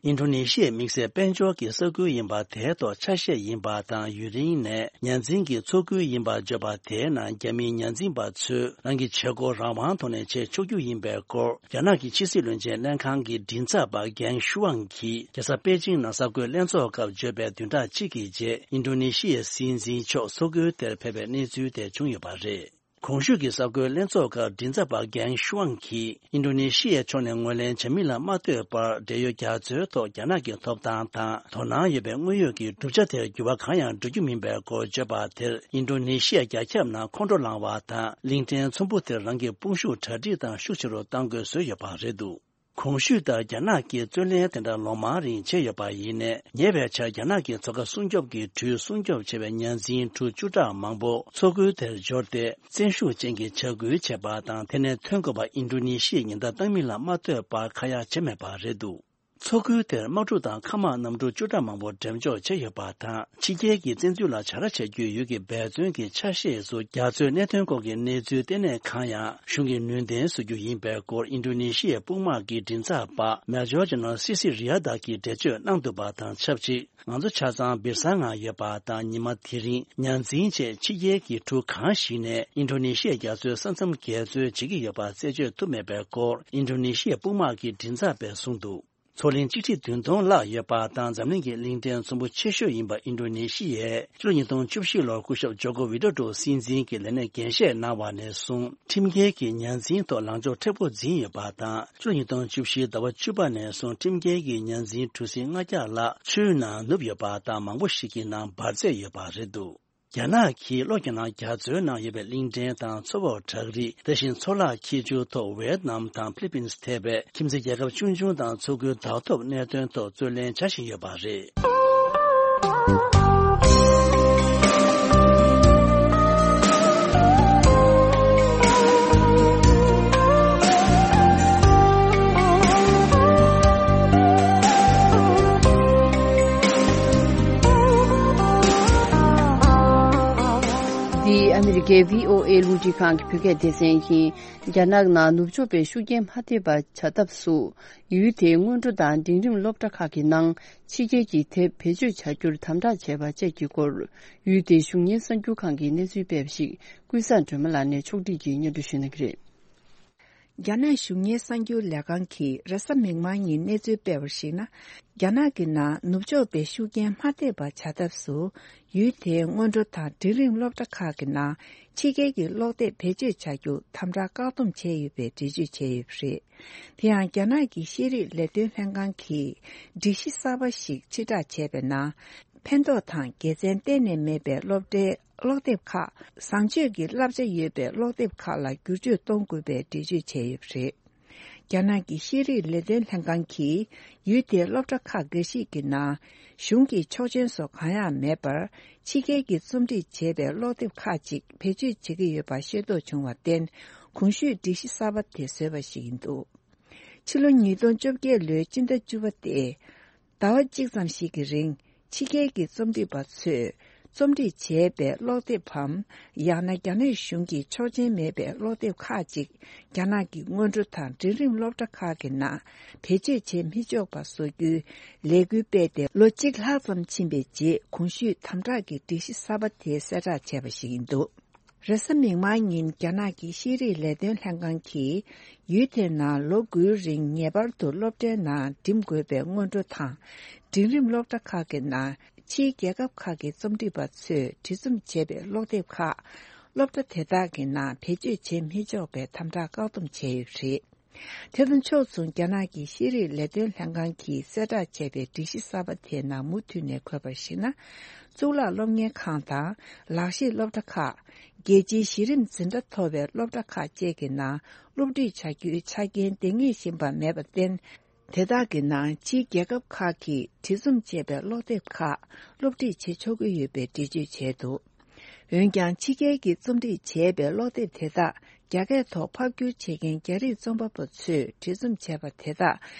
ཨིན་ཌོ་ནེ་ཤི་ཡའི་དམིགས་བསལ་དཔལ་འབྱོར་གྱི་ས་ཁུལ་ཡིན་པ་དེའི་ཐོག་ཆ་ཤས་ཡིན་པ་དང་། ཡུན་རིང་ནས་ཉ་འཛིན་གྱི་མཚོ་ཁུལ་ཡིན་པར་བརྗོད་པ་དེའི་ནང་རྒྱ་མིའི་ཉ་འཛིན་པ་ཚོས་རང་གི་བྱེད་སྒོ་རང་དབང་ཐོག་ནས་བྱེད་ཆོག་རྒྱུ་ཡིན་པའི་སྐོར། རྒྱ་ནག་གི་ཕྱི་སྲིད་བློན་ཆེན་ལྷན་ཁང་གི་མགྲིན་ཚབ་པ་གྷེང་ཤུའང་གིས་རྒྱལ་ས་པེ་ཅིང་ནང་གསར་འགོད་ལྷན་ཚོགས་སྐབས་བརྗོད་པའི་བདུན་ཕྲག་གཅིག་གི་རྗེས། ཨིན་ཌོ་ནེ་ཤི་ཡའི་སྲིད་འཛིན་མཆོག་མཚོ་ཁུལ་དེར་ཕེབས་པའི་གནས་ཚུལ་དེ་བྱུང་ཡོད་པ་རེད། གོང་ཞུས་ཀྱི་གསར་འགོད་ལྷན་ཚོགས་སྐབས་མགྲིན་ཚབ་པ་གྷེང་ཤུའང་གིས། ཨིན་ཌོ་ནེ་ཤི་ཡའི་ཕྱོགས་ནས་ངོས་ལེན་བྱ་མིན་ལ་མ་ལྟོས་པར། འབྲེལ་ཡོད་རྒྱ་མཚོའི་ཐོག་རྒྱ་ནག་གི་ཐོབ་ཐང་དང་དོ་སྣང་ཡོད་པའི་དངོས་ཡོད་ཀྱི་བསྒྲུབ་བྱ་དེར་འགྱུར་བ་གང་ཡང་འགྲོ་རྒྱུ་མིན་པའི་སྐོར་བརྗོད་པ་དེར། ཨིན་ཌོ་ནེ་ཤི་ཡ་རྒྱ་ཁྱབ་ནང་ཁོང་ཁྲོ་ལངས་པ་དང་། གླིང་ཕྲན་ཚོམ་བུ་དེར་རང་གི་དཔུང་ཤུགས་གྲ་སྒྲིག་དང་ཤུགས་ཆེ་རུ་གཏང་དགོས་བཟོས་ཡོད་པ་རེད་འདུག་གོང་ཞུས་ལྟར། རྒྱ་ནག་གིས་རྩོད་ལེན་དེ་འདྲ་ལོ་མང་རིང་བྱས་ཡོད་པ་ཡིན་ནའི། ཉེ་བའི་ཆར་རྒྱ་ནག་གི་མཚོ་ཁ་སྲུང་སྐྱོབ་ཀྱི་གྲུས་སྲུང་སྐྱོབ་བྱས་པའི་ཉ་འཛིན་གྲུ་བཅུ་ཕྲག་མང་པོ་མཚོ་ཁུལ་དེར་འབྱོར་ཏེ། བཙན་ཤུགས་ཅན་གྱི་བྱ་འགུལ་བྱས་པ་དང་། དེ་ནས་ཐོན་དགོས་པ་ཨིན་ཌོ་ནེ་ཤི་ཡའི་ཉེན་བརྡ་བཏང་མིན་ལ་མ་ལྟོས་པར་ཁ་ཡ་བྱས་མེད་པ་རེད་འདུག་མཚོ་ཁུལ་དེར་དམག་གྲུ་དང་མཁའ་དམག་གནམ་གྲུ་བཅུ་ཕྲག་མང་པོ་འགྲེམས་འཇོག་བྱས་ཡོད་པ་དང་། ཕྱི་རྒྱལ་གྱི་བཙན་འཛུལ་ལ་བྱ་ར་བྱ་རྒྱུའི་ཡུལ་གྱི་འབད་བརྩོན་གྱི་ཆ་ཤས་སུ། རྒྱ་མཚོའི་གནད་དོན་སྐོར་གྱི་གནས་ཚུལ་ལྟེ་གནས་གང་ཡང་གཞུང་གིས་ནུས་ལྡན་བཟོ་རྒྱུ་ཡིན་པའི་སྐོར། ཨིན་ཌོ་ནེ་ཤི་ཡའི་དཔུང་དམག་གི་མགྲིན་ཚབ་པ་མེ་ཇོར་ཇེ་ནེ་རལ་སི་སི་རི་ཡ་ཏ་གིས་འགྲེལ་བརྗོད་གནང་འདུག་པ་དང་ཆབས་ཅིག་ང་ཚོ་ཆ་ཚང་བིར་ས་ངང་ཡོད་པ་དང་། ཉི་མ་དེ་རིང་ཉ་འཛིན་བཅས་ཕྱི་རྒྱལ་གྱི་གྲུ་གང་ཞིག་ནས་ཨིན་ཌོ་ནེ་ཤི་ཡའི་རྒྱ་མཚོའི་ས་མཚམས་འགལ་འཛོལ་བྱེད་ཀྱི་ཡོད་པ་རྩད་གཅོད་ཐུབ་མེད་པའི་སྐོར། ཨིན་ཌོ་ནེ་ཤི་ཡའི་དཔུང་དམག་གི་མགྲིན་ཚབ་པས་གསུངས་འདུག་མཚོ་གླིང་གཅིག་ཁྲི་བདུན་སྟོང་ལྷག་ཡོད་པ་དང་། འཛམ་གླིང་གི་གླིང་ཕྲན་ཚོམ་བུ་ཆེ་ཤོས་ཡིན་པ་ཨིན་ཌོ་ནེ་ཤི་ཡས་ཕྱི་ལོ་ཉིས་སྟོང་བཅུ་བཞི་ལོར་སྐུ་ཞབས་ཇོ་ཀོ་ཝི་ཌོ་ཌོ་སྲིད་འཛིན་གྱི་ལས་གནས་འགན་བཞེས་གནང་བ་ནས་བཟུང་ཁྲིམས་འགལ་གྱིས་ཉ་འཛིན་ཐོག་ལངས་ཕྱོགས་མཁྲེགས་པོ་འཛིན་ཡོད་པ་དང་། ཕྱི་ལོ་ཉིས་སྟོང་བཅུ་བཞིའི་ཟླ་བ་བཅུ་པ་ནས་བཟུང་ཁྲིམས་འགལ་གྱིས་ཉ་འཛིན་གྲུ་གཟིངས་ལྔ་བརྒྱ་ལྷག་ཆུའི་ནང་ནུབ་ཡོད་པ་དང་། མང་པོ་ཞིག་གི་ནང་འབར་རྫས་ཡོད་པ་རེད་འདུག་རྒྱ་ནག་གིས་ལྷོ་རྒྱ་ནག་རྒྱ་མཚོའི་ནང་ཡོད་པའི་གླིང་ཕྲན་དང་མཚོ་འོག་བྲག་རི། དེ་བཞིན་མཚོ་ལྷག་ཁྱི་ཆུ་ཐོག་ཝེ་ཏི་ནམ་དང་ཕི་ལི་པིན་སི་ཐེ་བའི་ཁྱིམ་མཚེས་རྒྱལ་ཁབ་ཆུང་ཆུང་དང་མཚོ་ཁུལ་བདག་ཐོབ་གནད་དོན་ཐོག་རྩོད་ལེན་བྱ་བཞིན་ཡོད་པ་རེད། འདི་ཨ་མི་རི་ཀའི་བྷི་ཨོ་ཨེ་རླུང་འཕྲིན་ཁང་གི་བོད་སྐད་སྡེ་ཚན་ཡིན། རྒྱ་ནག་ནང་ནུབ་ཕྱོགས་པའི་ཤུགས་རྐྱེན་མ་ཐེབས་པ་བྱ་ཐབས་སུ། ཡུལ་དེའི་སྔོན་འགྲོ་དང་འབྲིང་རིམ་སློབ་གྲྭ་ཁག་གི་ནང་ཕྱི་རྒྱལ་གྱི་དེབ་བེད་སྤྱོད་བྱ་རྒྱུར་དམ་དྲག་བྱས་པ་བཅས་ཀྱི་སྐོར། ཡུལ་དེའི་གཞུང་གཉེར་གསར་འགྱུར་ཁང་གིས་གནས་ཚུལ་སྤེལ་བ་ཞིག་ཀུན་བཟང་སྒྲོལ་མ་ལགས་ནས་ཕྱོགས་སྒྲིག་གིས་སྙན་སྒྲོན་ཞུ་གནང་གི་རེད། རྒྱ་ནག་གཞུང་གཉེར་གསར་འགྱུར་ལས་ཁང་གིས་རེས་གཟའ་མིག་དམར་ཉིན་གནས་ཚུལ་སྤེལ་བར་གཞིགས་ན། རྒྱ་ནག་གི་ནང་ནུབ་ཕྱོགས་པའི་ཤུགས་རྐྱེན་མ་ཐེབས་པ་བྱ་ཐབས་སུ། ཡུལ་དེའི་སྔོན་འགྲོ་དང་འབྲིང་རིམ་སློབ་གྲྭ་ཁག་གི་ནང་ཕྱི་རྒྱལ་གྱི་ཀློག་དེབ་བེད་སྤྱོད་བྱ་རྒྱུ་དམ་དྲག་བཀག་སྡོམ་བྱས་ཡོད་པའི་འགྲེལ་བརྗོད་བྱས་ཡོད་པ་རེད། དེ་ཡང་རྒྱ་ནག་གི་ཤེས་རིག་ལས་དོན་ལྷན་ཁང་གིས་སྒྲིག་གཞི་གསར་པ་ཞིག་ཕྱིར་བསྒྲགས་བྱས་པའི་ནང་། ཕན་ཐོགས་དང་དགེ་མཚན་གཏན་ནས་མེད་པའི་སློབ་གྲྭའི་ཀློག་དེབ་ཁག་བཟང་སྤྱོད་ཀྱི་བསླབ་བྱ་ཡོད་པའི་ཀློག་དེབ་ཁག་ལ་བསྒྱུར་བཅོས་གཏོང་དགོས་པའི་འགྲེལ་བརྗོད་བྱས་ཡོད་པ་རེད། རྒྱ་ནག་གི་ཤེས་རིག་ལས་དོན་ལྷན་ཁང་གིས་ཡུལ་དེའི་སློབ་གྲྭ་ཁག་འགའ་ཞིག་གི་ནང་གཞུང་གི་ཆོག་མཆན་སོགས་གང་ཡང་མེད་པར། ཕྱི་རྒྱལ་གྱིས་རྩོམ་སྒྲིག་བྱས་པའི་ཀློག་དེབ་ཁག་ཅིག་བེད་སྤྱོད་བྱེད་ཀྱི་ཡོད་པ་ཤེས་རྟོགས་བྱུང་བར་བརྟེན། གོང་ཞུས་སྒྲིག་གཞི་གསར་པ་དེ་བཟོས་པ་ཞིག་ཡིན་འདུག་ཕྱི་ལོ་ཉིས་སྟོང་བཅོ་བརྒྱད་ལོའི་སྤྱི་ཟླ་བཅུ་པ་སྟེ། ཟླ་བ་གཅིག་ཙམ་ཞིག་གི་རིང་། ཕྱི་རྒྱལ་གྱི་རྩོམ་སྒྲིག་པ་ཚོས་རྩོམ་སྒྲིག་བྱས་པའི་ཀློག་དེབ་བམ། ཡང་ན་རྒྱ་ནག་གཞུང་གི་ཆོག་མཆན་མེད་པའི་ཀློག་དེབ་ཁག་ཅིག་རྒྱ་ནག་གི་སྔོན་འགྲོ་དང་འབྲིང་རིམ་སློབ་གྲྭ་ཁག་གི་ནང་བེད་སྤྱོད་བྱེད་མི་ཆོག་པ་བཟོ་རྒྱུའི་ལས་འགུལ་སྤེལ་ཏེ། ལོ་གཅིག་ལྷག་ཙམ་ཕྱིན་པའི་རྗེས། གོང་ཞུས་དམ་དྲག་གི་སྒྲིག་གཞི་གསར་པ་དེ་གསལ་བསྒྲགས་བྱས་པ་ཞིག་ཡིན་འདུག་རེས་གཟའ་མིག་དམར་ཉིན་རྒྱ་ནག་གི་ཤེས་རིག་ལས་དོན་ལྷན་ཁང་གིས། ཡུལ་དེའི་ནང་ལོ་དགུའི་རིང་ངེས་པར་དུ་སློབ་གྲྭའི་ནང་འགྲིམ་དགོས་པའི་སྔོན་འགྲོ་དང་། འབྲིང་རིམ་སློབ་གྲྭ་ཁག་གི་ནང་ཕྱིའི་རྒྱལ་ཁབ་ཁག་གི་རྩོམ་སྒྲིག་པ་ཚོས་བྲིས་རྩོམ་བྱས་པའི་ཀློག་དེབ་ཁག་སློབ་གྲྭ་དེ་དག་གི་ནང་བེད་སྤྱོད་བྱེད་མི་ཆོག་པའི་དམ་དྲག་བཀག་སྡོམ་བྱས་ཡོད་པ་རེད། དེ་དང་ཕྱོགས་མཚུངས། རྒྱ་ནག་གི་ཤེས་རིག་ལས་དོན་ལྷན་ཁང་གིས་གསལ་བསྒྲགས་བྱས་པའི་སྒྲིག་གཞི་གསར་པ་དེའི་ནང་མུ་མཐུད་ནས་འཁོད་པར་གཞིགས་ན། གཙུག་ལག་སློབ་གཉེར་ཁང་དང་། ལག་ཤེས་སློབ་གྲྭ་ཁག་རྒྱལ་སྤྱིའི་གཞི་རིམ་འཛིན་གྲྭ་མཐོ་བའི་སློབ་གྲྭ་ཁག་བཅས་ཀྱི་ནང་སློབ་ཁྲིད་བྱ་རྒྱུའི་ཆ་རྐྱེན་འདང་ངེས་བཞིན་པ་མེད་པར་བརྟེན། དེ་དག་གི་ནང་ཕྱིའི་རྒྱལ་ཁབ་ཁག་གིས་བྲིས་རྩོམ་བྱས་པའི་ཀློག་དེབ་ཁག་སློབ་ཁྲིད་བྱེད་ཆོག་གི་ཡོད་པའི་འགྲེལ་བརྗོད་བྱས་འདུག་འོན་ཀྱང་། ཕྱི་རྒྱལ་གྱིས་རྩོམ་སྒྲིག་བྱས་པའི་ཀློག་དེབ་དེ་དག་རྒྱ་སྐད་ཐོག་ཕབ་བསྒྱུར་བྱེད་མཁན་རྒྱ་རིགས་རྩོམ་པ་པོ་ཚོས་བྲིས་རྩོམ་བྱས་པ་དེ་དག་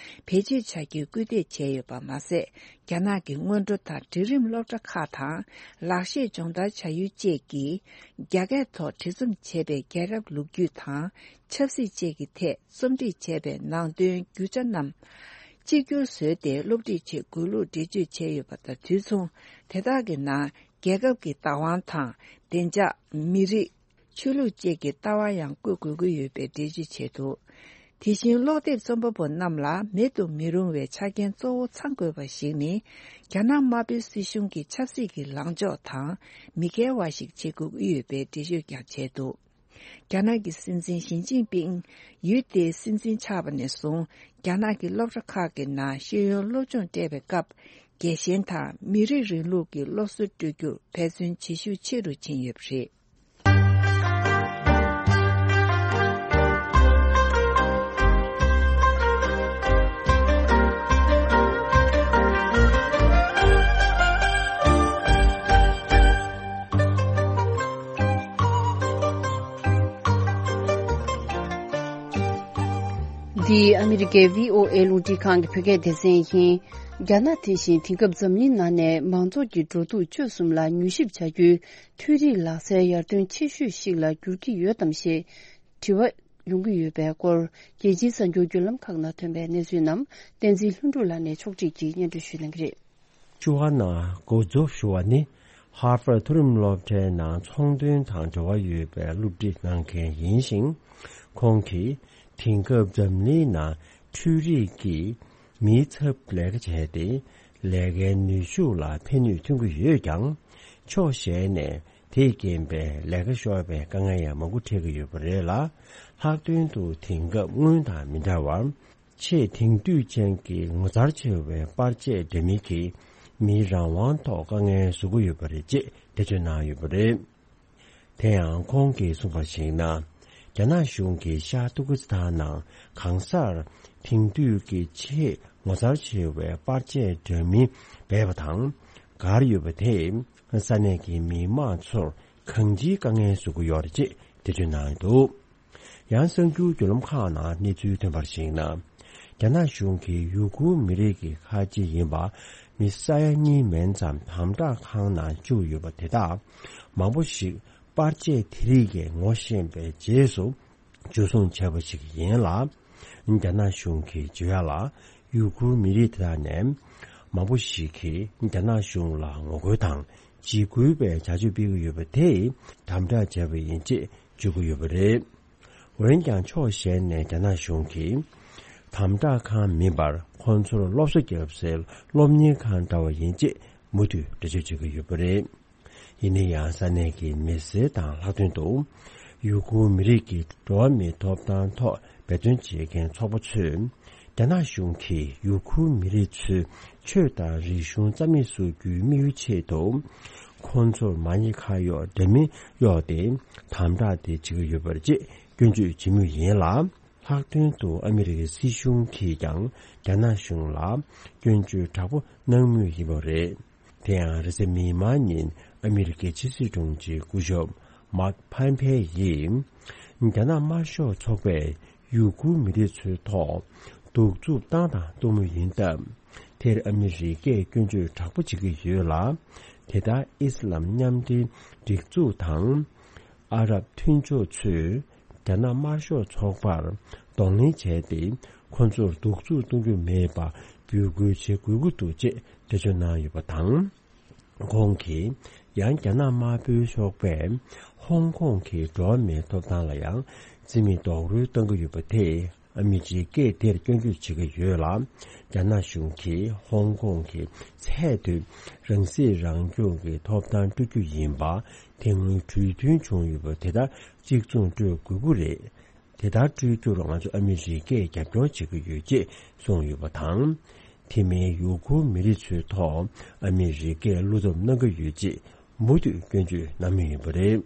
བེད་སྤྱོད་བྱ་རྒྱུའི་སྐུལ་འདེད་བྱས་ཡོད་པ་མ་ཟད། རྒྱ་ནག་གི་སྔོན་འགྲོ་དང་འབྲིང་རིམ་སློབ་གྲྭ་ཁག་དང་། ལག་ཤེས་སྦྱོང་བརྡར་བྱ་ཡུལ་བཅས་ཀྱིས་རྒྱ་སྐད་ཐོག་བྲིས་རྩོམ་བྱས་པའི་རྒྱལ་རབས་ལོ་རྒྱུས་དང་། ཆབ་སྲིད་བཅས་ཀྱི་ཐད་རྩོམ་སྒྲིག་བྱས་པའི་ནང་དོན་རྒྱུ་ཆ་རྣམས་གཅིག་གྱུར་བཟོས་ཏེ་སློབ་ཁྲིད་བྱེད་དགོས་ལུགས་འགྲེལ་བརྗོད་བྱས་ཡོད་པ་དང་དུས་མཚུངས། དེ་དག་གི་ནང་རྒྱལ་ཁབ་ཀྱི་བདག་དབང་དང་། བདེ་འཇགས། མི་རིགས། ཆོས་ལུགས་བཅས་ཀྱི་ལྟ་བ་ཡང་བཀོད་དགོས་ཀྱི་ཡོད་པའི་འགྲེལ་བརྗོད་བྱས་འདུག་དེ་བཞིན། ཀློག་དེབ་རྩོམ་པ་པོ་རྣམས་ལ་མེད་དུ་མི་རུང་བའི་ཆ་རྐྱེན་གཙོ་བོ་ཚང་དགོས་པ་ཞིག་ནི། རྒྱ་ནག་དམར་པོའི་སྲིད་གཞུང་གི་ཆབ་སྲིད་ཀྱི་ལངས་ཕྱོགས་དང་མི་འགལ་བ་ཞིག་བྱེད་དགོས་ཀྱི་ཡོད་པའི་འགྲེལ་བརྗོད་ཀྱང་བྱས་འདུག་རྒྱ་ནག་གི་སྲིད་འཛིན་ཞི་ཅིན་ཕིང་ཡུལ་དེའི་སྲིད་འཛིན་ཆགས་པ་ནས་བཟུང་། རྒྱ་ནག་གི་སློབ་གྲྭ་ཁག་གི་ནང་ཤེས་ཡོན་སློབ་སྦྱོང་སྤྲད་པའི་སྐབས། རྒྱལ་ཞེན་དང་མི་རིགས་རིང་ལུགས་ཀྱི་སློབ་གསོ་སྤྲོད་རྒྱུར་འབད་བརྩོན་བྱེད་ཤུགས་ཆེ་རུ་ཕྱིན་ཡོད་པ་རེད། འདི་ཨ་མི་རི་ཀའི་བྷི་ཨོ་ཨེ་རླུང་འཕྲིན་ཁང་གི་བོད་སྐད་སྡེ་ཚན་ཡིན། རྒྱ་ནག་དེ་བཞིན་དེང་སྐབས་འཛམ་གླིང་ནང་ནས་མང་ཚོགས་ཀྱི་འགྲོ་འདུག་སྤྱོད་གསུམ་ལ་མྱུལ་ཞིབ་བྱ་རྒྱུའི་འཕྲུལ་རིག་ལག་རྩལ་ཡར་ཐོན་ཆེ་ཤོས་ཤིག་ལ་འགྱུར་གྱི་ཡོད་དམ་ཞེས་དྲི་བ་ཡོང་གི་ཡོད་པའི་སྐོར། རྒྱལ་སྤྱིའི་གསར་འགྱུར་བརྒྱུད་ལམ་ཁག་ནང་ཐོན་པའི་གནས་ཚུལ་རྣམས་བསྟན་འཛིན་ལྷུན་གྲུབ་ལགས་ནས་ཕྱོགས་སྒྲིག་གིས་སྙན་སྒྲོན་ཞུ་གནང་གི་རེད། བཅུ་པ་ནང་འགོ་འཛུགས་ཞུ་བ་ནི། ཧར་ཝརཌ་མཐོ་རིམ་སློབ་གྲྭའི་ནང་ཚོང་དོན་དང་འབྲེལ་བ་ཡོད་པའི་སློབ་ཁྲིད་གནང་མཁན་ཡིན་ཞིང་། ཁོང་གིས་དེང་སྐབས་འཛམ་གླིང་ནང་འཕྲུལ་རིག་གིས་མིའི་ཚབ་ལས་ཀ་བྱས་ཏེ། ལས་ཀའི་ནུས་ཤུགས་ལ་ཕན་ནུས་ཐོན་གྱི་ཡོད་ཀྱང་། ཕྱོགས་གཞན་ནས་དེས་རྐྱེན་པས་ལས་ཀ་ཤོར་བའི་དཀའ་ངལ་ཡང་མང་པོ་འཕྲད་ཀྱི་ཡོད་པ་རེད་ལ། ལྷག་དོན་དུ་དེང་སྐབས་སྔོན་དང་མི་འདྲ་བར། ཆེས་དེང་དུས་ཅན་གྱི་ངོ་མཚར་ཆེ་བའི་པར་ཆས་འདྲ་མིན་གྱིས་མིའི་རང་དབང་ཐོག་དཀའ་ངལ་བཟོ་གི་ཡོད་པ་རེད་ཅེས་འགྲེལ་བརྗོད་གནང་ཡོད་པ་རེད། དེ་ཡང་ཁོང་གིས་གསུངས་པར་གཞིགས་ན། རྒྱ་ནག་གཞུང་གིས་ཤར་ཏུར་ཀི་སི་ཐན་ནང་གང་སར་དེང་དུས་ཀྱི་ཆེས་ངོ་མཚར་ཆེ་བའི་པར་ཆས་འདྲ་མིན་སྦས་པ་དང་བསྒར་ཡོད་པ་དེས་ས་གནས་ཀྱི་མི་མང་ཚོར་གང་ཅིའི་དཀའ་ངལ་བཟོ་གི་ཡོད་རེད་ཅེས་འགྲེལ་བརྗོད་གནང་ཡོད་འདུག་ཡང་གསར་འགྱུར་བརྒྱུད་ལམ་ཁག་ནང་གནས་ཚུལ་ཐོན་པར་གཞིགས་ན། རྒྱ་ནག་གཞུང་གིས་ཡུ་གུར་མི་རིགས་ཀྱི་ཁ་ཆེ་ཡིན་པ་མི་ས་ཡ་གཉིས་མན་ཙམ་དམ་དྲག་ཁང་ནང་བཅུག་ཡོད་པ་དེ་དག་མང་པོ་ཞིག་པར་ཆས་དེ་རིགས་ཀྱིས་ངོ་ཤེས་པའི་རྗེས་སུ་འཇུ་བཟུང་བྱས་པ་ཞིག་ཡིན་ལ། རྒྱ་ནག་གཞུང་གིས་བརྗོད་ཡ་ལ། ཡུ་གུར་མི་རིགས་དེ་དག་ནས་མང་པོ་ཞིག་གིས་རྒྱ་ནག་གཞུང་ལ་ངོ་རྒོལ་དང་འཇིགས་སྐུལ་བའི་བྱ་སྤྱོད་སྤེལ་གྱི་ཡོད་པ་དེས་དམ་དྲག་བྱས་པ་ཡིན་ཅེས་བརྗོད་ཀྱི་ཡོད་པ་རེད། འོན་ཀྱང་ཕྱོགས་གཞན་ནས་རྒྱ་ནག་གཞུང་གིས་དམ་དྲག་ཁང་མིན་པར་ཁོང་ཚོར་སློབ་གསོ་བརྒྱབ་སའི་སློབ་གཉེར་ཁང་འདྲ་བ་ཡིན་ཅེས་མུ་མཐུད་འགྲེལ་བརྗོད་བྱེད་ཀྱི་ཡོད་པ་རེད། ཡིན་ན་ཡང་ས་གནས་ཀྱི་མི་སེར་དང་ལྷག་དོན་དུ་ཡུ་གུར་མི་རིགས་ཀྱི་འགྲོ་བ་མིའི་ཐོབ་ཐང་ཐོག་འབད་བརྩོན་བྱེད་མཁན་ཚོགས་པ་ཚོས་རྒྱ་ནག་གཞུང་གིས་ཡུ་གུར་མི་རིགས་ཚོའི་ཆོས་དང་རིག་གཞུང་རྩ་མེད་བཟོ་རྒྱུའི་དམིགས་ཡུལ་ཆེད་དུ། ཁོང་ཚོར་མ་ཉེས་ཁ་གཡོགས་འདྲ་མིན་གཡོགས་ཏེ་དམ་དྲག་དེ་བྱེད་ཀྱི་ཡོད་པ་རེད་ཅེས་སྐྱོན་བརྗོད་བྱེད་མུས་ཡིན་ལ། ལྷག་དོན་དུ་ཨ་མི་རི་ཀའི་སྲིད་གཞུང་གིས་ཀྱང་རྒྱ་ནག་གཞུང་ལ་སྐྱོན་བརྗོད་དྲག་པོ་གནང་མུས་ཡིན་པ་རེད། དེ་ཡང་རེས་གཟའ་མིག་དམར་ཉིན་ཨ་མི་རི་ཀའི་ཕྱི་སྲིད་དྲུང་ཆེ་སྐུ་ཞབས་མཱག་ཕམ་ཕེ་ཡིས་རྒྱ་ནག་དམར་ཤོག་ཚོགས་པས་ཡུ་གུར་མི་རིགས་ཚོའི་ཐོག་གདུག་རྩུབ་བཏང་དང་གཏོང་མུས་ཡིན་སྟབས། དེར་ཨ་མི་རི་ཀས་སྐྱོན་བརྗོད་དྲག་པོ་བྱེད་ཀྱི་ཡོད་ལ། དེ་ལྟར་ཨི་སི་ལམ་མཉམ་འབྲེལ་སྒྲིག་འཛུགས་དང་། ཨ་རབ་མཐུན་ཕྱོགས་ཚོས་རྒྱ་ནག་དམར་ཤོག་ཚོགས་པར་གདོང་ལེན་བྱས་ཏེ། ཁོ་ཚོར་གདུག་རྩུབ་གཏོང་རྒྱུ་མེད་པ་འབོད་སྐུལ་བྱེད་དགོས་ཀྱི་འདུག་ཅེས་འགྲེལ་བརྗོད་གནང་ཡོད་པ་དང་། ཁོང་གིས་ཡང་རྒྱ་ནག་དམར་པོའི་ཤོག་པས་ཧོང་ཀོང་གི་འགྲོ་བ་མིའི་ཐོབ་ཐང་ལ་ཡང་རྩིས་མེད་རྡོག་རོལ་གཏང་གི་ཡོད་པ་དེས་ཨ་མི་རི་ཀས་དེར་སྐྱོན་བརྗོད་བྱེད་ཀྱི་ཡོད་ལ། རྒྱ་ནག་གཞུང་གིས་ཧོང་ཀོང་གི་ཚད་མཐོའི་རང་སྲིད་རང་སྐྱོང་གི་ཐོབ་ཐང་སྤྲོད་རྒྱུ་ཡིན་པ་དེ་སྔོན་གྲོས་མཐུན་བྱུང་ཡོད་པ་དེ་ལྟར་གཅིག་མཚུངས་སྤྲོད་དགོས་ཀྱི་རེད། དེ་ལྟར་སྤྲོད་རྒྱུར་ང་ཚོ་ཨ་མི་རི་ཀས་རྒྱབ་སྐྱོར་བྱེད་ཀྱི་ཡོད་ཅེས་གསུངས་ཡོད་པ་དང་། དེ་མིན་ཡུ་གུར་མི་རིགས་ཚོའི་ཐོག་ཨ་མི་རི་ཀས་བློ་སྟོབས་གནང་གི་ཡོད་ཅེས་མུ་མཐུད་སྐྱོན་བརྗོད་གནང་མུས་ཡིན་པ་རེད།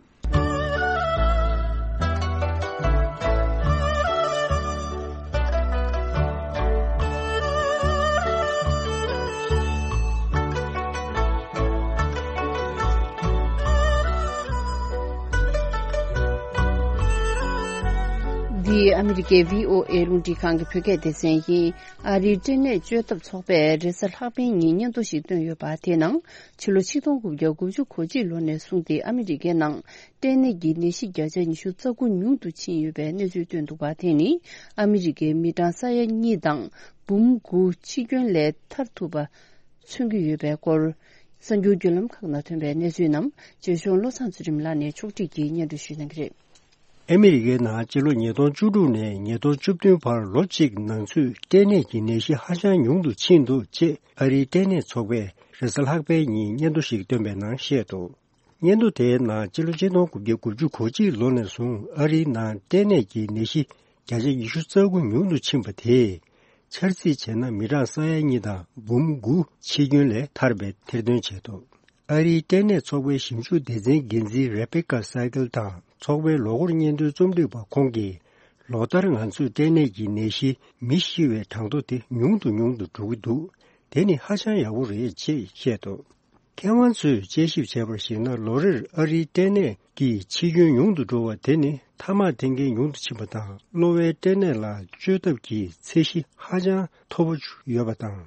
འདི་ཨ་མི་རི་ཀའི་བྷི་ཨོ་ཨེ་རླུང་འཕྲིན་ཁང་གི་བོད་སྐད་སྡེ་ཚན་ཡིན། ཨ་རིའི་སྐྲན་ནད་བཅོས་ཐབས་ཚོགས་པས་རེས་གཟའ་ལྷག་པའི་ཉིན་སྙན་ཐོ་ཞིག་བཏོན་ཡོད་པ། དེའི་ནང་ཕྱི་ལོ་ཆིག་སྟོང་དགུ་བརྒྱ་དགུ་བཅུ་གོ་གཅིག་ལོ་ནས་བཟུང་སྟེ་ཨ་མི་རི་ཀའི་ནང་སྐྲན་ནད་ཀྱི་ནད་གཞི་བརྒྱ་ཆ་ཉི་ཤུ་རྩ་དགུ་ཉུང་དུ་ཕྱིན་ཡོད་པའི་གནས་ཚུལ་བཏོན་འདུག་པ། དེ་ནི་ཨ་མི་རི་ཀའི་མི་གྲངས་ས་ཡ་གཉིས་དང་འབུམ་དགུ་འཆི་སྐྱོན་ལས་ཐར་ཐུབ་པ་མཚོན་གྱི་ཡོད་པའི་སྐོར། གསར་འགྱུར་བརྒྱུད་ལམ་ཁག་ནང་ཐོན་པའི་གནས་ཚུལ་རྣམས་རྗེ་གཞུང་བློ་བཟང་ཚུལ་ཁྲིམས་ལགས་ནས་ཕྱོགས་སྒྲིག་གིས་སྙན་སྒྲོན་ཞུ་གནང་གི་རེད། ཨ་མི་རི་ཀའི་ནང་སྤྱི་ལོ་ཉིས་སྟོང་བཅུ་དྲུག་ནས་ཉིས་སྟོང་བཅུ་བདུན་བར་ལོ་གཅིག་ནང་ཚུད་སྐྲན་ནད་ཀྱི་ནད་གཞི་ཧ་ཅང་ཉུང་དུ་ཕྱིན་འདུག་ཅེས་ཨ་རིའི་སྐྲན་ནད་ཚོགས་པས་རེས་གཟའ་ལྷག་པའི་ཉིན་སྙན་ཐོ་ཞིག་བཏོན་པའི་ནང་བཤད་འདུག་སྙན་ཐོ་དེའི་ནང་སྤྱི་ལོ་ཆིག་སྟོང་དགུ་བརྒྱ་དགུ་བཅུ་གོ་གཅིག་ལོ་ནས་བཟུང་ཨ་རིའི་ནང་སྐྲན་ནད་ཀྱི་ནད་གཞི་བརྒྱ་ཆ་ཉི་ཤུ་རྩ་དགུ་ཉུང་དུ་ཕྱིན་པ་དེས། འཆར་རྩིས་བྱས་ན་མི་གྲངས་ས་ཡ་གཉིས་དང་འབུམ་དགུ་འཆི་སྐྱོན་ལས་ཐར་པའི་ཐེར་འདོན་བྱས་འདུག་ཨ་རིའི་སྐྲན་ནད་ཚོགས་པའི་ཞིབ་འཇུག་སྡེ་ཚན་འགན་འཛིན་རེ་བེ་ཀ་སའི་ཀལ་དང་ཚོགས་པའི་ལོ་འཁོར་སྙན་ཐོའི་རྩོམ་སྒྲིག་པ་ཁོང་གིས། ལོ་ལྟར་ང་ཚོས་སྐྲན་ནད་ཀྱི་ནད་གཞི་མི་ཤི་བའི་གྲངས་ཐོ་དེ་ཉུང་དུ་ཉུང་དུ་འགྲོ་གི་འདུག་དེ་ནི་ཧ་ཅང་ཡག་པོ་རེད་ཅེས་བཤད་འདུག་མཁས་དབང་ཚོས་དཔྱད་ཞིབ་བྱས་པར་གཞིགས་ན། ལོ་རེར་ཨ་རིའི་སྐྲན་ནད་ཀྱི་འཆི་སྐྱོན་ཉུང་དུ་འགྲོ་བ་དེ་ནི་ཐ་མག་འཐེན་མཁན་ཉུང་དུ་ཕྱིན་པ་དང་། གློ་བའི་སྐྲན་ནད་ལ་བཅོས་ཐབས་ཀྱི་ཚད་གཞི་ཧ་ཅང་མཐོ་པོ་ཡོད་པ་དང་།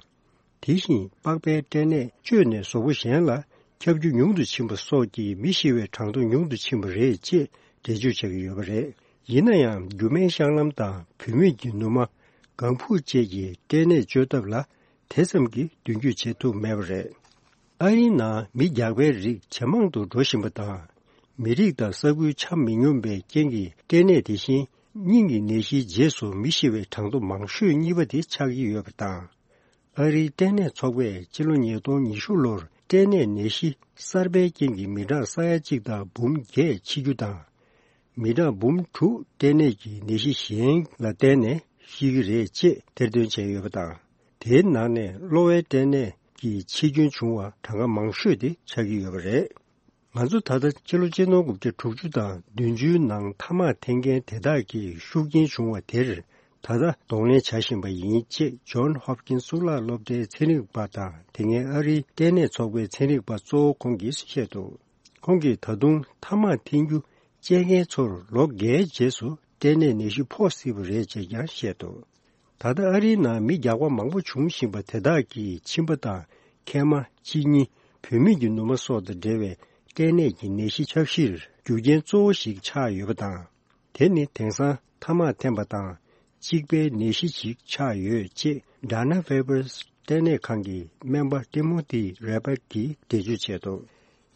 དེ་བཞིན་པགས་པའི་སྐྲན་ནད་བཅོས་ནས་གཟུགས་པོ་གཞན་ལ་ཁྱབ་རྒྱུ་ཉུང་དུ་ཕྱིན་པ་སོགས་ཀྱིས་མི་ཤི་བའི་གྲངས་ཐོ་ཉུང་དུ་ཕྱིན་པ་རེད་ཅེས་འགྲེལ་བརྗོད་བྱ་གི་ཡོད་པ་རེད། ཡིན་ན་ཡང་རྒྱུ་མའི་གཤང་ལམ་དང་བུད་མེད་ཀྱི་ནུ་མ། ལྒང་ཕྲུག་བཅས་ཀྱི་སྐྲན་ནད་བཅོས་ཐབས་ལ་དེ་ཙམ་གྱིས་མདུན་སྐྱོད་བྱེད་ཐུབ་མེད་པ་རེད། ཨ་རིའི་ནང་མི་རྒྱགས་པའི་རིགས་ཇེ་མང་དུ་འགྲོ་བཞིན་པ་དང་། མི་རིགས་དང་ས་ཁུལ་ཆ་མི་སྙོམས་པའི་རྐྱེན་གྱིས་སྐྲན་ནད་དེ་བཞིན་སྙིང་གི་ནད་གཞིའི་རྗེས་སུ་མི་ཤི་བའི་གྲངས་ཐོ་མང་ཤོས་གཉིས་པ་དེ་ཆགས་ཀྱི་ཡོད་པ་དང་། ཨ་རིའི་སྐྲན་ནད་ཚོགས་པས་ཕྱི་ལོ་ཉིས་སྟོང་ཉི་ཤུ་ལོར་སྐྲན་ནད་ནད་གཞི་གསར་པའི་རྐྱེན་གྱིས་མི་གྲངས་ས་ཡ་གཅིག་དང་འབུམ་བརྒྱད་འཆི་རྒྱུ་དང་། མི་གྲངས་འབུམ་དྲུག་སྐྲན་ནད་ཀྱི་ནད་གཞི་གཞན་ལ་བརྟེན་ནས་ཤི་གི་རེད་ཅེས་ཐེར་འདོན་བྱས་ཡོད་པ་དང་། དེའི་ནང་ནས་གློ་བའི་སྐྲན་ནད་ཀྱི་འཆི་སྐྱོན་བྱུང་བ་གྲངས་ཀ་མང་ཤོས་དེ་ཆགས་ཀྱི་ཡོད་པ་རེད། ང་ཚོ་ད་ལྟ་ཕྱི་ལོ་ཆིག་སྟོང་དགུ་བརྒྱ་དྲུག་ཅུ་དང་བདུན་ཅུའི་ནང་ཐ་མག་འཐེན་མཁན་དེ་དག་གི་ཤུགས་རྐྱེན་བྱུང་བ་དེར་ད་ལྟ་གདོང་ལེན་བྱ་བཞིན་པ་ཡིན་ཅེས་ཇོན་ཧོབ་ཀིན་གཙུག་ལག་སློབ་གྲྭའི་ཚན་རིག་པ་དང་། དེ་སྔའི་ཨ་རིའི་སྐྲན་ནད་ཚོགས་པའི་ཚན་རིག་པ་གཙོ་བོ་ཁོང་གིས་བཤད་འདུག་ཁོང་གིས་ད་དུང་ཐ་མག་འཐེན་རྒྱུ་བཅད་མཁན་ཚོར་ལོ་འགའི་རྗེས་སུ་སྐྲན་ནད་ནད་གཞི་ཕོག་སྲིད་པ་རེད་ཅེས་ཀྱང་བཤད་འདུག་ད་ལྟ་ཨ་རིའི་ནང་མི་རྒྱགས་པ་མང་པོ་བྱུང་བཞིན་པ་དེ་དག་གིས་མཆིན་པ་དང་མཁལ་མ། གཅིན་སྙི། བུད་མེད་ཀྱི་ནུ་མ་སོགས་དང་འབྲེལ་བའི་སྐྲན་ནད་ཀྱི་ནད་གཞི་ཁྱབ་གཞིར་རྒྱུ་རྐྱེན་གཙོ་བོ་ཞིག་ཆགས་ཡོད་པ་དང་། དེ་ནི་དེང་སང་ཐ་མག་འཐེན་པ་དང་གཅིག་པའི་ནད་གཞི་ཞིག་ཆགས་ཡོད་ཅེས་Dana Vepris སྐྲན་ནད་ཁང་གི་སྨན་པ་Timothy Rebec གིས་འགྲེལ་བརྗོད་བྱས་འདུག་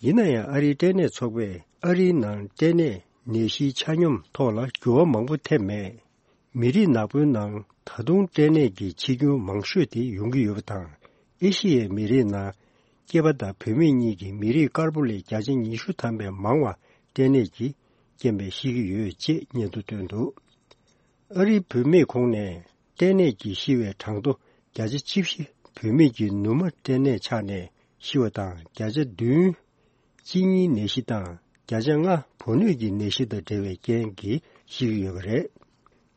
ཡིན་ན་ཡང་ཨ་རིའི་སྐྲན་ནད་ཚོགས་པས་ཨ་རིའི་ནང་སྐྲན་ནད་ ནད་གཞིའི་ཆ་སྙོམས་ཐོག་ལ་འགྱུར་བ་མང་པོ་ཐེབས་མེད། མི་རིགས་ནག་པོའི་ནང་ད་དུང་སྐྲན་ནད་ཀྱི་འཆི་སྐྱོན་མང་ཤོས་དེ་ཡོང་གི་ཡོད་པ་དང་། ཨེ་ཤི་ཡའི་མི་རིགས་ནང་སྐྱེས་པ་དང་བུད་མེད་གཉིས་ཀྱི་མི་རིགས་དཀར་པོ་ལས་བརྒྱ་ཆ་ཉི་ཤུ་ཐམ་པས་མང་བ་སྐྲན་ནད་ཀྱི་རྐྱེན་པས་ཤི་གི་ཡོད་ཅེས་སྙན་ཐོ་བཏོན་འདུག། ཨ་རིའི་བུད་མེད་ཁོངས་ནས་སྐྲན་ནད་ཀྱིས་ཤི་བའི་གྲངས་ཐོ་བརྒྱ་ཆ་བཅུ་བཞི། བུད་མེད་ཀྱི་ནུ་མ་སྐྲན་ནད་ཆགས་ནས་ཤི་བ་དང་བརྒྱ་ཆ་བདུན། གཅིན་སྙིའི་ནད་གཞི་དང་བརྒྱ་ཆ་ལྔ་བུ་སྣོད་ཀྱི་ནད་གཞི་དང་འབྲེལ་བའི་རྐྱེན་གྱིས་ཤི་གི་ཡོད་པ་རེད།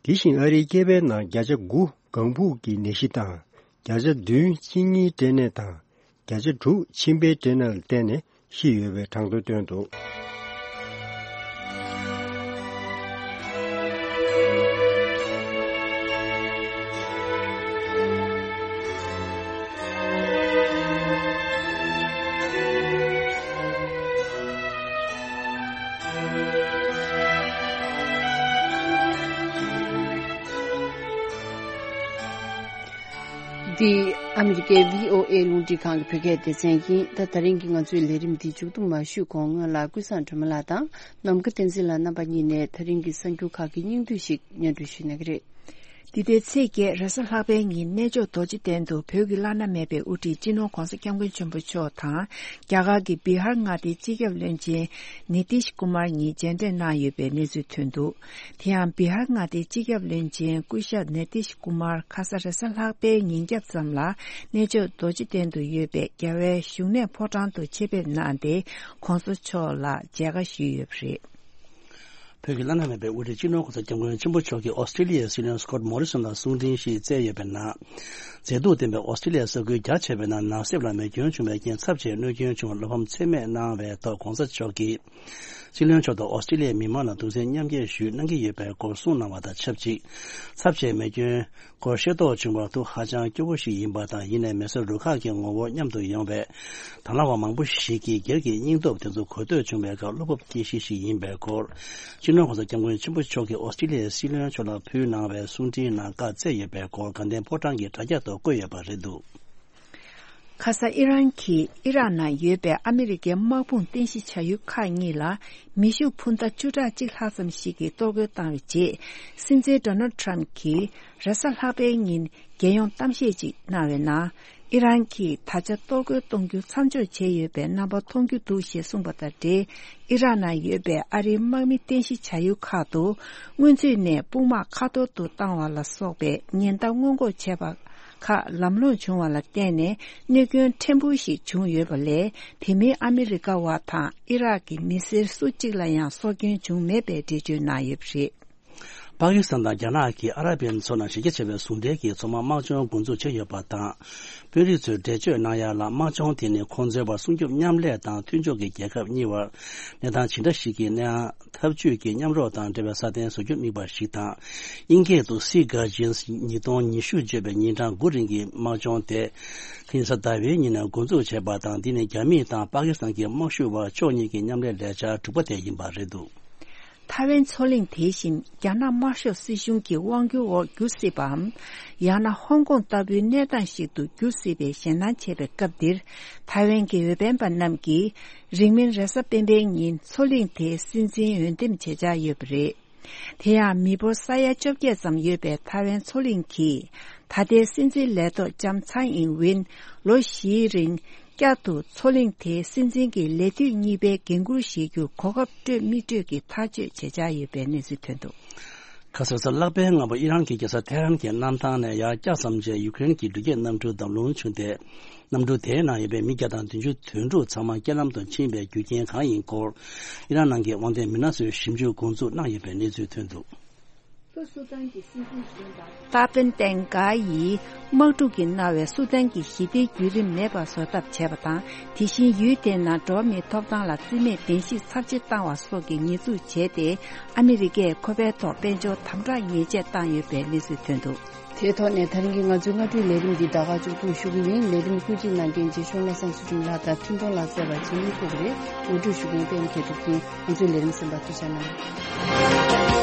དེ་བཞིན་ཨ་རིའི་སྐྱེས་པའི་ནང་བརྒྱ་ཆ་དགུ་ལྒང་ཕུག་གི་ནད་གཞི་དང་། བརྒྱ་ཆ་བདུན་གཅིན་སྙིའི་སྐྲན་ནད་དང་། བརྒྱ་ཆ་དྲུག་མཆིན་པའི་སྐྲན་ནད་ལ་བརྟེན་ནས་ཤི་ཡོད་པའི་གྲངས་ཐོ་བཏོན་འདུག། འདི་ཨ་མི་རི་ཀའི་བྷི་ཨོ་ཨེ་རླུང་འཕྲིན་ཁང་གི་བོད་སྐད་སྡེ་ཚན་ཡིན། ད་དེ་རིང་གི་ང་ཚོའི་ལས་རིམ་འདི་མཇུག་བསྡོམས་མ་ཞུས་གོང་སྔོན་ལ་ཀུན་བཟང་སྒྲོལ་མ་ལགས་དང་ནམ་མཁའ་བསྟན་འཛིན་ལགས་རྣམ་པ་གཉིས་ནས་དེ་རིང་གི་གསར་འགྱུར་ཁག་གི་སྙིང་བསྡུས་ཤིག་སྙན་སྒྲོན་ཞུ་གནང་གི་རེད། འདི་ཟླའི་ཚེས་བརྒྱད་རེས་གཟའ་ལྷག་པའི་ཉིན་གནས་མཆོག་རྡོ་རྗེ་གདན་དུ་བོད་ཀྱི་བླ་ན་མེད་པའི་དབུ་ཁྲིད་སྤྱི་ནོར་༧གོང་ས་༧སྐྱབས་མགོན་ཆེན་པོ་མཆོག་དང་རྒྱ་གར་གྱི་བི་ཧར་མངའ་སྡེའི་སྤྱི་ཁྱབ་བློན་ཆེན་ནི་ཏིཤ་ཀུ་མར་གཉིས་མཇལ་འཕྲད་གནང་ཡོད་པའི་གནས་ཚུལ་ཐོན་འདུག། དེ་ཡང་བི་ཧར་མངའ་སྡེའི་སྤྱི་ཁྱབ་བློན་ཆེན་སྐུ་ཞབས་ནི་ཏིཤ་ཀུ་མར་ཁ་ས་རེས་གཟའ་ལྷག་པའི་ཉིན་རྒྱབ་ཙམ་ལ་གནས་མཆོག་རྡོ་རྗེ་གདན་དུ་ཡོད་པའི་རྒྱལ་བའི་བཞུགས་གནས་ཕོ་བྲང་དུ་ཆེད་ཕེབས་གནང་སྟེ་༧གོང་ས་མཆོག་ལ་མཇལ་ཁ་ཞུས་ཡོད་པ་རེད། བོད་ཀྱི་བླ་ན་མེད་པའི་དབུ་ཁྲིད་སྤྱི་ནོར་༧གོང་ས་༧སྐྱབས་མགོན་ཆེན་པོ་མཆོག་གིས་ཨོ་སི་ཀྲི་ལི་ཡའི་སྲིད་བློན་སི་ཀོཊ་མོ་རི་སོན་ལ་གསུང་འཕྲིན་ཞིག་བསྩལ་ཡོད་པའི་ནང་། མཛེས་སྡུག་ལྡན་པའི་ཨོ་སི་ཀྲི་ལི་ཡའི་ས་ཁུལ་རྒྱ་ཆེ་བའི་ནང་ནག་སེབ་ལ་མེ་སྐྱོན་བྱུང་བའི་རྐྱེན་ཚབས་ཆེའི་གནོད་སྐྱོན་བྱུང་བར་བློ་ཕམ་ཚད་མེད་གནང་བའི་ཐོག་༧གོང་ས་མཆོག་གིས། སྲིད་བློན་མཆོག་དང་ཨོ་སི་ཀྲི་ལི་ཡའི་མི་མང་ལ་གདུང་སེམས་མཉམ་སྐྱེད་ཞུ་གནང་གི་ཡོད་པའི་སྐོར་གསུངས་གནང་བ་དང་ཆབས་ཅིག། ཚབས་ཆེའི་མེ་སྐྱོན་སྐོར་ཤེས་རྟོགས་བྱུང་བར་ཐུགས་ཧ་ཅང་སྐྱོ་བོ་ཞིག་ཡིན་པ་དང་། ཡིན་ནའི་མེ་གསོད་རུ་ཁག་གི་ངོ་བོ་མཉམ་དུ་ཡོང་བས། དང་བླངས་པ་མང་པོ་ཞིག་གིས་སྒེར་གྱི་སྙིང་སྟོབས་དེ་ཚོ་གོ་ཐོས་བྱུང་བའི་སྐབས་བློ་སྤོབས་སྐྱེ་གཞི་ཞིག་ཡིན་པའི་སྐོར། སྤྱི་ནོར་༧གོང་ས་༧སྐྱབས་མགོན་ཆེན་པོ་མཆོག་གིས་ཨོ་སི་ཀྲི་ལི་ཡའི་སྲིད་བློན་མཆོག་ལ་ཕུལ་གནང་བའི་གསུང་འཕྲིན་ནང་བཀའ་སྩལ་ཡོད་པའི་སྐོར་དགའ་ལྡན་ཕོ་བྲང་གི་དྲ་རྒྱ་ཐོག་བཀོད་ཡོད་པ་རེད་འདུག། ཁ་ས་ཨི་རན་གྱིས་ཨི་རག་ནང་ཡོད་པའི་ཨ་མི་རི་ཀའི་དམག་དཔུང་རྟེན་གཞི་བྱ་ཡུལ་ཁག་གཉིས་ལ་མེ་ཤུགས་འཕུར་མདའ་བཅུ་ཕྲག་གཅིག་ལྷག་ཙམ་ཞིག་གིས་གཏོར་རྒོལ་བཏང་བའི་རྗེས། སྲིད་འཛིན་ཌོ་ནལ་ཊམ་གྱིས་རེས་གཟའ་ལྷག་པའི་ཉིན་རྒྱལ་ཡོངས་གཏམ་བཤད་ཅིག་གནང་བའི་ནང་། ཨི་རན་གྱིས་ད་ཆ་གཏོར་རྒོལ་གཏོང་རྒྱུ་མཚམས་འཇོག་བྱས་ཡོད་པའི་རྣམ་པ་མཐོང་རྒྱུ་འདུག་ཞེས་གསུངས་པ་དང་འབྲེལ། ཨི་རག་ནང་ཡོད་པའི་ཨ་རིའི་དམག་མི་རྟེན་གཞི་བྱ་ཡུལ་ཁག་ཏུ་སྔོན་ཚུད་ནས་དཔུང་དམག་ཁ་ཐོར་དུ་བཏང་བ་ལ་སོགས་པའི་ཉེན་བརྡ་སྔོན་འགོག་བྱས་པ་ཁག་ལམ་ལྷོང་བྱུང་བ་ལ་བརྟེན་ནས་གནོད་སྐྱོན་ཕྲན་བུ་ཞིག་བྱུང་ཡོད་པ་ལས། དེ་མིན་ཨ་མི་རི་ཀ་བ་དང་ཨི་རག་གི་མི་སེར་སུ་གཅིག་ལ་ཡང་སྲོག་སྐྱོན་བྱུང་མེད་པའི་འགྲེལ་བརྗོད་གནང་ཡོད་པ་རེད། པ་ཀི་སི་ཐན་དང་རྒྱ་ནག་གིས་ཨ་ར་པན་མཚོ་ནང་གཞི་རྒྱ་ཆེ་བའི་ཟུང་འབྲེལ་གྱི་མཚོ་དམག་དམག་སྦྱོང་འགོ་འཛུགས་བྱས་ཡོད་པ་དང་། དཔོན་རིགས་ཚོས་འགྲེལ་བརྗོད་གནང་ཡ་ལ། དམག་སྦྱོང་དེ་ནི་ཁོང་ཚོའི་བར་སྲུང་སྐྱོབ་མཉམ་ལས་དང་མཐུན་ཕྱོགས་ཀྱི་རྒྱལ་ཁབ་གཉིས་བར་གནས་སྟངས་ཇི་འདྲ་ཞིག་གི་གནས་སྟངས་འཐབ་ཇུས་ཀྱི་མཉམ་རོགས་དང་འབྲེལ་བའི་སྲ་བརྟན་བཟོ་རྒྱུར་དམིགས་པ་ཞིག་དང་། དབྱིན་སྐད་དུ་Sea Guardians ཉིས་སྟོང་ཉི་ཤུ་བརྗོད་པའི་ཉིན་གྲངས་དགུ་རིང་གི་དམག་སྦྱོང་དེ། དེ་རིང་གཟའ་ཟླ་བའི་ཉིན་ནས་འགོ་འཛུགས་བྱས་པ་དང་། འདི་ནི་རྒྱ་མི་དང་པ་ཀི་སི་ཐན་གྱི་དམག་ཤུགས་བར་ཕྱོགས་གཉིས་ཀྱི་མཉམ་ལས་ལས་འཆར་དྲུག་པ་དེ་ཡིན་པ་རེད་འདུག། ཐའེ་ཝན་མཚོ་གླིང་དེ་བཞིན་རྒྱ་ནག་དམར་ཤོག་སྲིད་གཞུང་གི་དབང་སྒྱུར་འོག་འགྱུར་སྲིད་པའམ། ཡང་ན་ཧོང་ཀོང་ལྟ་བུའི་གནས་སྟངས་ཤིག་ཏུ་འགྱུར་སྲིད་པའི་ཞེད་སྣང་བྱེད་པའི་སྐབས་འདིར། ཐའེ་ཝན་གྱི་འོས་འཕེན་པ་རྣམས་ཀྱིས་རིང་མིན་རེས་གཟའ་སྤེན་པའི་ཉིན་མཚོ་གླིང་དེའི་སྲིད་འཛིན་འོས་འདེམས་བྱེད་འཆར་ཡོད་པ་རེད། དེ་ཡང་མི་འབོར་ས་ཡ་བཅོ་བརྒྱད་ཙམ་ཡོད་པའི་ཐའེ་ཝན་མཚོ་གླིང་གིས་ད་ལྟའི་སྲིད་འཛིན་ལས་ཐོག་ལྕམ་ཚའེ་ཨིན་ཝིན་ལོ་བཞིའི་རིང་བསྐྱར་དུ་མཚོ་གླིང་དེའི་སྲིད་འཛིན་གྱི་ལས་དུས་གཉིས་པའི་འགན་འཁུར་བཞེས་རྒྱུར་གོ་སྐབས་སྤྲོད་མི་སྤྲོད་ཀྱི་ཐག་གཅོད་བྱེད་འཆར་ཡོད་པའི་གནས་ཚུལ་ཐོན་འདུག། ཁ་སང་གཟའ་ལྷག་པའི་སྔ་པོ་ཨི་རན་གྱི་རྒྱལ་ས་ཐེ་ཧ་རན་གྱི་གནམ་ཐང་ནས་ཡར་བཀྱག་ཙམ་རྗེས་ཡུ་ཀེ་རེན་གྱི་འགྲུལ་སྐྱེལ་གནམ་གྲུ་བརྡབ་ལྷུང་བྱུང་སྟེ། གནམ་གྲུ་དེའི་ནང་ཡོད་པའི་མི་བརྒྱ་དང་བདུན་ཅུ་དོན་དྲུག་ཚང་མ་རྐྱེན་ལམ་དུ་ཕྱིན་པའི་རྒྱུ་རྐྱེན་གང་ཡིན་སྐོར། ཨི་རན་ནང་གི་དབང་ལྡན་མི་སྣ་ཚོས་ཞིབ་འཇུག་འགོ་འཛུགས་གནང་ཡོད་པའི་གནས་ཚུལ་ཐོན་འདུག། ཏཱ་པིན་ཏན་ག་ཡིས་དམག་འཁྲུག་གིས་མནར་བའི་སུ་དན་གྱི་ཞི་བདེའི་བརྒྱུད་རིམ་མེད་པར་བཟོ་ཐབས་བྱས་པ་དང་། དེ་བཞིན་ཡུལ་དེའི་ནང་འགྲོ་བ་མིའི་ཐོབ་ཐང་ལ་རྩིས་མེད་བདེན་བཞིར་ཚབས་ཆེ་བཏང་བ་སོགས་ཀྱི་ཉེས་འཛུགས་བྱས་ཏེ། ཨ་མི་རི་ཀས་ཁོ་པའི་ཐོག་དཔལ་འབྱོར་དམ་དྲག་ཉེས་ཆད་བཏང་ཡོད་པའི་གནས་ཚུལ་ཐོན་འདུག། དེའི་ཐོག་ནས་ད་རིང་གི་ང་ཚོའི་སྔ་དྲོའི་ལས་རིམ་འདི་ད་ག་མཇུག་སྡོམ་ཞུ་གི་ཡིན། ལས་རིམ་སྐུ་མཁྱེན་གནང་མཁན་རྗེ་ཤོང་བློ་བཟང་ཚུལ་ཁྲིམས་ལགས་དང་འཕྲིན་གཏོང་ལགས་བཅས་པ་རྗེས་མའི་ཐུག་རེད། ངོ་སྤྲོད་ཞུ་མཁན་པད་མ་མཁས་གྲུབ་ཀྱིས་ང་ཚོའི་ལས་རིམ་གསན་པར་ཐུགས་རྗེ་གནང་།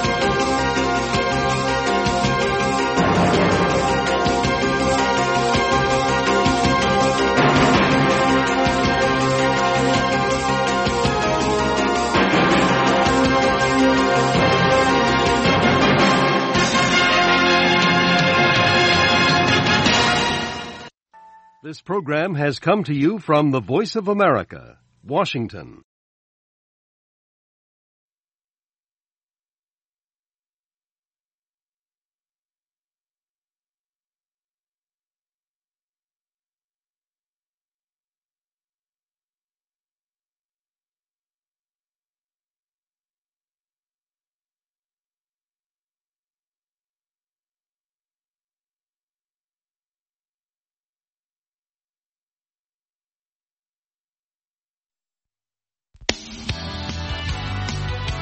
Program has come to you from the Voice of America, Washington.